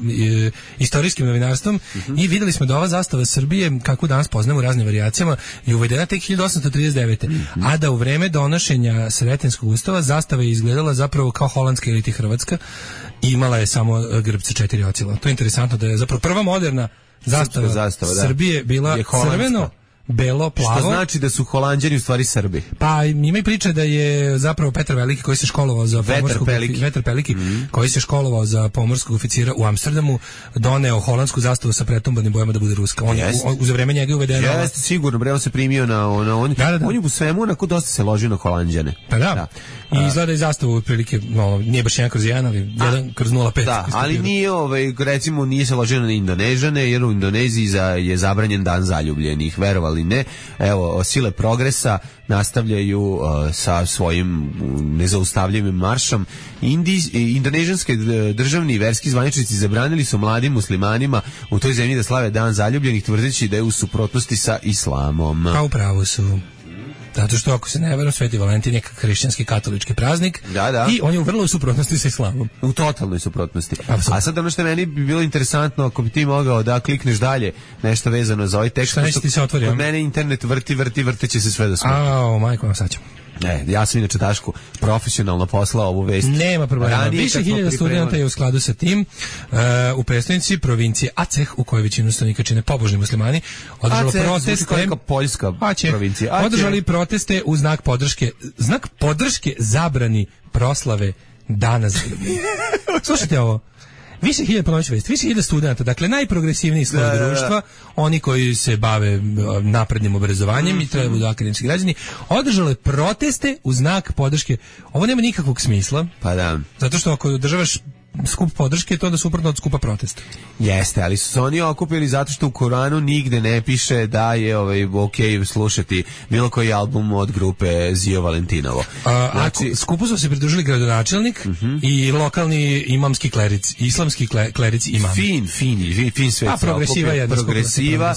istorijskim novinarstvom i videli smo da ova zastava Srbije, kako danas poznamo u raznim varijacijama, je uvedena tek 1839. A da u vreme donošenja Sretenskog ustava zastava je izgledala zapravo kao holandska ili hrvatska i imala je samo grb sa 4 ocila. To je interesantno da je zapravo prva moderna zastava Srbije bila crveno, belo, plavo. Što znači da su Holanđani u stvari Srbi. Pa ima i priča da je zapravo Petar Veliki koji se školovao za Vetar Peliki koji se školovao za pomorskog oficira u Amsterdamu doneo holandsku zastavu sa pretumbanim bojama da bude ruska. On za vreme njega je uvedeno. Jeste sigurno, bre, on se primio na on je u svemu onako dosta se ložio na Holanđane. Pa da. I izgleda i zastavu otprilike, nije baš 1/1, ali 1/05. Da, ali nije, recimo, nije se ložio na Indonežane, jer u Indoneziji je zabranjen dan zaljubljenih, verovali ne. Evo, sile progresa nastavljaju sa svojim nezaustavljivim maršom. Indonežanske državni i verski zvaničnici zabranili su mladim muslimanima u toj zemlji da slave dan zaljubljenih, tvrdeći da je u suprotnosti sa islamom. Pa upravo su. Zato što ako se ne varam, Sveti Valentin je hrišćanski katolički praznik i on je u vrlo suprotnosti sa islamom. U totalnoj suprotnosti. A sad ono što meni bi bilo interesantno, ako bi ti mogao da klikneš dalje nešto vezano za ovaj tekst. Šta neće ti se otvori? Kod mene internet vrteće se sve do smrti. Majko, vam sad ćemo. Ja sam inače Dašku profesionalno poslao ovu vest. Nema problema. Više hiljada studenta je u skladu sa tim u prestonici provincije Aceh, u kojoj većinu stanovnika čine pobožni muslimani, održalo proteste. Poljska provincija. Održali proteste u znak podrške zabrani proslave Dana Zaljubljenih. Slušajte ovo. Više hiljada studenta, dakle najprogresivniji sloj društva, oni koji se bave naprednim obrazovanjem i treba budu akademski građani, održale proteste u znak podrške. Ovo nema nikakvog smisla. Pa da. Zato što ako održavaš skup podrške, to je onda suprotno od skupa protesta. Jeste, ali su se oni okupili zato što u Koranu nigde ne piše da je okej slušati bilo koji album od grupe Zio Valentinovo. Skupu su se pridružili gradonačelnik i lokalni imamski kleric, islamski kleric imam. Fin svet. Progresiva.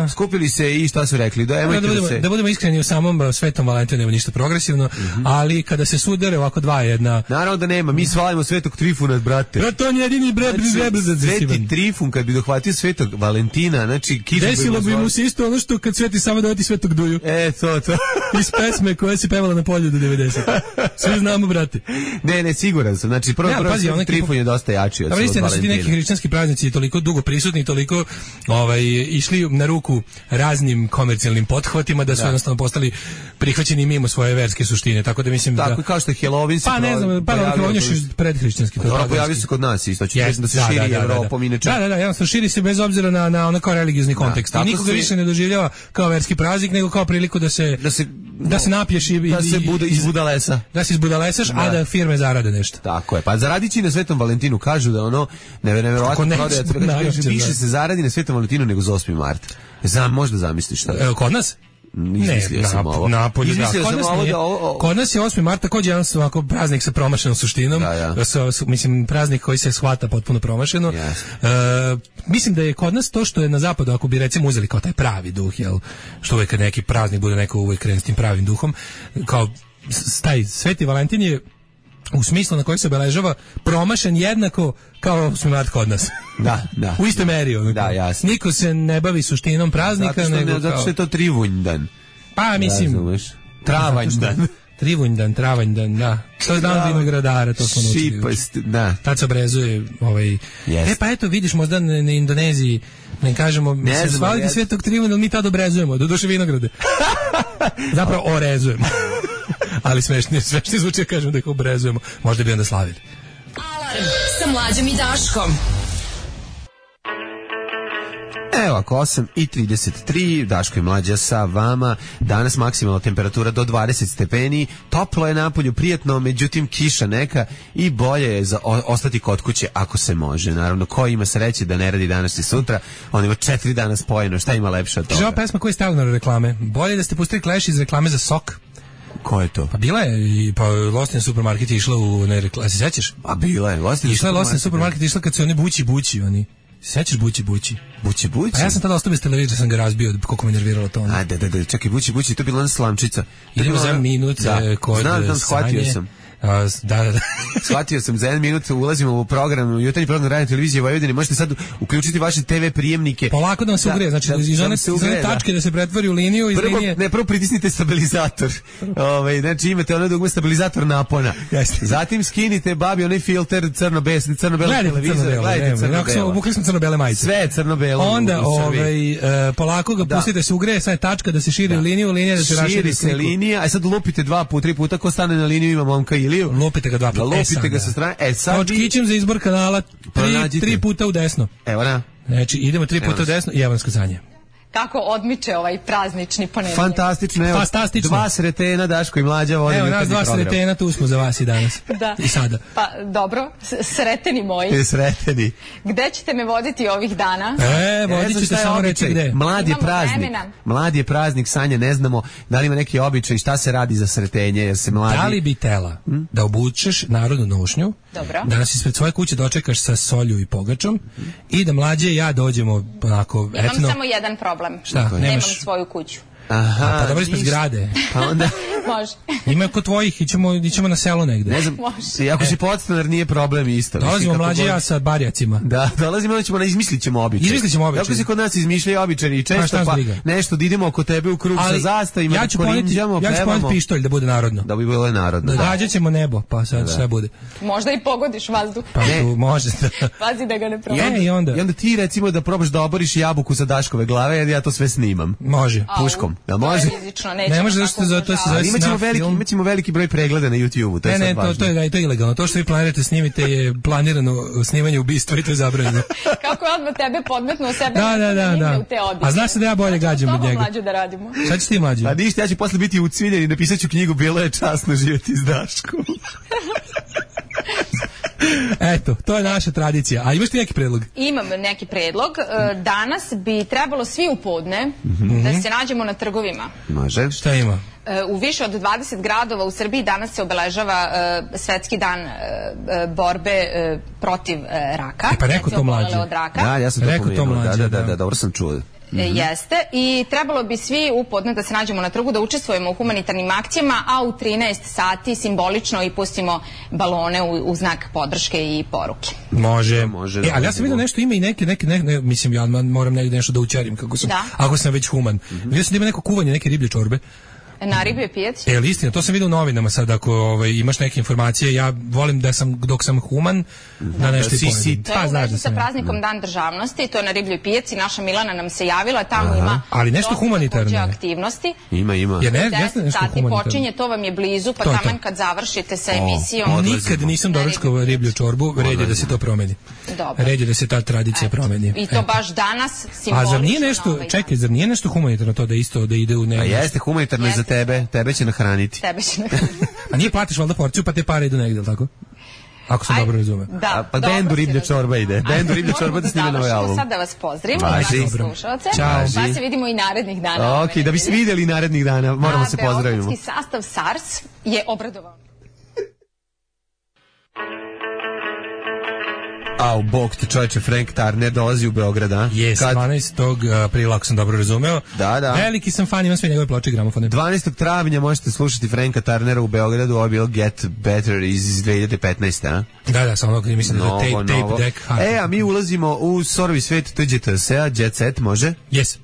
Skupili se i šta su rekli? Da budemo iskreni, u samom Svetom Valentinu nema ništa progresivno, ali kada se sudare ovako dva jedna... Naravno da nema, mi slavimo Svetog Trifuna, brate. To je jedini Sveti Trifun, kad bi dohvatio Svetog Valentina, znači... Desilo bi mu se isto ono što kad Sveti Sava dovati Svetog Duju. To. Iz pesme koja se pevala na polju do 90. Svi znamo, brate. Ne, siguran sam. Znači, prvo Sveti Trifun je dosta jači od Svetog Valentina. Da su ti neki hrišćanski praznici toliko dugo prisutni, toliko išli na ruku raznim komercijalnim pothvatima da su jednostavno postali prihvaćeni mimo svoje verske suštine. Tako da mislim tako kao što je Halloween se Halloween je predhrišćanski. Pojavio se kod nas isto, da se širi Evropom inače. Da, jednostavno širi se bez obzira na onako religiozni kontekst. I nikoga više ne doživljava kao verski praznik, nego kao priliku da se napiješ i da se izbudalesa. Da se izbudalesaš, a da firme zarade nešto. Tako je. Pa zaradići na Svetom Valentinu kažu da ono neverovatno prodaje. Više se zaradi na Svetom Valentinu nego za 8. mart. Možda zamisliš šta. Evo kod nas? Izmislio sam ovo. Napolju, kod nas je 8. marta također jedan ovako praznik sa promašenom suštinom. Mislim, praznik koji se shvata potpuno promašeno. Mislim da je kod nas to što je na zapadu, ako bi recimo uzeli kao taj pravi duh, što uvijek kad neki praznik bude neko uvijek krene s tim pravim duhom, kao taj Sveti Valentin je u smislu na koji se obeležava promašen jednako kao 8. mart kod nas. Da. U iste meri. Da, jasno. Niko se ne bavi suštinom praznika. Zato što je to Trivunj dan. Pa mislim... Travanj dan. Trivunjdan, travanjdan, da. To je dan vinogradara, to smo naučili. Šipast, da. Tad se obrezuje pa eto, vidiš, možda na Indoneziji, ne kažemo, svalite Svetog Trivuna, ali mi tad obrezujemo, do duše vinograde. Zapravo orezujemo. Ali smešni zvuči, kažemo da ih obrezujemo. Možda bi onda slavili. Alarm sa Mlađom i Daškom. Evo ako 8:33, Daško i Mlađa sa vama. Danas maksimalna temperatura do 20 stepeni, toplo je napolju, prijatno, međutim kiša neka i bolje je za ostati kod kuće ako se može. Naravno, ko ima sreće da ne radi danas i sutra, on ima 4 dana spojeno, šta ima lepše od toga? Ova pesma koja je stavljena na reklame, bolje da ste pustili Clash iz reklame za sok. Ko je to? Pa bila je, pa Lostin Supermarket je išla u se sećaš? A bila je, Lostin Supermarket išla kad se oni bući, oni. Sećaš bući? Bući? Pa ja sam tada ostao bez televizora, sam ga razbio, koliko me nerviralo to. A, da, čekaj, bući, to je bila ona slamčica. Idemo za minut kod znam, shvatio sam. Da. Shvatio sam, za 1 minut ulazimo u program, jutarnji program Radio Televizije Vojvodine, možete sad uključiti vaše TV prijemnike. Polako da vam se ugreje, znači iz one tačke da se pretvori u liniju, iz linije. Prvo pritisnite stabilizator. Znači imate ono dugme stabilizator napona. Zatim skinite babi onaj filter crno-beli televizor. Gledajte crno-belo. Obukli smo crno-bele majice. Sve je crno-belo. Onda polako ga pustite se ugreje, sad je tačka da se širi liniju, linija da se raširi. Širi se linija, a sad lupite 2 puta, 3 puta, ko stane na liniju ima momka Iliju. Lupite ga 2 puta. Lupite ga sa strane. Sad kićem za izbor kanala 3 puta u desno. Evo na. Znači idemo 3 puta u desno i evo nas kazanje. Kako odmiče ovaj praznični ponedeljak. Fantastično, evo. 2 sretena, Daško i Mlađa vodi. Evo nas 2 sretena, tu smo za vas i danas. Da. I sada. Pa dobro, sreteni moji. Sreteni. Gde ćete me voditi ovih dana? Vodit ćete samo reći gde. Mlad je praznik, Sanja, ne znamo da li ima neki običaj, šta se radi za sretenje, jer se mladi... Da li bi tela da obučeš narodnu nošnju, da nas ispred svoje kuće dočekaš sa solju i pogačom i da Mlađe i ja dođemo onako etno... Imam samo jedan problem. Šta? Nemam svoju kuću. Aha, pa dobro ispred zgrade. Pa onda... Može. Ima kod tvojih, ićemo na selo negde. Ne znam, ako si podstanar nije problem isto. Dolazimo Mlađe ja sa barjacima. Da, dolazimo, izmislit ćemo običaj. Kako se kod nas izmišljaju običaji i često pa nešto da idemo oko tebe u krug sa zastavima, ja ću poneti pištolj da bude narodno. Da bi bilo narodno. Gađat ćemo nebo, pa sad sve bude. Možda i pogodiš vazduh. Pa tu može. Pazi da ga ne probaš. I onda ti recimo da probaš da oboriš jabuku sa Daškove glave, jer ja to sve snimam. Može. Puškom. Da može? Ne može, zašto to se zove imaćemo veliki broj pregleda na YouTubeu. Ne, to je ilegalno. To što vi planirate snimite je planirano snimanje ubistva i to je zabranjeno. Kako je odmah tebe podmetnuo sebe? Da. A znaš se da ja bolje gađam od njega. Mlađu da radimo. Šta ćeš ti Mlađu? Pa ništa, ja ću posle biti ucviljen i napisat ću knjigu Bilo je časno živjeti s Daškom. Eto, to je naša tradicija. A imaš ti neki predlog? Imam neki predlog. Danas bi trebalo svi u podne da se nađemo na trgovima. Može. Šta ima? U više od 20 gradova u Srbiji danas se obeležava svetski dan borbe protiv raka. Pa rekao to Mlađe. Da, ja sam to pomenuo. Da, dobro sam čuo. Jeste, i trebalo bi svi u podne da se nađemo na trgu, da učestvujemo u humanitarnim akcijama, a u 13 sati simbolično i pustimo balone u znak podrške i poruke. Može. Ali ja sam vidio nešto, ima i neke mislim, ja moram nešto da učarim ako sam već human. Vidio sam da ima neko kuvanje, neke riblje čorbe. Na ribljoj pijaci? Istina, to sam vidio u novinama sad, ako imaš neke informacije, ja volim da sam, dok sam human, da nešto i pojedem. To je u vezi sa praznikom Dan državnosti, to je na ribljoj pijaci, naša Milana nam se javila, tamo ima ali nešto humanitarno aktivnosti. Ima. Jer nešto sati počinje, to vam je blizu, pa taman kad završite sa emisijom. Nikad nisam doručkovao riblju čorbu, red je da se to promeni. Red je da se ta tradicija promeni. I to baš danas simbolično. A zar nije nešto humanitarno to da isto da ide u A jeste humanitarno i za tebe će nahraniti. A nije platiš valjda porciju pa te pare idu negdje, tako? Ako sam dobro razumeo. Da, pa bendu riblja čorba ide. Bendu riblja čorba da snime novi album. Sad da vas pozdravim, vaši slušalce. Pa se vidimo i narednih dana. Ok, da bi se vidjeli narednih dana, moramo se pozdravimo. Beogradski sastav SARS je obradovao. Bog te čovječe, Frank Turner dolazi u Beograd, a? Jes, 12. aprila, ako sam dobro razumeo. Da. Veliki sam fan, imam sve njegove ploče i gramofone. 12. travnja možete slušati Franka Turnera u Beogradu, ovo je bilo Get Better iz 2015. a? Da, samo ono mislim da je tape deck. A mi ulazimo u sorovi svet TGTS-a, Jet Set, može? Yes.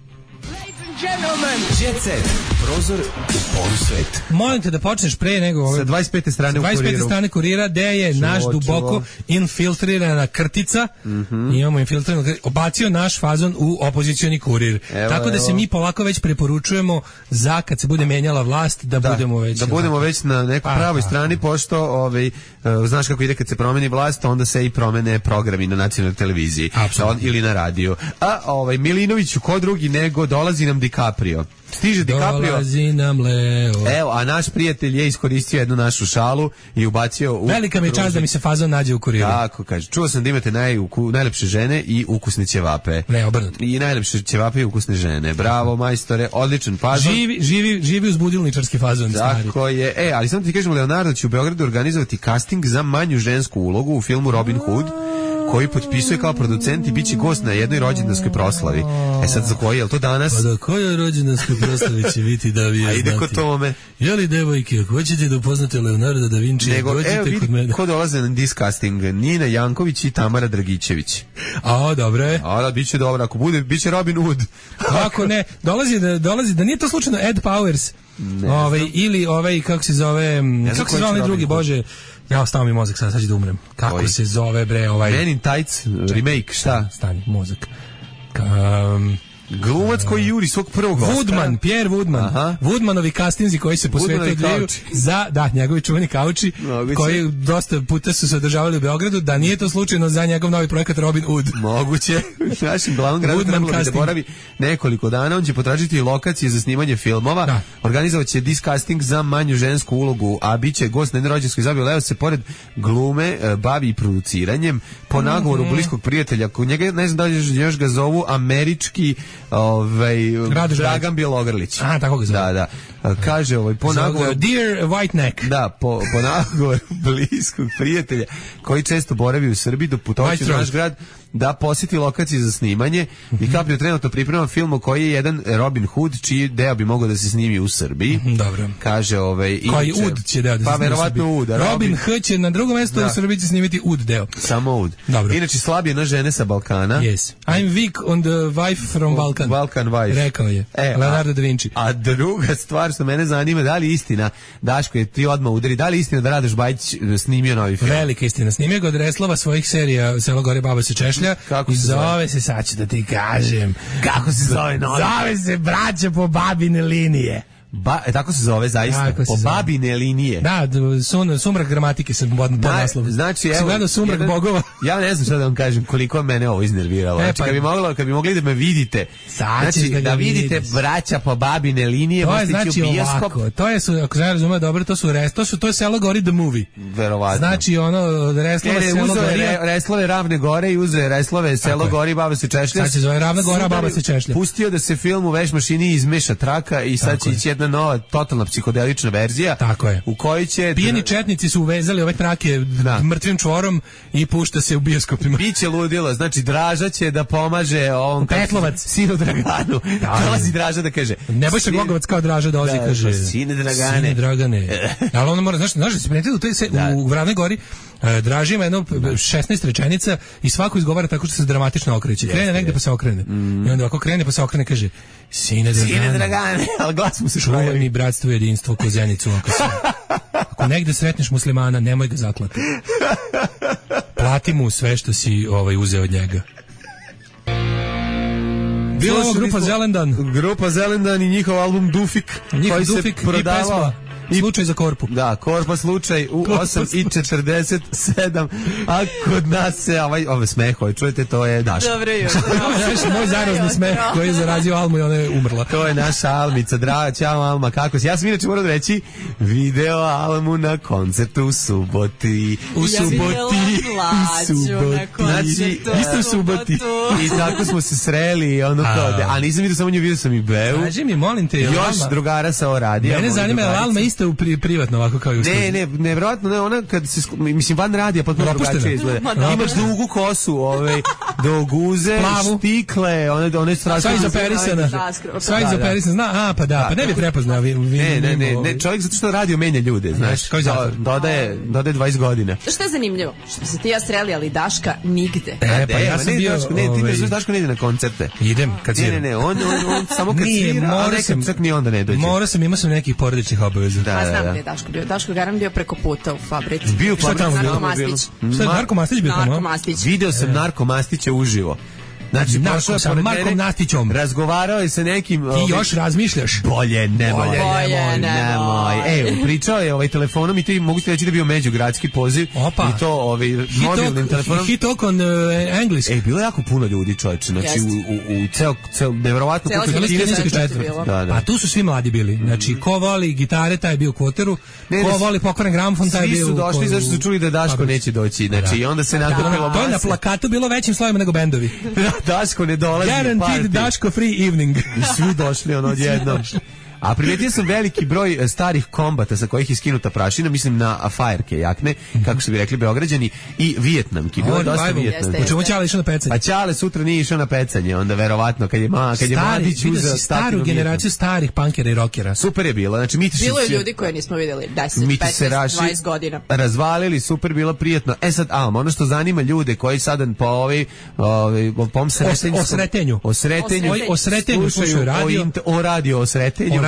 Jet Set. prozor u polusvet. Molim te da počneš pre nego... Sa 25. strane u Kuriru. 25. strane Kurira, gde je naš duboko infiltrirana krtica, imamo infiltriranu krticu, obacio naš fazon u opozicioni Kurir. Tako da se mi polako već preporučujemo za kad se bude menjala vlast, da budemo već... Da budemo već na nekoj pravoj strani, pošto znaš kako ide kad se promeni vlast, onda se i promene programi na nacionalnoj televiziji ili na radiju. A Milinoviću, ko drugi nego dolazi nam DiCaprio. Stiže DiCaprio. Dolazi nam Leo. Evo, a naš prijatelj je iskoristio jednu našu šalu i ubacio u... Velika mi je čast da mi se fazon nađe u Kuriru. Tako kaže. Čuo sam da imate najlepše žene i ukusne ćevape. Ne, obrnuto. I najlepše ćevape i ukusne žene. Bravo, majstore, odličan fazon. Živi uz budilničarski fazon. Tako je. Ali samo ti kažem, Leonardo će u Beogradu organizovati casting za manju žensku ulogu u filmu Robin Hood, koji potpisuje kao producent i bit će gost na jednoj rođendanskoj proslavi. Sad za koji, je li to danas? Pa da kojoj rođendanskoj proslavi će biti da vi je znati? A ide kod tome. Jeli devojke, ako hoćete da upoznate Leonardo da Vinci, dođite kod mene. Ko dolaze na this casting? Nina Janković i Tamara Dragićević. Dobro je. Da, bit će dobro. Ako bude, bit će Robin Hood. Ako ne, dolazi, da nije to slučajno Ed Powers, ili kako se zove, kako se zove onaj drugi, Bože, ja stao mi mozak, sad ću da umrem. Kako se zove, bre, Men in Tights, remake, šta? Stani, mozak. Glumac koji juri svog prvog Woodman, Pierre Woodman. Woodmanovi castinzi koji se posvetaju njegovi čuveni kauči, koji dosta puta su se održavali u Beogradu, da nije to slučajno za njegov novi projekat Robin Hood. Moguće. Našim glavnom gradu trebalo bi da boravi nekoliko dana. On će potražiti lokacije za snimanje filmova. Organizovat će this casting za manju žensku ulogu, a bit će gost na jednoj rođendanskoj zabavi. Leo se pored glume bavi i produciranjem. Po nagovoru bliskog prijatelja, njega ne znam da li još ga zovu američki Dragan Bjelogrlić. Tako ga zove. Da. Kaže po nagovoru Dear White Neck. Da, po nagovoru bliskog prijatelja koji često boravi u Srbiji, doputovaće u naš grad da posjeti lokacije za snimanje. DiCaprio trenutno priprema film koji je jedan Robin Hood, čiji deo bi mogao da se snimi u Srbiji. Dobro. Kaže koji Ud će deo da se snimi u Srbiji. Ud. Robin Hood će na drugom mjestu u Srbiji će snimiti Ud deo. Samo Ud. Dobro. Inače slabije na žene sa Balkana. Yes. I'm weak on the wife from Balkan. Balkan wife. Rekao je. Leonardo da Vinci. A druga stvar što mene zanima, da li istina, Daško je ti odmah udari, da li istina da Radoš Bajić snimio novi film? Velika istina. Snimio ga od reslova svojih serija Selo gore baba se češlja. Kako se zove se, sad ću da ti kažem. Kako se zove novi? Zove se Braća po babine linije. Tako se zove zaista, po babine linije. Da, sumrak gramatike sam pod naslovom. Znači, evo, gledao Sumrak bogova. Ja ne znam šta da vam kažem, koliko mene ovo iznerviralo. Znači, kad bi mogli da me vidite, znači, da vidite Braća po babine linije, to je znači ovako, to je, ako se razumije dobro, to je Selo gori the movie. Verovatno. Znači, ono, reslova Selo gori. Reslove Ravne gore i uze reslove Selo gori, baba se češlja. Sad se zove Ravna gora, baba se češlja. Pustio da se film u veš mašini izmeša traka i sad će ići jedna nova, totalna psihodelična verzija. Tako je. U kojoj će... Pijeni četnici su uvezali ove trake mrtvim čvorom i pušta se u bioskopima. Biće ludilo, znači Draža će da pomaže ovom... Petlovac. Sinu Draganu. Dolazi Draža da kaže... Nebojša Glogovac kao Draža dolazi, kaže... Sine Dragane. Ali ono mora, znaš da se primetili u Ravnoj gori, Draža ima jedno 16 rečenica i svako izgovara tako što se dramatično okreće. Krene negde pa se okrene. I onda ako krene pa se okrene kaže Sine Dragane, ali glas mu se čuvaj mi bratstvo i jedinstvo ko zenicu ako negde sretneš muslimana, nemoj ga zaklati. Plati mu sve što si uzeo od njega. Bila ovo grupa Zelendan. Grupa Zelendan i njihov album Dufik, koji se prodavao. Slučaj za Korpu. Da, Korpa slučaj u 8:47, a kod nas se ovaj smeh, čujete, to je Daško. Dobro jutro. Moj zarazni smeh koji je zarazio Almu i ona je umrla. To je naša Almica, draga, ćao Alma, kako si? Ja sam inače moram reći, video Almu na koncertu u Suboti. Znači, isto u Suboti. I tako smo se sreli, a nisam vidio samo nju, vidio sam i Beu. Kaži mi, molim te, još drugara sa Oradija. Mene zanima, je Alma isto privatno ovako kao i u studiju? Nevjerojatno, ona kad se, mislim, van radija potpuno drugačije izgleda. Imaš dugu kosu, do guze, Plavu. štikle, one strašne. Sva izoperisana. Sva izoperisana. Zna, pa da, pa ne bi prepoznao. Ne, čovjek zato što radio menja ljude, znaš. Kao i zato. Dodaje 20 godina. Što je zanimljivo? Što se ti ja sreli, ali Daška nigde. Pa ja sam bio... Ti ne znaš Daško ne ide na koncerte. Idem, kad sviram. Ne, on samo kad svira, a nekad čak ni onda ne dođe. Imao sam nekih porodičnih obaveza. Pa znam gdje je Daško bio. Daško Garan bio preko puta u fabrici. Bio u fabrici. Narko Mastić. Šta je Narko Mastić bio tamo? Narko Mastić. Video sam Narko Mastića uživo. Znači, sa Markom Nastićom. Razgovarao je sa nekim... Ti još razmišljaš? Bolje nemoj. Pričao je telefonom i ti mogu ti reći da je bio međugradski poziv. Opa. I to mobilnim telefonom. He talk on English. Bilo je jako puno ljudi, čovječe. Znači, u ceo nevjerovatno puno kineske četvrti. Pa tu su svi mladi bili. Znači, ko voli gitare, taj je bio u Kvoteru. Ko voli pokvaren gramofon, taj je bio u... Svi su došli zašto su čuli da Daško neće doći. Znači, i onda se nakupilo to je na plakatu bilo većim slovima nego bendovi. Daško ne dolazi. Guaranteed Daško free evening. I svi došli odjednom. A primetio sam veliki broj starih kombata sa kojih je skinuta prašina, mislim na fajerke jakne, kako su bi rekli Beograđani, i Vijetnamki. Bilo je dosta Vijetnamki. Po čemu Ćale išao na pecanje? Pa Ćale sutra nije išao na pecanje, onda verovatno kad je mladić uzeo staru generaciju starih punkera i rockera. Super je bilo. Znači, bilo je ljudi koje nismo vidjeli 10, 15, 20 godina. Razvalili, super, bilo prijetno. Sad, ono što zanima ljude koji sada po osretenju slušaju radio. O radio osretenju.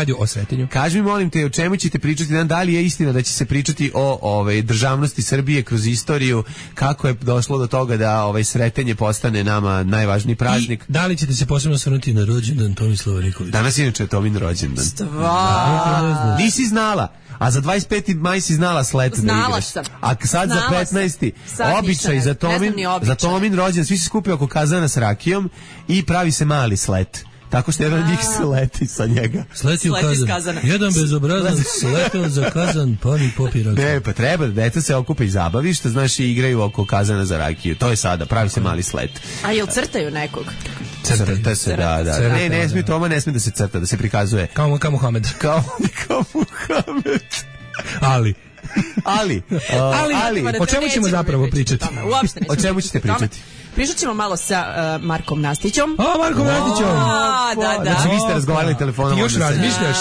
Kaži mi, molim te, o čemu ćete pričati? Da li je istina da će se pričati o državnosti Srbije kroz istoriju, kako je došlo do toga da Sretenje postane nama najvažniji praznik? I da li ćete se posebno osvrnuti na rođendan Tomislava Nikolića? Danas inače je Tomin rođendan. Stvarno? Nisi znala. A za 25. maj si znala slet da igraš. Sam. A sad za 15. običaj za Tomin rođendan, svi se skupio oko kazana s rakijom i pravi se mali slet. Tako što jedan od njih se leti sa njega. Sleti u kazan. Jedan bezobrazan sletao za kazan, pa ni popira. Ne, pa treba da deca se okupe i zabavi, što znaš, i igraju oko kazana za rakiju. To je sada, pravi se mali slet. A jel crtaju nekog? Crta se, da. Ne smije Toma, ne smije da se crta, da se prikazuje. Kao Muhammed. Kao Muhammed. Ali, o čemu ćemo zapravo pričati? O čemu ćete pričati? Pričat ćemo malo sa Markom Nastićom. Markom Nastićom! Da. Znači, vi ste razgovarali telefonom. Ti još razmišljaš?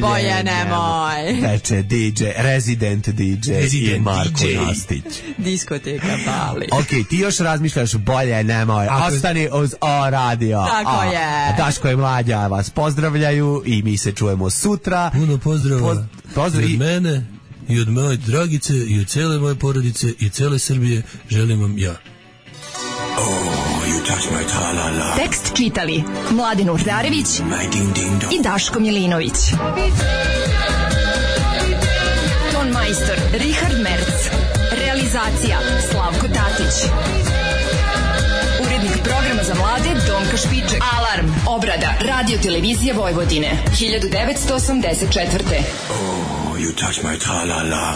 Bolje nemoj. Veče DJ, Resident DJ i Marko Nastić. Diskoteka Bali. Ok, ti još razmišljaš, bolje nemoj. Ostani uz O radio. Tako je. Daško i Mlađa vas pozdravljaju i mi se čujemo sutra. Puno pozdrava od mene i od moje Dragice i od cele moje porodice i cele Srbije želim vam ja. Tekst čitali Mladen Urdarević i Daško Milinović. Ton majstor Richard Merc. Realizacija Slavko Tatić. Urednik programa za mlade Donka Špiček. Alarm, obrada, radio televizija Vojvodine, 1984. Oh, you touch my tra-la-la.